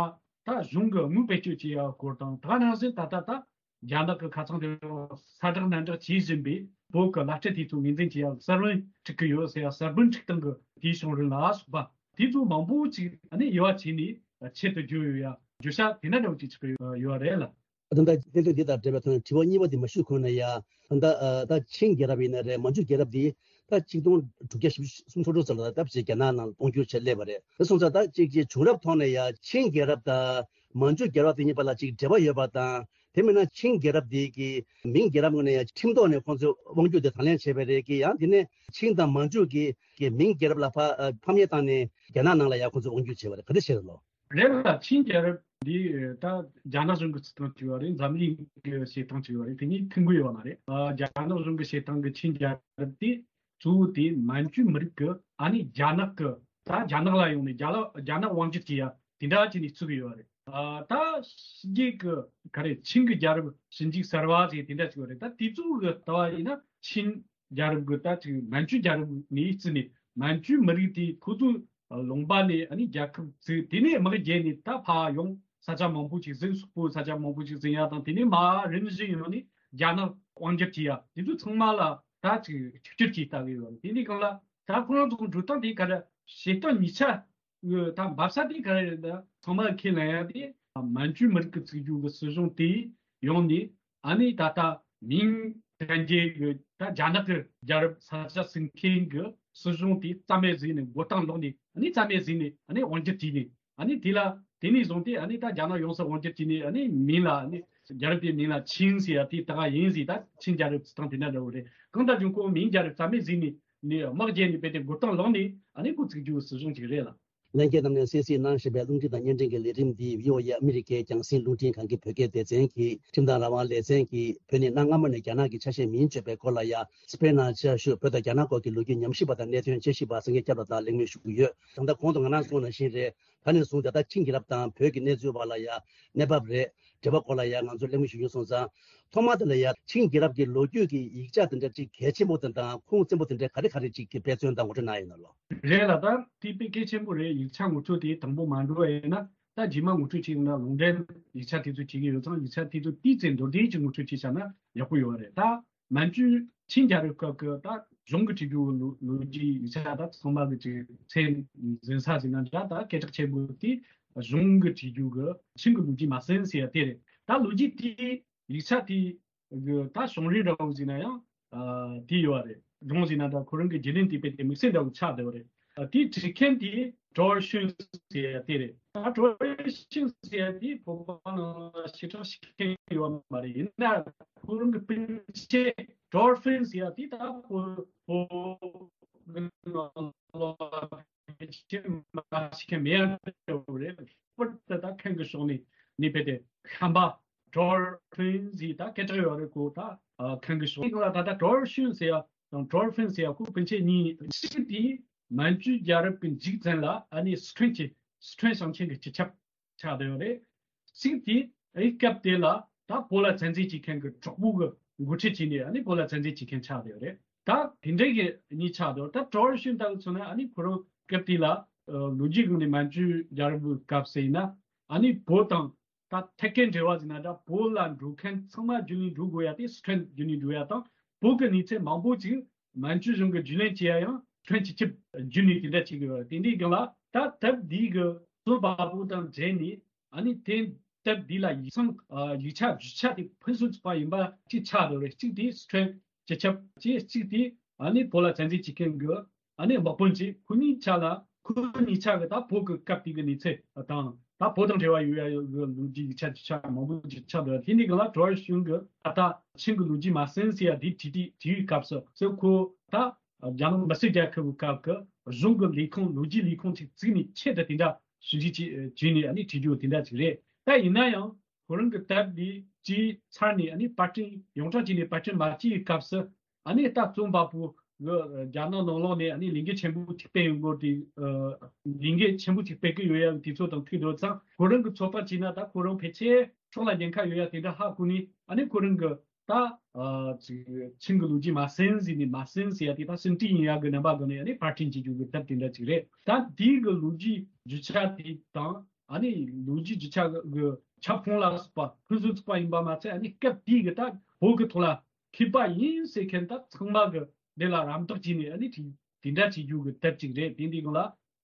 ད་གཞུང་གི་དངུལ་བེད་སྤྱོད་བྱེད་ཡག་སྐོར་དང་། ད་ག་ནང་བཞིན་ད་ལྟ་ད་རྒྱ་ནག་གི་ཁ་ཚང་དེ་ས་དྲག་ནན་དྲག་བྱེད་བཞིན་པའི་བོད་ཀྱི་བླ་སྤྲུལ་དེ་ཚོ་ངོས་འཛིན་བྱེད་ཡག་གསར་བུམ་འཁྲུག་གི་ཡོད་ཟེར་ཡག། གསར་བུམ་འཁྲུག་སྟངས་ཀྱི་དེའི་བྱུང་རིམ་ལ་སོགས་པ་དེ་ཚོ་མང་པོ་ཅིག་ཨ་ནི་དབྱེ་བ་ཕྱེ་ནས་ཆེད་དུ་བརྗོད་ཡོད་ཡ། བརྗོད་བྱ་དེ་འདྲ་འདྲ་བོ་ཅིག་ཆགས་ཀྱི་ཡོད་རེད་ལ། ད་ལྟ་གནད་དོན་འདི་དང་འབྲེལ་བའི་ཐོག་ནས་དྲི་བ་གཉིས་པ་འདི་མ་ཞུས་གོང་ནས་ཡ། ད་ལྟ་ཨ་ད་ཆིང་རྒྱལ་རབས་ཡིན་ན་རེད། མན་ཇུ་རྒྱལ་རབས་འདི་ད་གཅིག་སྟོང་དྲུག་བརྒྱ་བཞི་བཅུ་སུམ་ཅུ་སོ་དྲུག་ཙམ་ལ་ད་ཕྱིར་རྒྱ་ནག་ནང་དབང་བསྒྱུར་བྱས་སླེབས་པ་རེད། དེ་སོང་ཙང་ད་གཅིག་གི་བྱུང་རབས་ཐོག་ནས་ཡ་ཆིང་རྒྱལ་རབས་དང་མན་ཇུ་རྒྱལ་རབས་དེ་གཉིས་བར་ལ་གཅིག་འབྲེལ་བ་ཡོད་པ་དང་། དེ་མིན་ན་ཆིང་རྒྱལ་རབས་འདི་གི་མིང་རྒྱལ་རབས་ངོས་ནས་ཡ་ཁྲིམས་ཐོག་ནས་ཁོང་ཚོས་དབང་བསྒྱུར་དེ་དང་ལེན་བྱས་པ་རེད་གི། ཡང་དེ་ནས་ཆིང་དང་མན་ཇུ་གི་གི་མིང་རྒྱལ་རབས་ལ་ཕ་ཨ་ཕམ་ཉེས་བཏང་ནས་རྒྱ་ནག་ནང་ལ་ཡ་ཁོང་ཚོས་དབང་བསྒྱུར་བྱས་པ་རེད། ག་འདྲ་བཤད་རེད་ལོ། རེད་ལ། ཆིང་རྒྱལ་རབས་འདི་ད་རྒྱ་ནག་གཞུང་གི་བྱེད་སྟངས་ཅིག་ཡོད་རེད། འཛམ་གླིང་གི་བྱེད་སྟངས་ཅིག་ཡོད་རེད། དེ་གཉིས་མཐུན་གི་ཡོད་མ་རེད། ཨ། རྒྱ་ནག་གཞུང་གི་བྱེད་སྟངས་ཀྱི་ཆིང་རྒྱལ་རབས་དེ་གཙོ་བོ་དེ་མན་ཇུ་མི་རིགས་ཀྱི་ཨ་ནི་རྒྱ་ནག་གི་ད་རྒྱ་ནག་ལ་ཡོང་ནས་རྒྱ་ལ་རྒྱ་ནག་དབང་སྒྱུར་བྱེད་ཡ་དེ་འདྲ་བྱས་ནས་བཙུགས་གི་ཡོད་རེད། ཨ་ད་ཕྱི་རྒྱལ་གི་ག་རེ་ཆིང་གི་རྒྱལ་རབས་ཞིབ་འཇུག་གསར་བ་ཟེར་དེ་འདྲ་ཅིག་ཡོད་རེད། ད་དེ་ཚོ་གི་ལྟ་བ་ཡིན་ན་ཆིང་རྒྱལ་རབས་གི་ད་ཅིག་མན་ཇུ་རྒྱལ་རབས་ནས་བརྩིས་ནས་མན་ཇུ་མི་རིགས་དེ་ཁོ་ཚོ་ལུང་པ་ནས་ཨ་ནི་རྒྱལ་ཁབ་བཙུགས། དེ་ནས་དམག་རྒྱལ་ནས་ད་ཕར་ཡོང་ས་ཆ་མང་པོ་ཅིག་ཟིན། སོག་པོའི་ས་ཆ་མང་པོ་ཅིག་ཟིན་ཡ་དང་། དེ་ནས་མར་རིམ་བཞིན་ཡོང་ནས་རྒྱ་ནག་དབང་སྒྱུར་བྱེད་ཡ་དེ་ཚོ་ཚང་མ་ལ་ད་ཅིག་ཆིག་སྒྱུར་གྱིས་ལྟ་གི་ཡོད་རེད། དེ་འདྲའི་སྒང་ལ་ད་ཁོ་རང་ཚོ་འགྲོ་སྟངས་དེ་ག་རེ་བྱེད་སྟངས་ཉིས་ཆ་ཡོད། ད་འབབ་ས་དེ་ག་རེ་རེད། ད་ཚང་མ་ཁས་ལེན་ཡ་དེ་མན་ཇུ་མི་རིགས་ཀྱི་བཙུགས་རྒྱུ་གི་སྲིད་གཞུང་དེ་ཡོང་ནས་ཨ་ནི་ད་ལྟ་མིང་ཅན་གྱི་ད་རྒྱ་ནག་གི་རྒྱལ་རབས་ས་ཆ་ཟིན་མཁན་གྱི་སྲིད་གཞུང་དེ་རྩ་མེད་བཟོས་ནས་མགོ་རྟིང་སློག་ནས་ཨ་ནི་རྩ་མེད་བཟོས་ནས་ཨ་ནི་དབང་སྒྱུར་བྱས་ནས། ཨ་ནི་དེ་ལ་དེ་ནས་བཟུང་སྟེ་ཨ་ནི་ད་རྒྱ་ནག་ཡོངས་སུ་དབང་སྒྱུར་བྱས་ནས། ཨ་ནི་མིང་ལ་ཨ་ནི་རྒྱལ་རབས་དེའི་མིང་ལ་ཆིང་ཟེར་ཡ་དེ་ད་ག་ཡིན་ཟེར། ད་ཆིང་རྒྱལ་རབས་བརྩི་སྟངས་དེ་འདྲ་འདྲ་བོ་རེད། གང་ལྟར་ཀྱང་ཁོ་མིང་རྒྱལ་རབས་རྩ་མེད་བཟོས་ནས་ནི་དམག་རྒྱལ་ནས་རྦད་དེ་མགོ་རྟིང་བསླངས་ནས་ཨ་ནི་ཁོ་བཙུགས་རྒྱུའི་སྲིད་གཞུང་ཅིག་རེད་ལ། ལྷན་རྒྱས་རྣམས་ནས་གསན་གཟིགས་གནང་བཞིན་པའི་རླུང་འཕྲིན་དང་བརྙན་འཕྲིན་གྱི་ལས་རིམ་འདི་བྷི་ཨོ་ཨེ་ཨ་མི་རི་ཀའི་རྒྱང་སྲིང་རླུང་འཕྲིན་ཁང་གི་བོད་སྐད་སྡེ་ཚན་གྱི་ཁྲིམས་དང་རང་དབང་ལེ་ཚན་གྱིས་བོད་ནི་གནའ་སྔ་མོ་ནས་རྒྱ་ནག་གི་ཆ་ཤས་མིན་བརྗོད་པའི་སྐོར་ལ་ཡ། སི་པེན་ནང་བཅའ་བཞུགས་བོད་དང་རྒྱ་ནག་སྐོར་གྱི་ལོ་རྒྱུས་ཉམས་ཞིབ་པ་དང་གནད་དོན་དཔྱད་ཞིབ་པ་སེང་གེ་སྐྱབས་ལགས་དང་གླེང་མོལ་ཞུ་གི་ཡོད། ད་ལྟ་གོང་དུ་ང་རང་གསུངས་ནང་བཞིན་རེད། ད་ནས་བཟུང་ད་ལྟ་ཆིང་རྒྱལ་རབས་དང་བོད་ཀྱི་གནས་ཚུལ་བར་ལ་ཡ་གནས་བབ་རེད། འབྲེལ་བ་སྐོར་ལ་ཡ་ང་ཚོ་གླེང་མོལ་ཞུ་རྒྱུ་སོང་ཙང་། ཐོག་མ་དེ་ལ་ཡ་ཆིང་རྒྱལ་རབས་ཀྱི་ལོ་རྒྱུས་ཀྱི་ཡིག་ཆ་དེ་འདྲ་ཅིག་གལ་ཆེན་པོ་དེ་དང་ཁུངས་བཙན་པོ་དེ་འདྲ་ག་རེ་ག་རེ་ཅིག་གི་དཔེ་མཚོན་དང་ངོ་སྤྲོད་གནང་ཡོད་ན་ལོ། རེད་ལ། ད་དེ་དཔེ་གལ་ཆེན་པོ་རེད། ཡིག་ཆ་ངོ་སྤྲོད་དེ་དང་པོ་མ་འགྲོ་བ་ཡིན་ན། ད་རྗེས་མ་ངོ་སྤྲོད་བྱེད་ཡོང་ན་ལུང་འདྲེན་ཡིག་ཆ་དེ་ཚོ་བྱེད་ཀྱི་ཡོད་ཙང་། ཡིག་ཆ་དེ་ཚོ་ཏོག་ཙམ་མདོར་བསྡུས་ཀྱི་ངོ་སྤྲོད་བྱས་བཞག་ན་ཡག་པོ་ཡོད་རེད། ད་མན་ཇུ་ཆིང་རྒྱལ་རབས་སྐབས་ཀྱི་ད་གཞུང་གི་བྲིས་རྒྱུ་ལོ་ལོ་རྒྱུས་ཡིག་ཆ་ད་ཚང་མ་གི་ཅིག་ཚད་འཛིན་ས་ཟིན་ན་འདྲ། ད་སྐད་གྲགས་ཆེན་པོ་དེ་གཞུང་གི་བྲིས་རྒྱུ་གི་ཆིང་གི་ལོ་རྒྱུས་མ་ཟིན་ཟེར་ཡ་དེ་རེད། ད་ལོ་རྒྱུས་དེ་ཡིག་ཆ་དེ་གི་ད་བྱུང་རིམ་འདྲ་བོ་ཟིན་ན་ཡང་ཨ་དེ་ཡོད་རེད། སྒྲུང་ཟིན་ན་འདྲ། ཁོ་རང་གི་བརྒྱུད་རིམ་དེ་དཔེ་དེ་དམིགས་བསལ་འདྲ་བོ་ཆགས་བསྡད་པ་རེད། ཨ་དེ་བྲིས་མཁན་དེ་ཀྲོར་ཤུན་ཟེར་ཡ་དེ་རེད། ད་ཀྲོར་ཤུན་ཟེར་ཡ་དེ་བོད་པ་ནང་ལ་ཞེ་དྲག་ཤེས་མཁན་ཡོད་མ་རེད། ཡིན་ན་ཁོ་རང་གི་སྤུན་མཆེད་ཀྲོར་ཧྥིན་ཟེར་ཡ་དེ་ད་བོད་བོད་གི་ནང་ལ་ཕལ་ཆེར་མ་ཤེས་མཁན་མེད་ཡ་འདྲ་བོ་རེད། པར་དེ་ད་མཁན་གི་ཕྱོགས་ནས་ནི་དཔེ་དེ་ཁམས་པ་ཀྲོར་ཧྥིན་ཟེར་ད་སྐད་གྲགས་ཡོད་རེད། ཁོ་ད་ཨ་མཁན་གི་ཕྱོགས་ནས་ད་ད་ཀྲོར་ཤུན་ཟེར་ཡ་དང་ཀྲོར་ཧྥིན་ཟེར་ཡ་ཁོ་སྤུན་མཆེད་གཉིས། གཅིག་དེ་མན་ཇུ་རྒྱལ་རབས་ཀྱི་མཇུག་ཙམ་ལ་ཨ་ནི་སི་ཁྲོན་གྱི་སི་ཁྲོན་ཞིང་ཆེན་གྱི་སྤྱི་ཁྱབ་ཆགས་བསྡད་ཡོད་རེད། གཅིག་དེ་ཨེ་སྐབས་དེ་ལ་ད་བོད་ལ་བཙན་འཛུལ་བྱེད་མཁན་གྱི་གྲོགས་པོ་གི་འགོ་ཁྲིད་བྱས་ནས་ཨ་ནི་བོད་ལ་བཙན་འཛུལ་བྱེད་མཁན་ཆགས་བསྡད་ཡོད་རེད། ད་དེ་འདྲའི་གི་གཉིས་ཆགས་བསྡད་ཡོད། ད་ཀྲོར་ཤུན་ལྟ་བུ་མཚོན་ན་ཨ་ནི་ཁོ་རང་སྐབས་དེ་ལ་ཨ་ལོ་རྒྱུས་སྒང་ནས་མན་ཇུ་རྒྱལ་རབས་ཀྱི་སྐབས་སུ་ཡིན་ན་ཨ་ནི་བོད་དང་ད་ཐད་ཀའི་འབྲེལ་བ་ཟེར་ན་འདྲ། བོད་ལ་འགྲོ་མཁན་ཚང་མ་རྒྱུན་ལས་འགྲོ་དགོས་ཡ་དེ་སི་ཁྲོན་རྒྱུན་ལས་འགྲོ་ཡ་དང་། བོད་ཀྱི་གནས་ཚད་མང་པོ་ཅིག་མན་ཇུ་གཞུང་གིས་རྒྱུས་ལོན་བྱེད་ཡ་ཡང་སི་ཁྲོན་སྤྱི་ཁྱབ་རྒྱུན་ལས་དེ་འདྲ་བྱེད་ཀྱི་ཡོད་རེད། དེ་འདྲའི་སྒང་ལ་ད་སྟབས་བདེ་གི་རྩོམ་པ་པོ་དང་འབྲེལ་ནས་ཨ་ནི་དེ་སྟབས་བདེ་ལ་ཡིག་ཚང་ཨ་ཡིག་ཆ་རྒྱུ་ཆ་དེ་ཕུན་སུམ་ཚོགས་པ་ཡིན་པ་གཅིག་ཆགས་བསྡད་རེད། གཅིག་དེ་སི་ཁྲོན་སྤྱི་ཁྱབ་བྱས། གཅིག་དེ་ཨ་ནི་བོད་ལ་བཙན་འཛུལ་བྱེད་མཁན་གྱི་ཨ་ནི་དམག་དཔོན་གཅིག་ཁོ་གཉིས་ཆ་ལ། ཁོ་གཉིས་ཆ་གི་ད་བོད་ཀྱི་སྐབས་དེ་གི་གནས་ཚུལ་དང་ད་བོད་དང་འབྲེལ་བ་ཡོད་ཡ་ཡོད་གི་ལོ་རྒྱུས་ཡིག་ཆ་རྒྱུ་ཆ་མང་པོ་ཅིག་ཆགས་འདུག་དེ་འདྲའི་སྒང་ལ་ཀྲོར་ཤུན་གྱི་ད་ལྟ་ཆིང་གི་ལོ་རྒྱུས་མ་ཟིན་ཟེར་ཡ་དེ་བྲིས་དུས་དེའི་སྐབས་སུ་ཟེར། ཁོ་ད་རྒྱ་ནག་མི་སེར་རྒྱལ་ཁབ་ཀྱི་སྐབས་ཀྱི་གཞུང་གི་ལས་ཁུངས་ལོ་རྒྱུས་ལས་ཁུངས་ཅིག་བཙུགས་ནས་ཆེད་དུ་དེ་འདྲ་ཞིབ་འཇུག་ཅིག་བྱས་ནས་ཨ་ནི་བྲིས་རྒྱུ་དེ་འདྲ་ཅིག་རེད། ད་ཡིན་ན་ཡང་ཁོ་རང་གི་སྟབས་བདེ་བྱས་ཚར་ནས་ཨ་ནི་པར་སྐྲུན་ཡོངས་གྲགས་བྱས་ནས་པར་སྐྲུན་མ་བྱས་པའི་སྐབས་སུ་ཨ་ནི་ད་རྩོམ་པ་པོ་གི་རྒྱ་ནག་ནང་ལོགས་ནས་ཨ་ནི་ལས་འགུལ་ཆེན་པོ་ཅིག་སྤེལ་ཡོང་གི་ཡོད་དེ། ལས་འགུལ་ཆེན་པོ་ཅིག་སྤེལ་གི་ཡོད་ཡ་གི་དུས་ཚོད་དང་མཐུད་དུ་ཙང་ཁོ་རང་གི་ཚོད་དཔག་བྱས་ན་ད་ཁོ་རང་ཕལ་ཆེར་སྲོག་ལ་ཉེན་ཁ་ཡོད་ཡ་དེ་འདྲ་ཧ་གོ་ནས་ཨ་ནི་ཁོ་རང་གི་ད་ཨ་ཅིག་ཆིང་གི་ལོ་རྒྱུས་མ་ཟིན་ཟིན་ནས་མ་ཟིན་ཟེར་ཡ་དེ་ད་ཟིན་བྲིས་ཡིན་ཡ་གི་རྣམ་པ་སྒང་ནས་ཨ་ནི་པར་སྐྲུན་བྱེད་རྒྱུ་གི་ཐབས་དེ་འདྲ་ཅིག་རེད། ད་དེའི་གི་ལོ་རྒྱུས་རྒྱུ་ཆ་དེ་དང་ཨ་ནི་ལོ་རྒྱུས་རྒྱུ་ཆ་གི་ཁྱབ་ཁོངས་ལ་སོགས་པ་ཕུན་སུམ་ཚོགས་པ་ཡིན་པ་མ་ཚད་ཨ་ནི་སྐབས་དེའི་གི་ད་བོད་གི་ཐོག་ལ་མཁས་པ་ཡིན་ཟེར་མཁན་ད་ཚང་མ་གི་འདི་ལ་རམ་འདེགས་བྱས་ནས་ཨ་ནི་དེ་འདྲ་བྱེད་རྒྱུ་གི་ཐབས་ཅིག་རེད། དེ་འདི་གི་ལ་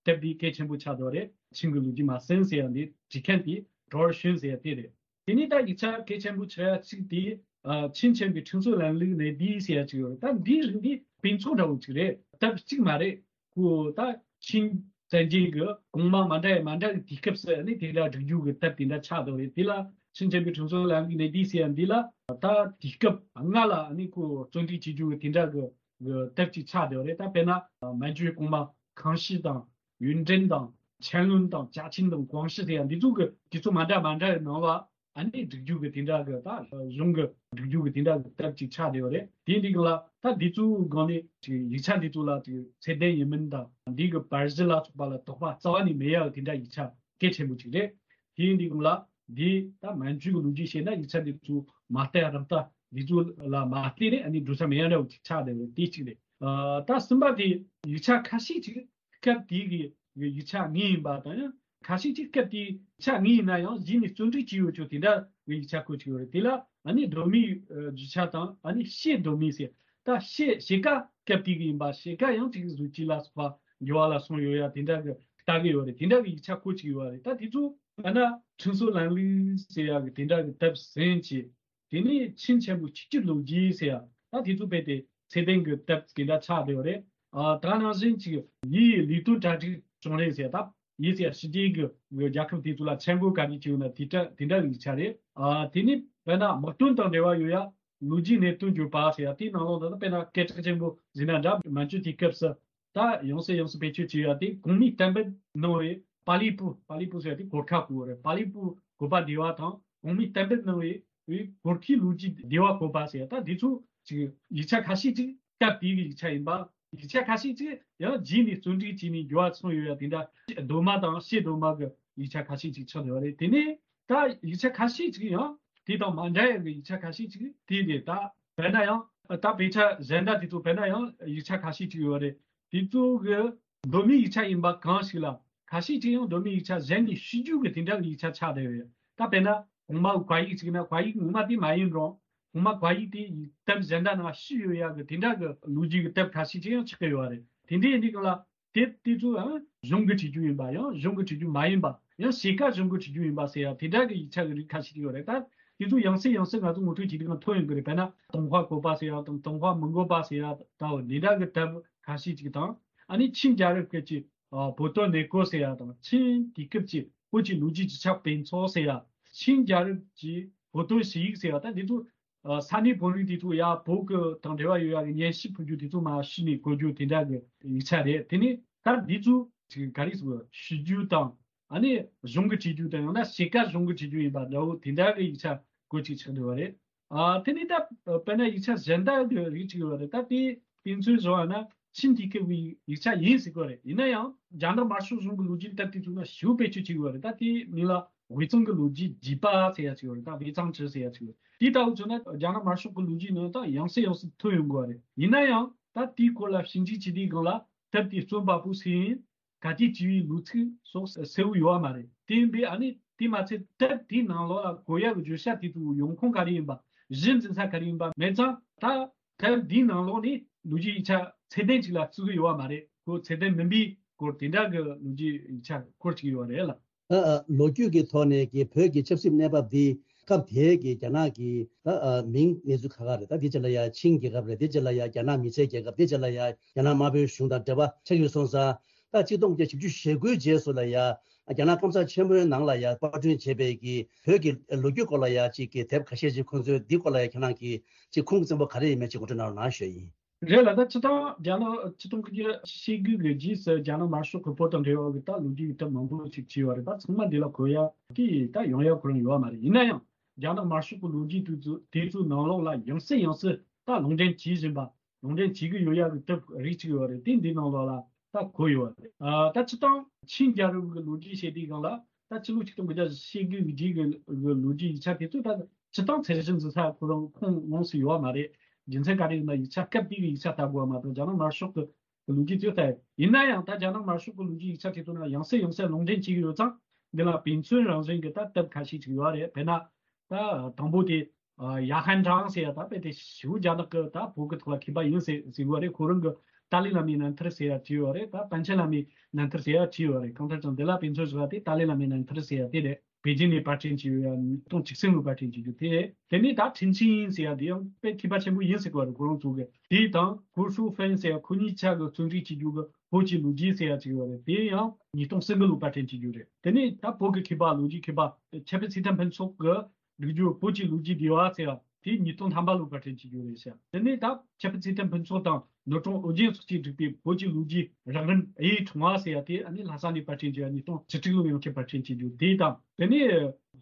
དེབ་འདི་གལ་ཆེན་པོ་ཆགས་འདུག་རེད། ཆིང་གི་ལོ་རྒྱུས་མ་ཟིན་ཟེར་ཡ་འདི་བྲིས་མཁན་དེ་ཀྲོར་ཤུན་ཟེར་ཡ་དེ་རེད། དེ་ནས་ད་ཡིག་ཆ་གལ་ཆེན་པོ་ཆགས་ཡ་གཅིག་དེ་ཨ་ཆིང་ཆེན་པོའི་ཁྲིམས་སྲོལ་ལམ་ལུགས་ནས་འདི་ཟེར་ཡ་གཅིག་ཡོད་རེད། ད་འདིའི་རིགས་འདི་དཔེ་ཚོགས་འདྲ་བོ་གཅིག་རེད། དེབ་གཅིག་མ་རེད། ཁོ་ད་ཆིང་བཙན་རྒྱལ་གྱི་གོང་མ་མ་འདྲ་ཡ་མ་འདྲ་གི་དུས་སྐབས་སུ་ནི་དེ་འདྲ་བསྒྲིགས་རྒྱུ་གི་དེབ་དེ་འདྲ་ཆགས་འདུག་རེད། དེ་ལ་ཆིང་ཆེན་པོའི་ཁྲིམས་སྲོལ་ལམ་ལུགས་ནས་འདི་ཟེར་ཡ་འདི་ལ་ད་དུས་སྐབས་སྔ་ལ་ནི་ཁོ་བརྩོན་འགྲུས་བྱེད་རྒྱུ་གི་དེ་འདྲ་གི་གི་དེབ་ཅིག་ཆགས་བསྡད་པ་རེད། ད་དཔེར་ན་མན་ཇུའི་གོང་མ་ཁང་ཤི་དང་ཡུན་ཀྲེང་དང་ཆན་ལུན་དང་ཅཱ་ཆིང་དང་ཀོང་ཤི་ཟེར་ཡ་འདི་ཚོ་གི་དུས་ཚོད་མ་འདྲ་མ་འདྲ་ཡི་ནང་ལ་ཨ་ནི་བསྒྲིགས་རྒྱུ་གི་དེ་འདྲ་གི་ད་གཞུང་གི་བསྒྲིགས་རྒྱུ་གི་དེ་འདྲ་གི་དེབ་ཅིག་ཆགས་བསྡད་པ་རེད། དེ་འདི་གི་ལ་ད་འདི་ཚོའི་སྒང་ནས་ཅིག་ཡིག་ཆ་འདི་ཚོ་ལ་ཅིག་ཚད་ལྡན་ཡིན་མིན་དང་འདི་གི་པར་གཞི་ལ་སོགས་པ་ལ་དོགས་པ་རྩ་བ་ནས་མེད་ཡ་གི་དེ་འདྲ་ཡིག་ཆ་གལ་ཆེན་པོ་ཅིག་རེད། དེ་ཡིན་དུས་སྒང་ལ་འདི་ད་མན་ཇུའི་གི་ལོ་རྒྱུས་བཤད་ན་ཡིག་ཆ་འདི་ཚོ་མ་བལྟས་ར་བལྟས་འདི་ཚོ་ལ་མ་བལྟས་ནས་ཨ་ནི་འགྲོ་ས་མེད་ཡ་འདྲ་བོ་ཅིག་ཆགས་བསྡད་ཡོད་དེ་གཅིག་རེད། ཨ་ད་གསུམ་པ་དེ་ཡིག་ཆ་ཁ་ཤས་ཅིག་སྐབས་དེའི་གི་ཡིག་ཆ་དངོས་ཡིན་པ་དང་ཡང་ཁ་ཤས་ཅིག་སྐབས་དེའི་ཡིག་ཆ་དངོས་ཡིན་ན་ཡང་གཞི་ནས་བརྩོན་འགྲུས་བྱས་ཡོད་ཆོག་དེ་འདྲ་གི་ཡིག་ཆ་བཀོད་ཅིག་ཡོད་རེད། དེ་ལ་ཨ་ནི་གདོད་མའི་རྒྱུ་ཆ་དང་ཨ་ནི་ཕྱེད་གདོད་མའི་ཟེར། ད་ཕྱེད་ཕྱེད་ཀ་སྐབས་དེའི་གི་ཡིན་པ་ཕྱེད་ཀ་ཡང་ཅིག་གཟུགས་ཅིག་ལ་སོགས་པ་འགྱུར་བ་ལ་སོང་ཡོད་ཡ་དེ་འདྲ་གི་ལྟ་གི་ཡོད་རེད། དེ་འདྲ་གི་ཡིག་ཆ་བཀོད་ཅིག་ཡོད་རེད། ད་དེ་ཚོ་ཨ་ན་ཁྲིན་སོ་ལམ་ལུགས་ཟེར་ཡ་གི་དེ་འདྲ་གི་དེབ་ཟིན་ཅིག་དེ་ནས་ཆིན་ཆེན་པོ་ཆིག་སྒྱུར་ལོ་རྒྱུས་ཟེར་ཡ་ད་དེ་ཚོ་རྦད་དེ་ཚད་ལྡན་གྱི་དེབ་དེ་འདྲ་ཆགས་བསྡད་ཡོད་རེད། ཨ་ད་ནང་བཞིན་གྱི་ཡིའི་ལས་དོན་གྲ་སྒྲིག་བྱུང་རེད་ཟེར་ཡ་ད་ཡིན་ཟེར་ཡ་ཕྱི་རྒྱལ་གྱི་རྒྱལ་ཁབ་དེ་ཚོ་ལ་མཆན་འགོད་ག་རེ་བྱས་ཡོད་ན་དེ་འདྲ་དེ་འདྲ་ཡིག་ཆ་རེད། ཨ་དེ་ནས་དཔེར་ན་དམག་དོན་དང་འབྲེལ་བ་ཡོད་ཡ་ལོ་རྒྱུས་གནད་དོན་བརྗོད་པ་ཟེར་ཡ་དེའི་ནང་ལོགས་ད་དཔེར་ན་སྐད་གྲགས་ཆེན་པོ་ཟིན་ན་འདྲ་མན་ཇུ་དེའི་སྐབས་སུ། ད་ཡང་སེ་ཡང་སེ་བེད་སྤྱོད་བྱས་ཡ་དེ་གོང་མའི་གཏན་འབེབས་གནང་བའི་པཱ་ལི་པུ་པཱ་ལི་པུ་ཟེར་ཡ་དེ་གོར་ཁ་གོ་རེད། པཱ་ལི་པུ་བཀོད་པ་བདེ་བ་དང་གོང་མའི་གཏན་འབེབས་གནང་བའི་གོར་ཁའི་ལོ་རྒྱུས་བདེ་བ་བཀོད་པ་ཟེར་ཡ་ད་དེ་ཚོ་ཅིག་ཡིག་ཆ་ཁ་ཤས་ཅིག་སྐབས་དེའི་གི་ཡིག་ཆ་ཡིན་པ། ཡིག་ཆ་ཁ་ཤས་ཅིག་ཡང་རྗེས་ནས་བརྩོན་འགྲུས་བྱས་ནས་འགྱུར་བ་སོང་ཡོད་ཡ་དེ་འདྲ་གདོད་མ་དང་ཕྱེད་གདོད་མ་གི་ཡིག་ཆ་ཁ་ཤས་ཅིག་ཆགས་ཡོད་རེད། དེ་ནས་ད་ཡིག་ཆ་ཁ་ཤས་ཅིག་ཡང་དེ་དང་མ་འདྲ་ཡ་གི་ཡིག་ཆ་ཁ་ཤས་ཅིག་དེ་རེད། ད་དཔེར་ན་ཡང་ད་དཔེ་ཆ་གཞན་དག་དེ་ཚོ་དཔེར་ན་ཡང་ཡིག་ཆ་ཁ་ཤས་ཅིག་ཡོད་རེད། དེ་ཚོ་གི་གདོད་མའི་ཡིག་ཆ་ཡིན་པ་གང་ཞིག་ལ་ཁ་ཤས་ཅིག་ཡང་གདོད་མའི་ཡིག་ཆ་གཞན་གྱི་ཕྱི་རྒྱུད་ཀྱི་དེ་འདྲ་གི་ཡིག་ཆ་ཆགས་བསྡད་ཡོད། ད་དཔེར་ན་གོང་མ་བཀའ་ཡིག་ཅིག་ན་བཀའ་ཡིག་ངོ་མ་དེ་མ་ཡིན་རུང་གོང་མ་བཀའ་ཡིག་དེ་ཡི་དེབ་གཞན་དག་ནང་ཞུགས་ཡོད་ཡག་གི་དེ་འདྲ་གི་ལོ་རྒྱུས་ཀྱི་དེབ་ཁ་ཤས་ཅིག་ཡང་ཆགས་ཀྱི་ཡོད་རེད། དེ་འདྲའི་ཡིན་དུས་སྒང་ལ་དེབ་དེ་ཚོ་ཡང་གཞུང་གི་བྲིས་རྒྱུ་ཡིན་པ་ཡང་གཞུང་གི་བྲིས་རྒྱུ་མ་ཡིན་པ་ཡང་ཕྱེད་ཀ་གཞུང་གི་བྲིས་རྒྱུ་ཡིན་པ་ཟེར་ཡ་དེ་འདྲ་གི་ཡིག་ཆ་གི་རིགས་ཁ་ཤས་ཅིག་ཡོད་རེད། ད་དེ་ཚོ་ཡང་སེ་ཡང་སེ་ང་ཚོ་ངོ་སྤྲོད་བྱེད་དུས་སྒང་ཐོན་ཡོང་གི་རེད། དཔེར་ན་ཏུན་ཧྭ་བཀོད་པ་ཟེར་ཡ་དང་ཏུན་ཧྭ་མི་བཀོད་པ་ཟེར་ཡ་ད་འོ་འདི་འདྲ་གི་དེབ་ཁ་ཤས་ཅིག་དང་ཨ་ནི་ཆིན་རྒྱལ་རབས་སྐབས་ཀྱི་ཨ་བོད་དོན་གནས་སྐོར་ཟེར་ཡ་དང་ཆིན་དུས་སྐབས་ཀྱི་བོད་ཀྱི་ལོ་རྒྱུས་ཀྱི་ཆ་དཔེ་ཚོགས་ཟེར་ཡ། ཆིན་རྒྱལ་རབས་ཀྱི་བོད་དོན་ཞུ་ཡིག་ཟེར་ཡ་ད་འདི་ཚོ་ཨ་ས་གནས་བོད་རིགས་དེ་ཚོ་ཡ་བོད་ཀྱི་དང་འབྲེལ་བ་ཡོད་ཡ་གི་སྙན་ཞུ་ཕུལ་རྒྱུ་དེ་ཚོ་མར་ཞུས་ནས་བཀོད་རྒྱུ་དེ་འདྲ་གི་ཡིག་ཆ་རེད། དེ་ནས་ད་འདི་ཚོ་ཅིག་ག་རེ་ཟེར་ཞུ་རྒྱུ་དང་ཨ་ནི་གཞུང་གི་བྲིས་རྒྱུ་དང་ཡང་ན་ཕྱེད་ཀ་གཞུང་གི་བྲིས་རྒྱུ་ཡིན་པ་འདྲ་བོ་དེ་འདྲ་གི་ཡིག་ཆ་བཀོད་ཅིག་ཆགས་འདུག་བ་རེད། ཨ་དེ་ནས་ད་དཔེར་ན་ཡིག་ཆ་གཞན་དག་གི་རིགས་ཅིག་ཡོད་རེད། ད་དེ་དཔེ་མཚོན་བཟོ་བ་ན་ཆིན་དུས་སྐབས་ཀྱི་ཡིག་ཆ་ཡིན་ཟེར་གོ་རེད། ཡིན་ན་ཡང་རྒྱ་ནག་དམར་ཤོག་གཞུང་གི་ལོ་རྒྱུས་དེབ་དེ་ཚོ་ན་ཞེ་པོ་བེད་སྤྱོད་བྱེད་ཀྱི་ཡོད་རེད། ད་དེའི་མིང་ལ་དབུས་གཙང་གི་ལོ་རྒྱུས་རྒྱས་པ་ཟེར་ཡ་ཅིག་ཡོད་རེད། ད་དབུས་གཙང་ཁྲི་ཟེར་ཡ་ཅིག་ཡོད་རེད། དེ་ལྟ་བུ་བྱུང་ན་རྒྱ་ནག་དམར་ཤོག་གི་ལོ་རྒྱུས་ནང་ད་ཡང་སེ་ཡང་སེ་ཐོན་ཡོང་གི་ཡོད་རེད། ཡིན་ན་ཡང་ད་དེའི་སྐོར་ལ་ཞིབ་འཇུག་བྱེད་དུས་སྒང་ལ་དེབ་དེ་རྩོམ་པ་པོ་སུ་ཡིན། ག་དུས་བྲིས་པའི་ལོ་ཚིགས་སོགས་གསལ་བོ་ཡོད་པ་མ་རེད། དེ་ཡིན་པས་ཨ་ནི་དེ་མ་ཚད་དེབ་དེའི་ནང་ལོགས་ལ་གོ་ཡག་གི་བརྗོད་བྱ་དེ་ཚོའི་ཡོང་ཁུངས་ག་རེ་ཡིན་པ། གཞི་འཛིན་ས་ག་རེ་ཡིན་པ་མེད་ཙང་ད་དེབ་དེའི་ནང་ལོགས་ནས་ལོ་རྒྱུས་ཡིག་ཆ་ཚད་ལྡན་ཅིག་ལ་བརྩི་གི་ཡོད་པ་མ་རེད། ཁོ་ཚད་ལྡན་མིན་པའི་སྐོར་དེ་འདྲ་གི་ལོ་རྒྱུས་ཡིག་ཆ་སྐོར་ཅིག་ཡོད་རེད་ལ། ཨ་ཨ། ལོ་རྒྱུས་ཀྱི་ཐོག་ནས་ཀྱི་བོད་ཀྱི་ཆབ་སྲིད་གནས་བབ་འདི་སྐབས་དེའི་གི་རྒྱ་ནག་གི་ད་ཨ་མིང་གནས་ཚུལ་ཁག་ཁག་རེད། ད་དེ་རྗེས་ལ་ཡ་ཆིང་རྒྱལ་ཁབ་རེད། དེ་རྗེས་ལ་ཡ་རྒྱ་ནག་མི་སེར་རྒྱལ་ཁབ། དེ་རྗེས་ལ་ཡ་རྒྱ་ནག་དམར་པོའི་གཞུང་དང་འབྲེལ་བ་ཆགས་ཡོད་སོང་ཙང་། ད་ཆིག་སྟོང་དགུ་བརྒྱ་བཞི་བཅུ་ཞེ་དགུའི་རྗེས་སུ་ལ་ཡ་རྒྱ་ནག་སྐམ་ས་ཆེན་པོའི་ནང་ལ་ཡ་པར་སྐྲུན་བྱས་པའི་གི་བོད་ཀྱི་ལོ་རྒྱུས་སྐོར་ལ་ཡ་ཅིག་གི་དེབ་ཁ་ཤས་ཅིག་ཁོང་ཚོས་འདི་སྐོར་ལ་ཡ་ཁྱེད་རང་གིས་ཅིག་ཁུངས་བཙན་པོ་ག་རེ་ཡིན་མིན་ཅིག་ངོ་སྤྲོད་གནང་རོགས་གནང་ཞུ་ཡ་ཡིན། རེད་ལ། ད་སྤྱི་བཏང་རྒྱ་ནག་ཆིག་སྟོང་དགུ་བརྒྱ་ཞེ་དགུ་གི་རྗེས་སུ་རྒྱ་ནག་དམར་ཤོག་གི་བོད་དང་འབྲེལ་བ་གི་ད་ལོ་རྒྱུས་ཀྱི་དེབ་མང་པོ་ཞིག་བྲིས་པ་རེད། ད་ཚང་མ་འདི་ལ་གོ་ཡ་གི་ད་ཡོང་ཡ་ཁོ་རང་ཡོད་པ་མ་རེད། ཡིན་ན་ཡང་རྒྱ་ནག་དམར་ཤོག་གི་ལོ་རྒྱུས་དེ་ཚོ་དེ་ཚོའི་ནང་ལོགས་ལ་ཡང་སེ་ཡང་སེ་ད་ལུང་འདྲེན་བྱེད་བཞིན་པ། ལུང་འདྲེན་བྱེད་ཀྱི་ཡོད་ཡ་གི་དེབ་རིགས་གཅིག་ཡོད་རེད། དེ་འདི་ནང་ལོགས་ལ་ད་གོ་ཡོད་རེད། ཨ་ད་སྤྱི་བཏང་ཆིང་རྒྱལ་རབས་ཀྱི་ལོ་རྒྱུས་བཤད་དུས་སྒང་ལ་ད་ཕྱི་ལོ་ཆིག་སྟོང་དགུ་བརྒྱ་ཞེ་དགུ་གི་རྗེས་ཀྱི་ལོ་རྒྱུས་ཡིག་ཆ་དེ་ཚོ་ད་སྤྱི་བཏང་ཚད་གཞི་འཛིན་ས་ཁོ་རང་ཁོངས་ལོངས་སུ་ཡོད་པ་མ་རེད། རྒྱུ་མཚན་ག་རེ་ཡིན་ན་ཡིག་ཆ་སྐབས་དེ་གི་ཡིག་ཆ་ལྟ་དགོས་པ་མ་གཏོགས་རྒྱ་ནག་དམར་ཤོག་གི་ལོ་རྒྱུས་ཚོ་ལྟ་ཡིན་ན་ཡང་ད་རྒྱ་ནག་དམར་ཤོག་གི་ལོ་རྒྱུས་ཡིག་ཆ་དེ་ཚོ་ན་ཡང་སེ་ཡང་སེ་ལུང་འདྲེན་བྱེད་ཀྱི་ཡོད་ཙང་། འདི་ལ་དཔེ་མཚོན་རང་བཞིན་གྱི་ད་དེབ་ཁ་ཤས་ཅིག་ཡོད་རེད། དཔེར་ན་ད་དང་པོ་དེ་ཡ་ཧན་ཀྲང་ཟེར་ཡ་ད་དཔེ་དེ་ཞེ་པོ་རྒྱ་ནག་གི་ད་བོད་ཀྱི་ཐོག་ལ་མཁས་པ་ཡིན་ཟེར་ཟེར་གྱི་ཡོད་རེད། ཁོ་རང་གི་ཏཱ་ལའི་བླ་མའི་རྣམ་ཐར་ཟེར་ཡ་བྲིས་ཡོད་རེད། ད་པཎ་ཆེན་བླ་མའི་རྣམ་ཐར་ཟེར་ཡ་བྲིས་ཡོད་རེད། གང་ལྟར་ཀྱང་འདི་ལ་དཔེ་མཚོན་བཟོ་བ་དེ་ཏཱ་ལའི་བླ་མའི་རྣམ་ཐར་ཟེར་ཡ་དེ་རེད། པེ་ཅིན་ནས་པར་སྐྲུན་བྱས་ཡོད་ཡ་ཉིས་སྟོང་བཅུ་གསུམ་ལོའི་པར་སྐྲུན་བྱས་རྒྱུ་དེ་རེད། དེ་ནས་ད་ཁྲིན་ཆིང་ཟེར་ཡ་དེ་ཡང་དཔེ་མཁས་པ་ཆེན་པོ་ཡིན་ཟེར་གྱི་ཡོད་རེད། ཁོ་རང་ཚོ་གི་དེ་དང་གོ་ཧྲུའུ་ཧྥེང་ཟེར་ཡ་ཁོ་གཉིས་ཆ་གི་རྩོམ་སྒྲིག་བྱེད་རྒྱུ་གི་བོད་ཀྱི་ལོ་རྒྱུས་ཟེར་ཡ་ཅིག་ཡོད་རེད། དེ་ཡང་ཉིས་སྟོང་གསུམ་གི་ལོའི་པར་སྐྲུན་བྱེད་རྒྱུ་རེད། དེ་ནས་ད་བོད་ཀྱི་མཁས་པ་ལོ་རྒྱུས་མཁས་པ་ཁྱད་པར་ཚེ་བརྟན་ཕུན་ཚོགས་ཀྱི་བསྒྲིགས་རྒྱུ་བོད་ཀྱི་ལོ་རྒྱུས་བདེ་བ་ཟེར་ཡ་དེ་ཉིས་སྟོང་ཐམ་པ་ལོའི་པར་སྐྲུན་བྱེད་རྒྱུ་རེད་ཟེར། དེ་ནས་ད་ཁྱད་པར་ཚེ་བརྟན་ཕུན་ཚོགས་དང་ནོར་སྲུང་ཨོ་རྒྱན་སོགས་ཀྱིས་བསྒྲིགས་པའི་བོད་ཀྱི་ལོ་རྒྱུས་རགས་རིམ་གཡུའི་ཕྲེང་བ་ཟེར་ཡ་དེ་ཨ་ནི་ལྷ་ས་ནས་པར་སྐྲུན་བྱས་ཡ་ཉིས་སྟོང་བཅུ་དྲུག་ལོའི་ཡང་བསྐྱར་པར་སྐྲུན་བྱེད་རྒྱུ་དེ་དང་། དེ་ནས་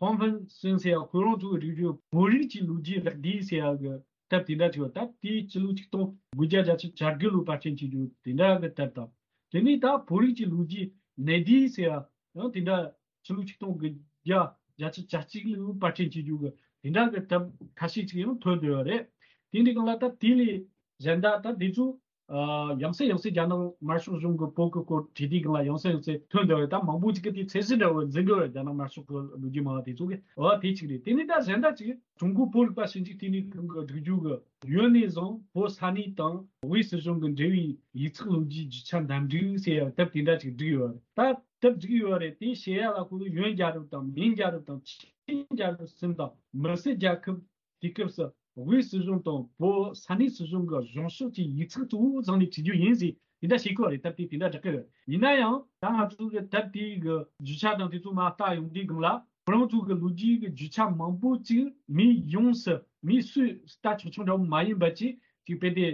ཧོང་ཧྥན་སུན་ཟེར་ཡ་ཁོ་རང་ཚོ་གིས་བསྒྲིགས་རྒྱུ་བོད་རིགས་ཀྱི་ལོ་རྒྱུས་རགས་བསྡུས་ཟེར་ཡ་གི་དེབ་དེ་འདྲ་ཅིག་ཡོད། ད་དེའི་ཕྱི་ལོ་ཆིག་སྟོང་དགུ་བརྒྱ་བརྒྱད་ཅུ་གྱ་དགུ་ལོའི་པར་སྐྲུན་བྱེད་རྒྱུ་དེ་འདྲ་གི་དེབ་དང་། དེ་ནས་ད་བོད་རིགས་ཀྱི་ལོ་རྒྱུས་གནས་བསྡུས་ཟེར་ཡ་ཡང་དེ་འདྲ་ཕྱི་ལོ་ཆིག་སྟོང་དགུ་ བརྒྱ་བརྒྱ་ཆ་གྱ་གཅིག་ལས་པར་སྐྲུན་བྱེད་རྒྱུ་གི་དེ་འདྲ་གི་གྲབས་ཁ་ཤས་ཅིག་ཡང་ཐོན་བསྡད་ཡོད་རེད། དེ་འདྲའི་སྒང་ལ་ད་དེ་ལས་གཞན་དག་ད་དེ་ཚོ་ཡང་སེ་ཡང་སེ་རྒྱ་ནག་དམར་ཤོག་གཞུང་གི་བོད་ཀྱི་སྐོར་བྲིས་དུས་སྒང་ལ་ཡང་སེ་ཡང་སེ་ཐོན་བསྡད་ཡོད། ད་མང་པོ་ཅིག་གིས་དེ་ཚད་གཞི་འདྲ་བོ་འཛིན་གི་ཡོད། རྒྱ་ནག་དམར་ཤོག་གི་ལོ་རྒྱུས་མང་བ་དེ་ཚོ་གིས། འོ་དེ་གཅིག་རེད། དེ་ནས་ད་གཞན་དག་ཅིག་ཀྲུང་གོ་བོད་རིག་པ་ཞིབ་འཇུག་ལྟེ་གནས་ཁང་གིས་བསྒྲིགས་རྒྱུ་གི་ཡོན་ནས་བཟུང་བོད་ས་གནས་དང་དབུས་སྲིད་གཞུང་གི་འབྲེལ་བའི་ཡིག་ཚགས་ལོ་རྒྱུས་རྒྱུ་ཆ་འདེམས་སྒྲིག་ཟེར་ཡ་དེབ་དེ་འདྲ་ཅིག་བསྒྲིགས་ཡོད་རེད། ད་དེབ་བསྒྲིགས་ཡོད་རེད། དེ་བཤད་ཡ་ལ་ཁོ་ཚོ་ཡོན་རྒྱལ་རབས་དང་མིང་རྒྱལ་རབས་དང་ཆིང་རྒྱལ་རབས་གསུམ་དང་མི་སེར་རྒྱལ་ཁབ། དེ་སྐབས་སུ་དབུས་སྲིད་གཞུང་དང་བོད་ས་གནས་སྲིད་གཞུང་གི་གཞུང་ཕྱོགས་ཀྱི་ཡིག་ཚགས་གཙོ་བོ་བཟུང་ནས་བྲིས་རྒྱུ་ཡིན་ཟེར་དེ་འདྲ་བཤད་ཀྱི་ཡོད་རེད། དེབ་དེ་དེ་འདྲ་བསྒྲགས་ཀྱི་ཡོད་རེད། ཡིན་ན་ཡང་ད་ང་ཚོ་གི་དེབ་དེའི་གི་རྒྱུ་ཆ་དང་དེ་ཚོ་མར་ལྟ་ཡོང་དུས་སྒང་ལ་ཁོ་རང་ཚོ་གི་ལོ་རྒྱུས་ཀྱི་རྒྱུ་ཆ་མང་པོ་ཅིག་མི་ཡོངས་སུ་མི་སུས་ལྟ་ཆོག་ཆོག་འདྲ་བོ་མ་ཡིན་པ་ཅིག་ཅིག་དཔེ་དེ་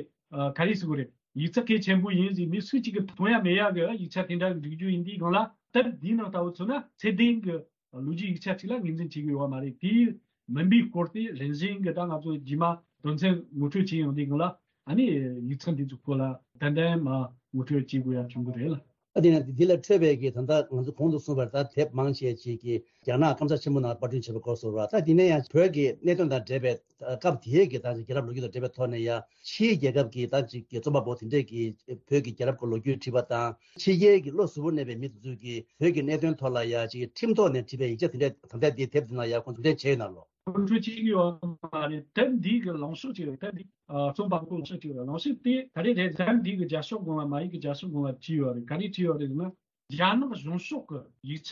ག་རེ་ཟེར་དགོས་རེད། ཡིག་ཚགས་གལ་ཆེན་པོ་ཡིན་ཟེར་མི་སུ་གཅིག་གིས་མཐོང་ཡ་མེད་ཡ་གི་ཡིག་ཆ་དེ་འདྲ་གི་འབྲི་རྒྱུ་ཡིན་དུས་སྒང་ལ་དེབ་འདིའི་ནང་ལྟ་བུ་མཚོན་ན་ཚད་ལྡན་གི་ལོ་རྒྱུས་ཡིག་ཆ་ཅིག་ལ་ངོས་འཛིན་བྱེད་ཀྱི་ཡོད་མ་རེད། དེ་མིན་པའི་སྐོར་དེ་རིམ་བཞིན་གྱི་ད་ང་ཚོ་རྗེས་མ་དོན་ཚན་ངོ་སྤྲོད་བྱེད་ཡོང་དུས་སྒང་ལ་ཨ་ནི་ཡིག་ཚགས་འདི་ཚོ་སྐོར་ལ་ཏན་ཏན་མ་ངོ་སྤྲོད་བྱེད་དགོས་ཡ་བྱུང་གི་རེད་ལ། ཨ་དེ་ནས་འདི་ལ་འཕྲོས་པའི་གི་ད་ལྟ་ང་ཚོ་གོང་དུ་གསུངས་པར་ད་དེབ་མང་ཆེ་ཅིག་གིས་རྒྱ་ནག་ཀམ་ཚང་ཆེན་མོ་ནང་པར་སྐྲུན་བྱས་པའི་སྐོར་སོགས་རེད། ད་དེ་ནས་ཡང་བོད་ཀྱི་གནད་དོན་དང་འབྲེལ་བའི་སྐབས་དེའི་གི་ད་རྒྱལ་རབས་ལོ་རྒྱུས་དང་འབྲེལ་བའི་ཐོག་ནས་ཡང་ཕྱིའི་རྒྱལ་ཁབ་ཀྱི་ད་ཅིག་གི་རྩོམ་པ་པོ་དེ་འདྲས་ཀྱིས་བོད་ཀྱི་རྒྱལ་རབས་ཀྱི་ལོ་རྒྱུས་བྲིས་པ་དང་ཕྱི་རྒྱལ་གྱི་བློ་གཟུ་བོར་གནས་པའི་མི་དེ་ཚོས་ཀྱིས་བོད་ཀྱི་གནད་དོན་ཐོག་ལ་ཡང་ཅིག་ཁྲིམས་ཐོག་ནས་བྲིས་པའི་ཡིག་ཆ་དེ་འདྲས་ད་ལྟ་འདིའི་དེབ་འདི་ནང་ཡང་ཁོང་ཚོས་འགྲེམས་སྤེལ་བྱས་ཡོད་ན་ལོ། ཁོང་ཚོས་བྱེད་ཀྱི་ཡོད་མ་རེད། དེབ་འདི་གི་ལངས་ཕྱོགས་ཅིག་རེད། དེབ་འདི་རྩོམ་པ་པོ་ལངས་ཕྱོགས་ཅིག་རེད། ལངས་ཕྱོགས་དེ་ག་རེ་རེད། དེབ་འདི་གི་རྒྱབ་ཕྱོགས་སྒང་ལ་མ་ཡིག་གི་རྒྱབ་ཕྱོགས་སྒང་ལ་བྲིས་ཡོད་རེད། ག་རེ་བྲིས་ཡོད་རེད་ཟེར་ན། རྒྱ་ནག་གཞུང་ཕྱོགས་ཀྱི་ཡིག་ཆ་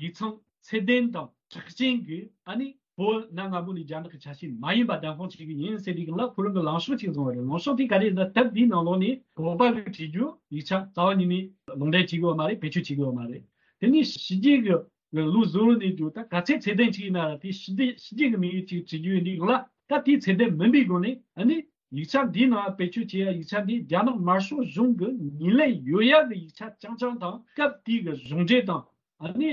ཡིག་ཚང་ཚད་ལྡན་དང་གྲགས་ཅན་གྱི་ཨ་ནི་བོད་གནའ་སྔ་མོ་ནས་རྒྱ་ནག་གི་ཆ་ཤས་མ་ཡིན་པ་བདེན་དཔང་བྱེད་ཀྱི་ཡིན་ཟེར་དུས་སྒང་ལ་ཁོ་རང་གི་ལངས་ཕྱོགས་ཅིག་བཟུང་བ་རེད། ལངས་ཕྱོགས་དེ་ག་རེ་ཡིན་ན་དེབ་འདིའི་ནང་ལོགས་ནས་བོད་པ་གིས་བྲིས་རྒྱུ་ཡིག་ཆ་རྩ་བ་ཉིད་ནས་ལུང་འདྲེན་བྱེད་ཀྱི་ཡོད་མ་རེད། བེད་སྤྱོད་བྱེད་ཀྱི་ཡོད་མ་རེད། དེ་ནས་ཕྱི་རྒྱལ་གྱི་ལུགས་བཟོ་བོ་ནས་རྒྱུ་ད་ག་ཚད་ཚད་ལྡན་ཅིག་ཡིན་ན་ར་དེ་ཕྱི་རྒྱལ་ཕྱི་རྒྱལ་གྱི་མི་ཡིག་ཅིག་བྲིས་རྒྱུ་ཡིན་དུས་སྒང་ལ་ད་དེའི་ཚད་ལྡན་མིན་པའི་སྒོ་ནས་ཨ་ནི། ཡིག་ཆ་འདིའི་ནང་བེད་སྤྱོད་བྱེད་ཡ་ཡིག་ཆ་འདི་རྒྱ་ནག་དམར་ཤོག་གཞུང་གི་ངོས་ལེན་ཡོད་ཡ་གི་ཡིག་ཆ་རྐྱང་རྐྱང་དང་སྐབས་དེའི་གི་གཞུང་འབྲེལ་དང་ཨ་ནི་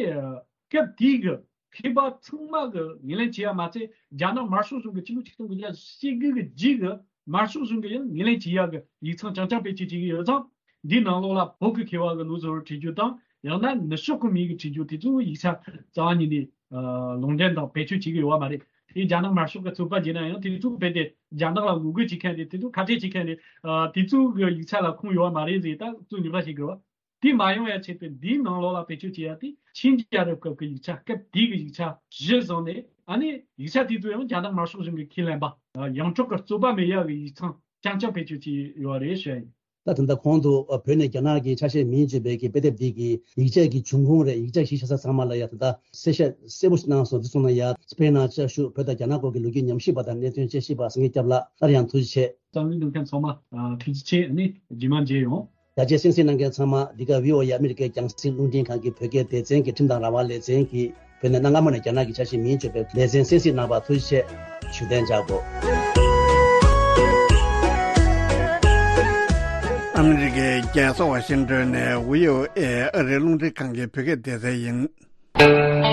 སྐབས་དེའི་གི་མཁས་པ་ཚང་མ་གི་ངོས་ལེན་བྱེད་ཡ་མ་ཚད་རྒྱ་ནག་དམར་ཤོག་གཞུང་གི་ཕྱི་ལོ་ཆིག་སྟོང་དགུ་བརྒྱ་ཞེ་དགུ་གི་རྗེས་གི་དམར་ཤོག་གཞུང་གི་ཡང་ངོས་ལེན་བྱེད་ཡ་གི་ཡིག་ཚང་རྐྱང་རྐྱང་བེད་སྤྱོད་བྱེད་ཀྱི་ཡོད་ཙང་འདིའི་ནང་ལོགས་ལ་བོད་ཀྱི་མཁས་པ་གི་ལུགས་བཟོ་བོར་བྲིས་རྒྱུ་དང་ཡང་ན་ནུབ་ཕྱོགས་གི་མི་གི་བྲིས་རྒྱུ་དེ་ཚོ་ཡིག་ཆ་རྩ་བ་ཉིད་ནས་ལུང་འདྲེན་དང་བེད་སྤྱོད་བྱེད་ཀྱི་ཡོད་པ་མ་རེད། དེ་རྒྱ་ནག་དམར་ཤོག་གི་ཚོགས་པ་བྱས་ན་ཡང་དེ་ཚོ་རྦད་དེ་རྒྱ་ནག་ལ་ངོ་རྒོལ་བྱེད་མཁན་རེད། དེ་ཚོ་ཁ་བྲལ་བྱེད་མཁན་རེད། ཨ། དེ་ཚོ་གི་ཡིག་ཆ་ལ་ཁུངས་ཡོད་པ་མ་རེད་ཟེར་ད་གཙོ་ཉོ་ཁ་བྱེད་དགོས་པ། དེ་མ་ཡོང་ཡ་ཆེད་དུ་འདིའི་ནང་ལོགས་ལ་བེད་སྤྱོད་བྱེད་ཡ་དེ་ཆིང་རྒྱལ་རབས་སྐབས་ཀྱི་ཡིག་ཆ་སྐབས་དེའི་གི་ཡིག་ཆ་གཞིར་བཟུང་ནས་ཨ་ནི་ཡིག་ཆ་དེ་ཚོ་ཡང་རྒྱ་ནག་དམར་ཤོག་གཞུང་གི་ཁས་ལེན་པ་ཡོངས་གྲགས་ཀྱི་རྩོད་པ་མེད་ཡ་གི་ཡིག་ཚང་རྐྱང་རྐྱང་བེད་སྤྱོད་བྱས་ཡོད་རེད་ཞུ་ཡ་ཡིན། ད་ད་ལྟ་གོང་དུ་བོད་ནས་རྒྱ་ནག་གི་ཆ་ཤས་མིང་བརྗོད་པའི་གི་དཔེ་དེབ་འདི་གི་ཡིག་ཆ་གི་འབྱུང་ཁུངས་རེད། ཡིག་ཆ་གཞི་བཞག་ས་ཚང་མ་ལ་ཡ་ད་ལྟ་གསལ་བཤད་གསལ་པོ་ཞིག་གནང་སོང་། འདི་སོང་ན་ཡ་སྤེན་ནང་བཅའ་བཞུགས་བོད་དང་རྒྱ་ནག་སྐོར་གྱི་ལོ་རྒྱུས་ཉམས་ཞིབ་པ་དང་གནད་དོན་དཔྱད་ཞིབ་པ་སངས་རྒྱས་སྐྱབས་ལགས་སླར་ཡང་ཐུགས་རྗེ་ཆེ། གསན་གཟིགས་གནང་མཁན་ཚང་མ་ཐུགས་རྗེ་ཆེ། ཨ་ནི་རྗེས་མ་མཇལ་ཡོང་། རྒྱ་ཆེ་གསན་གཟིགས་གནང་མཁན་ཚང་མ་འདི་ག་བྷི་ཨོ་ཨེ་ཨ་མི་རི་ཀའི་རྒྱང་སྲིང་རླུང་འཕྲིན་ཁང་གི་བོད་སྐད་སྡེ་ཚན་གྱི་ཁྲིམས་དང་རང་དབང་ལེ་ཚན་གྱི་བོད་ནས་གནའ་སྔ་མོ་ནས་རྒྱ་ནག་གི་ཆ་ཤས་མིང་བརྗོད་པའི་ལེ་ཚན་གསན་གཟིགས་གནང་བར་ཐུགས་རྗེ་ཆེ། ཞུ་གཏན་འཇགས་དགོས། ཨ་མི་རི་ཀའི་རྒྱལ་ས་ཝ་ཤིང་ཏོན་ནས་བྷི་ཨོ་ཨེ་ཨ་རིའི་རླུང་འཕྲིན་ཁང་གི་བོད་སྐད་སྡེ་ཚན་ཡིན།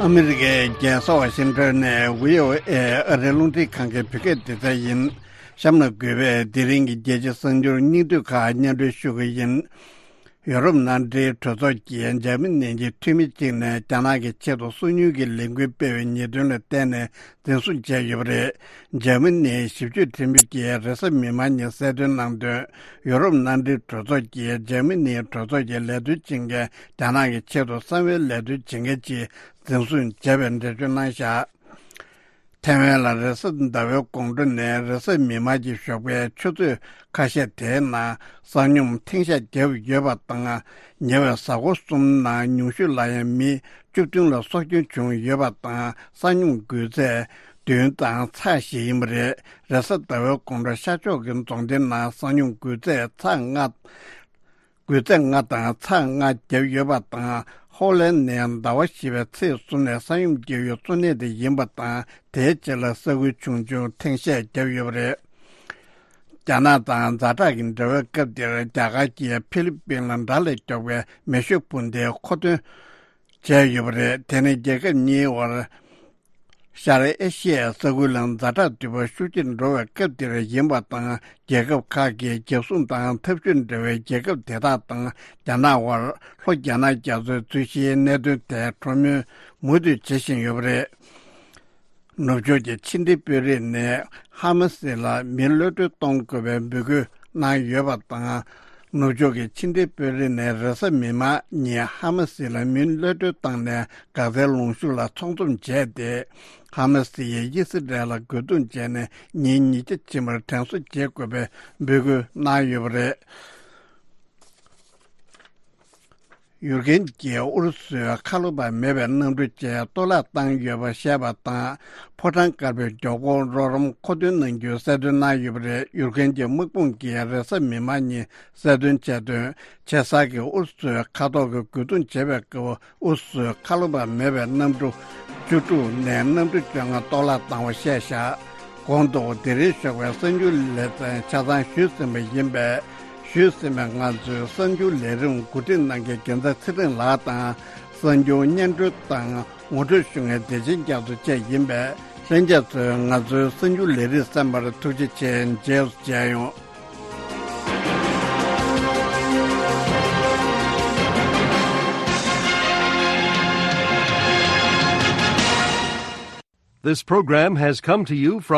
ཨ་མི་རི་ཀའི་རྒྱལ་ས་ཝ་ཤིང་ཊོན་ནས་བྷི་ཨོ་ཨེ་ཨ་རིའི་རླུང་འཕྲིན་ཁང་གི་བོད་སྐད་སྡེ་ཚན་ཡིན། གཤམ་ལ་འགོད་པའི་དེ་རིང་གི་རྒྱལ་སྤྱིའི་གསར་འགྱུར་སྙིང་བསྡུས་ཁག་སྙན་སྒྲོན་ཞུ་གི་ཡིན། ཡོ་རོབ་མནའ་འབྲེལ་གྲོས་ཚོགས་ཀྱིས་འཇར་མ་ནི་གྱི་འཐུས་མི་གཅིག་ནས་རྒྱ་ནག་གི་ཆེད་དུ་སོ་ཉུལ་གྱི་ལས་འགུལ་སྤེལ་བའི་ཉེས་དོན་ལ་བརྟེན་ནས་འཛིན་བཟུང་བྱས་ཡོད་པ་རེད། འཇར་མ་ནིའི་ཞིབ་དཔྱོད་ཁྲིམས་དཔོན་གྱིས་རེས་གཟའ་མིག་དམར་ཉིན་གསལ་སྟོན་གནང་དོན། ཡོ་རོབ་མནའ་འབྲེལ་གྲོས་ཚོགས་ཀྱིས་འཇར་མ་ནིའི་གྲོས་ཚོགས་ཀྱི་ལས་དོན་བྱེད་མཁན་རྒྱ་ནག་གི་ཆེད་དུ་གསང་བའི་ལས་དོན་བྱེད་མཁན་གཅིག་འཛིན་བཟུང་བྱས་པའི་འགྲེལ་བརྗོད་གནང་བཞག་ཐེ་ཝན་ལ་རེས་གཟའ་ཟླ་བའི་དགོང་དྲོ་ནས་རེས་གཟའ་མིག་དམར་གྱི་ཞོགས་པའི་ཆུ་ཚོད་ཁ་ཤས་དེའི་ནང་ས་སྙོམས་ཐེངས་ཤས་བརྒྱབ་ཡོད་པ་དང་། ཉེ་བའི་གཟའ་འཁོར་གསུམ་ནང་ཉུང་ཤོས་ལ་ཡང་མི་བཅུ་བདུན་ལ་སྲོག་སྐྱོན་བྱུང་ཡོད་པ་དང་། ས་སྙོམས་འགོས་ཚད་བདུན་དང་ཚེག་བཞི་ཡིན་པ་རེད། རེས་གཟའ་ཟླ་བའི་དགོང་དྲོ་ཤར་ཕྱོགས་ཀྱི་རྫོང་སྡེའི་ནང་ས་སྙོམས་འགོས་ཚད་ཚེག་ལྔ། འགོས་ཚད་ལྔ་དང་ཚེག་ལྔ་བརྒྱབ་ཡོད་པ་དང་། ཧོ་ལན་ནས་ཟླ་བ་བཞི་པའི་ཚེས་གསུམ་ནས་ས་སྙོམས་བརྒྱབ་ཡུལ་གཙོ་གནད་དེ་ཡིན་པ་དང་། དེའི་རྗེས་ལ་ས་ཁུལ་ཆུང་ཆུང་ཐེངས་ཤས་བརྒྱབ་ཡོད་པ་རེད། རྒྱ་ནག་དང་ཛ་དྲག་གི་འབྲེལ་བའི་སྐབས་འདིར་རྒྱ་གར་གྱིས་ཧྥི་ལི་པིན་ལ་དགྲ་ལས་མགྱོགས་པའི་མེ་ཤུགས་འཕུར་མདེལ་མཁོ་འདོན་བྱས་ཡོད་པ་རེད། དེ་ནི་རྒྱལ་ཁབ་གཉིས་དབར་ཤར་ཨེ་ཤི་ཡའི་ས་ཁུལ་ལ་ཛ་དྲག་འདུས་པ་ཤུགས་ཆེར་འགྲོ་བའི་སྐབས་འདིར་ཡིན་པ་དང་། རྒྱལ་ཁབ་ཁག་གིས་རྒྱལ་སྲུང་དང་འཐབ་ཇུས་འབྲེལ་བའི་རྒྱལ་ཁབ་དེ་དག་དང་རྒྱ་ནག་དབར་ལྷོ་རྒྱ་ནག་རྒྱ་མཚོའི་རྩོད་གཞིའི་གནད་དོན་ཐད་གྲོས་མོལ་མུ་མཐུད་བྱེད་བཞིན་ཡོད་པ་རེད། ནུབ་ཕྱོགས་ཀྱི་ཕྱི་འབྲེལ་དཔོན་རིགས་ནས་ཧ་མ་སི་ལ་མི་གློད་གྲོལ་གཏོང་དགོས་པའི་འབོད་སྐུལ་གནང་ཡོད་པ་དང་། ནུབ་ཕྱོགས་ཀྱི་ཕྱི་འབྲེལ་དཔོན་རིགས་ནས་རེས་གཟའ་མིག་དམར་ཉིན་ཧ་མ་སི་ལ་མི་གློད་གྲོལ་བཏང་ནས་འགག་རྩའི་ལུང་ཤུར་ལ་ཚོགས་འཛོམས་བྱས་ཏེ། ཧ་མ་སི་ཡིས་ཨི་སི་རལ་ལ་རྒོལ་རྡུང་བྱས་ནས་ཉིན་ཉིས་བརྒྱ་ཕྱིན་པར་དྲན་གསོ་བྱེད་དགོས་པའི་འབོད་སྐུལ་གནང་ཡོད་པ་རེད། ཡུཀ་རེན་གྱིས་ཨུ་རུ་སུའི་ཁ་ལོ་བ་མེད་པའི་གནམ་གྲུ་བཅས་གཏོར་བརླག་བཏང་ཡོད་པ་བཤད་པ་དང་། ཕོ་བྲང་དཀར་པོའི་མགྱོགས་འཁོར་རོགས་རམ་མཁོ་འདོན་གནང་རྒྱུའི་གསལ་སྟོན་གནང་ཡོད་པ་རེད། ཡུཀ་རེན་གྱི་དམག་དཔུང་གིས་རེས་གཟའ་མིག་དམར་ཉིན་གསལ་སྟོན་བྱས་དོན། ཆེ་སར་གྱིས་ཨུ་རུ་སུའི་མཁའ་ཐོག་གི་རྒོལ་རྡུང་བྱེད་པའི་སྐབས། ཨུ་རུ་སུའི་ཁ་ལོ་བ་མེད་པའི་གནམ་གྲུ་བཅུ་དྲུག་ནས་གནམ་གྲུ་བཅོ་ལྔ་གཏོར་བརླག་བཏང་བ་བཤད་བཞག་གོང་དུ་དེ་རིང་ཞོགས་པའི་གསར་འགྱུར་ལེ་ཚན་ཆ་ཚང་ཞུས་ཟིན་པ་ཡིན་པས། ཞུས་ཟིན་པའི་ང་ཚོའི་གསར་འགྱུར་ལས་རིམ་གོ་སྒྲིག་གནང་མཁན་རྒྱལ་མཚན་ཚེ་རིང་ལགས་དང་། གསར་འགྱུར་སྙན་སྒྲོན་དང་ངོ་སྤྲོད་ཞུ་མཁན་བདེ་ཆེན་རྒྱ་མཚོ་བཅས་ཡིན་པས། ལྷན་རྒྱས་ཚོས་ང་ཚོའི་གསར་འགྱུར་ལས་རིམ་གསན་པར་ཐུགས་རྗེ་ཆེ། རྗེས་སུ་མཇལ་ཡོང་། This program has come to you from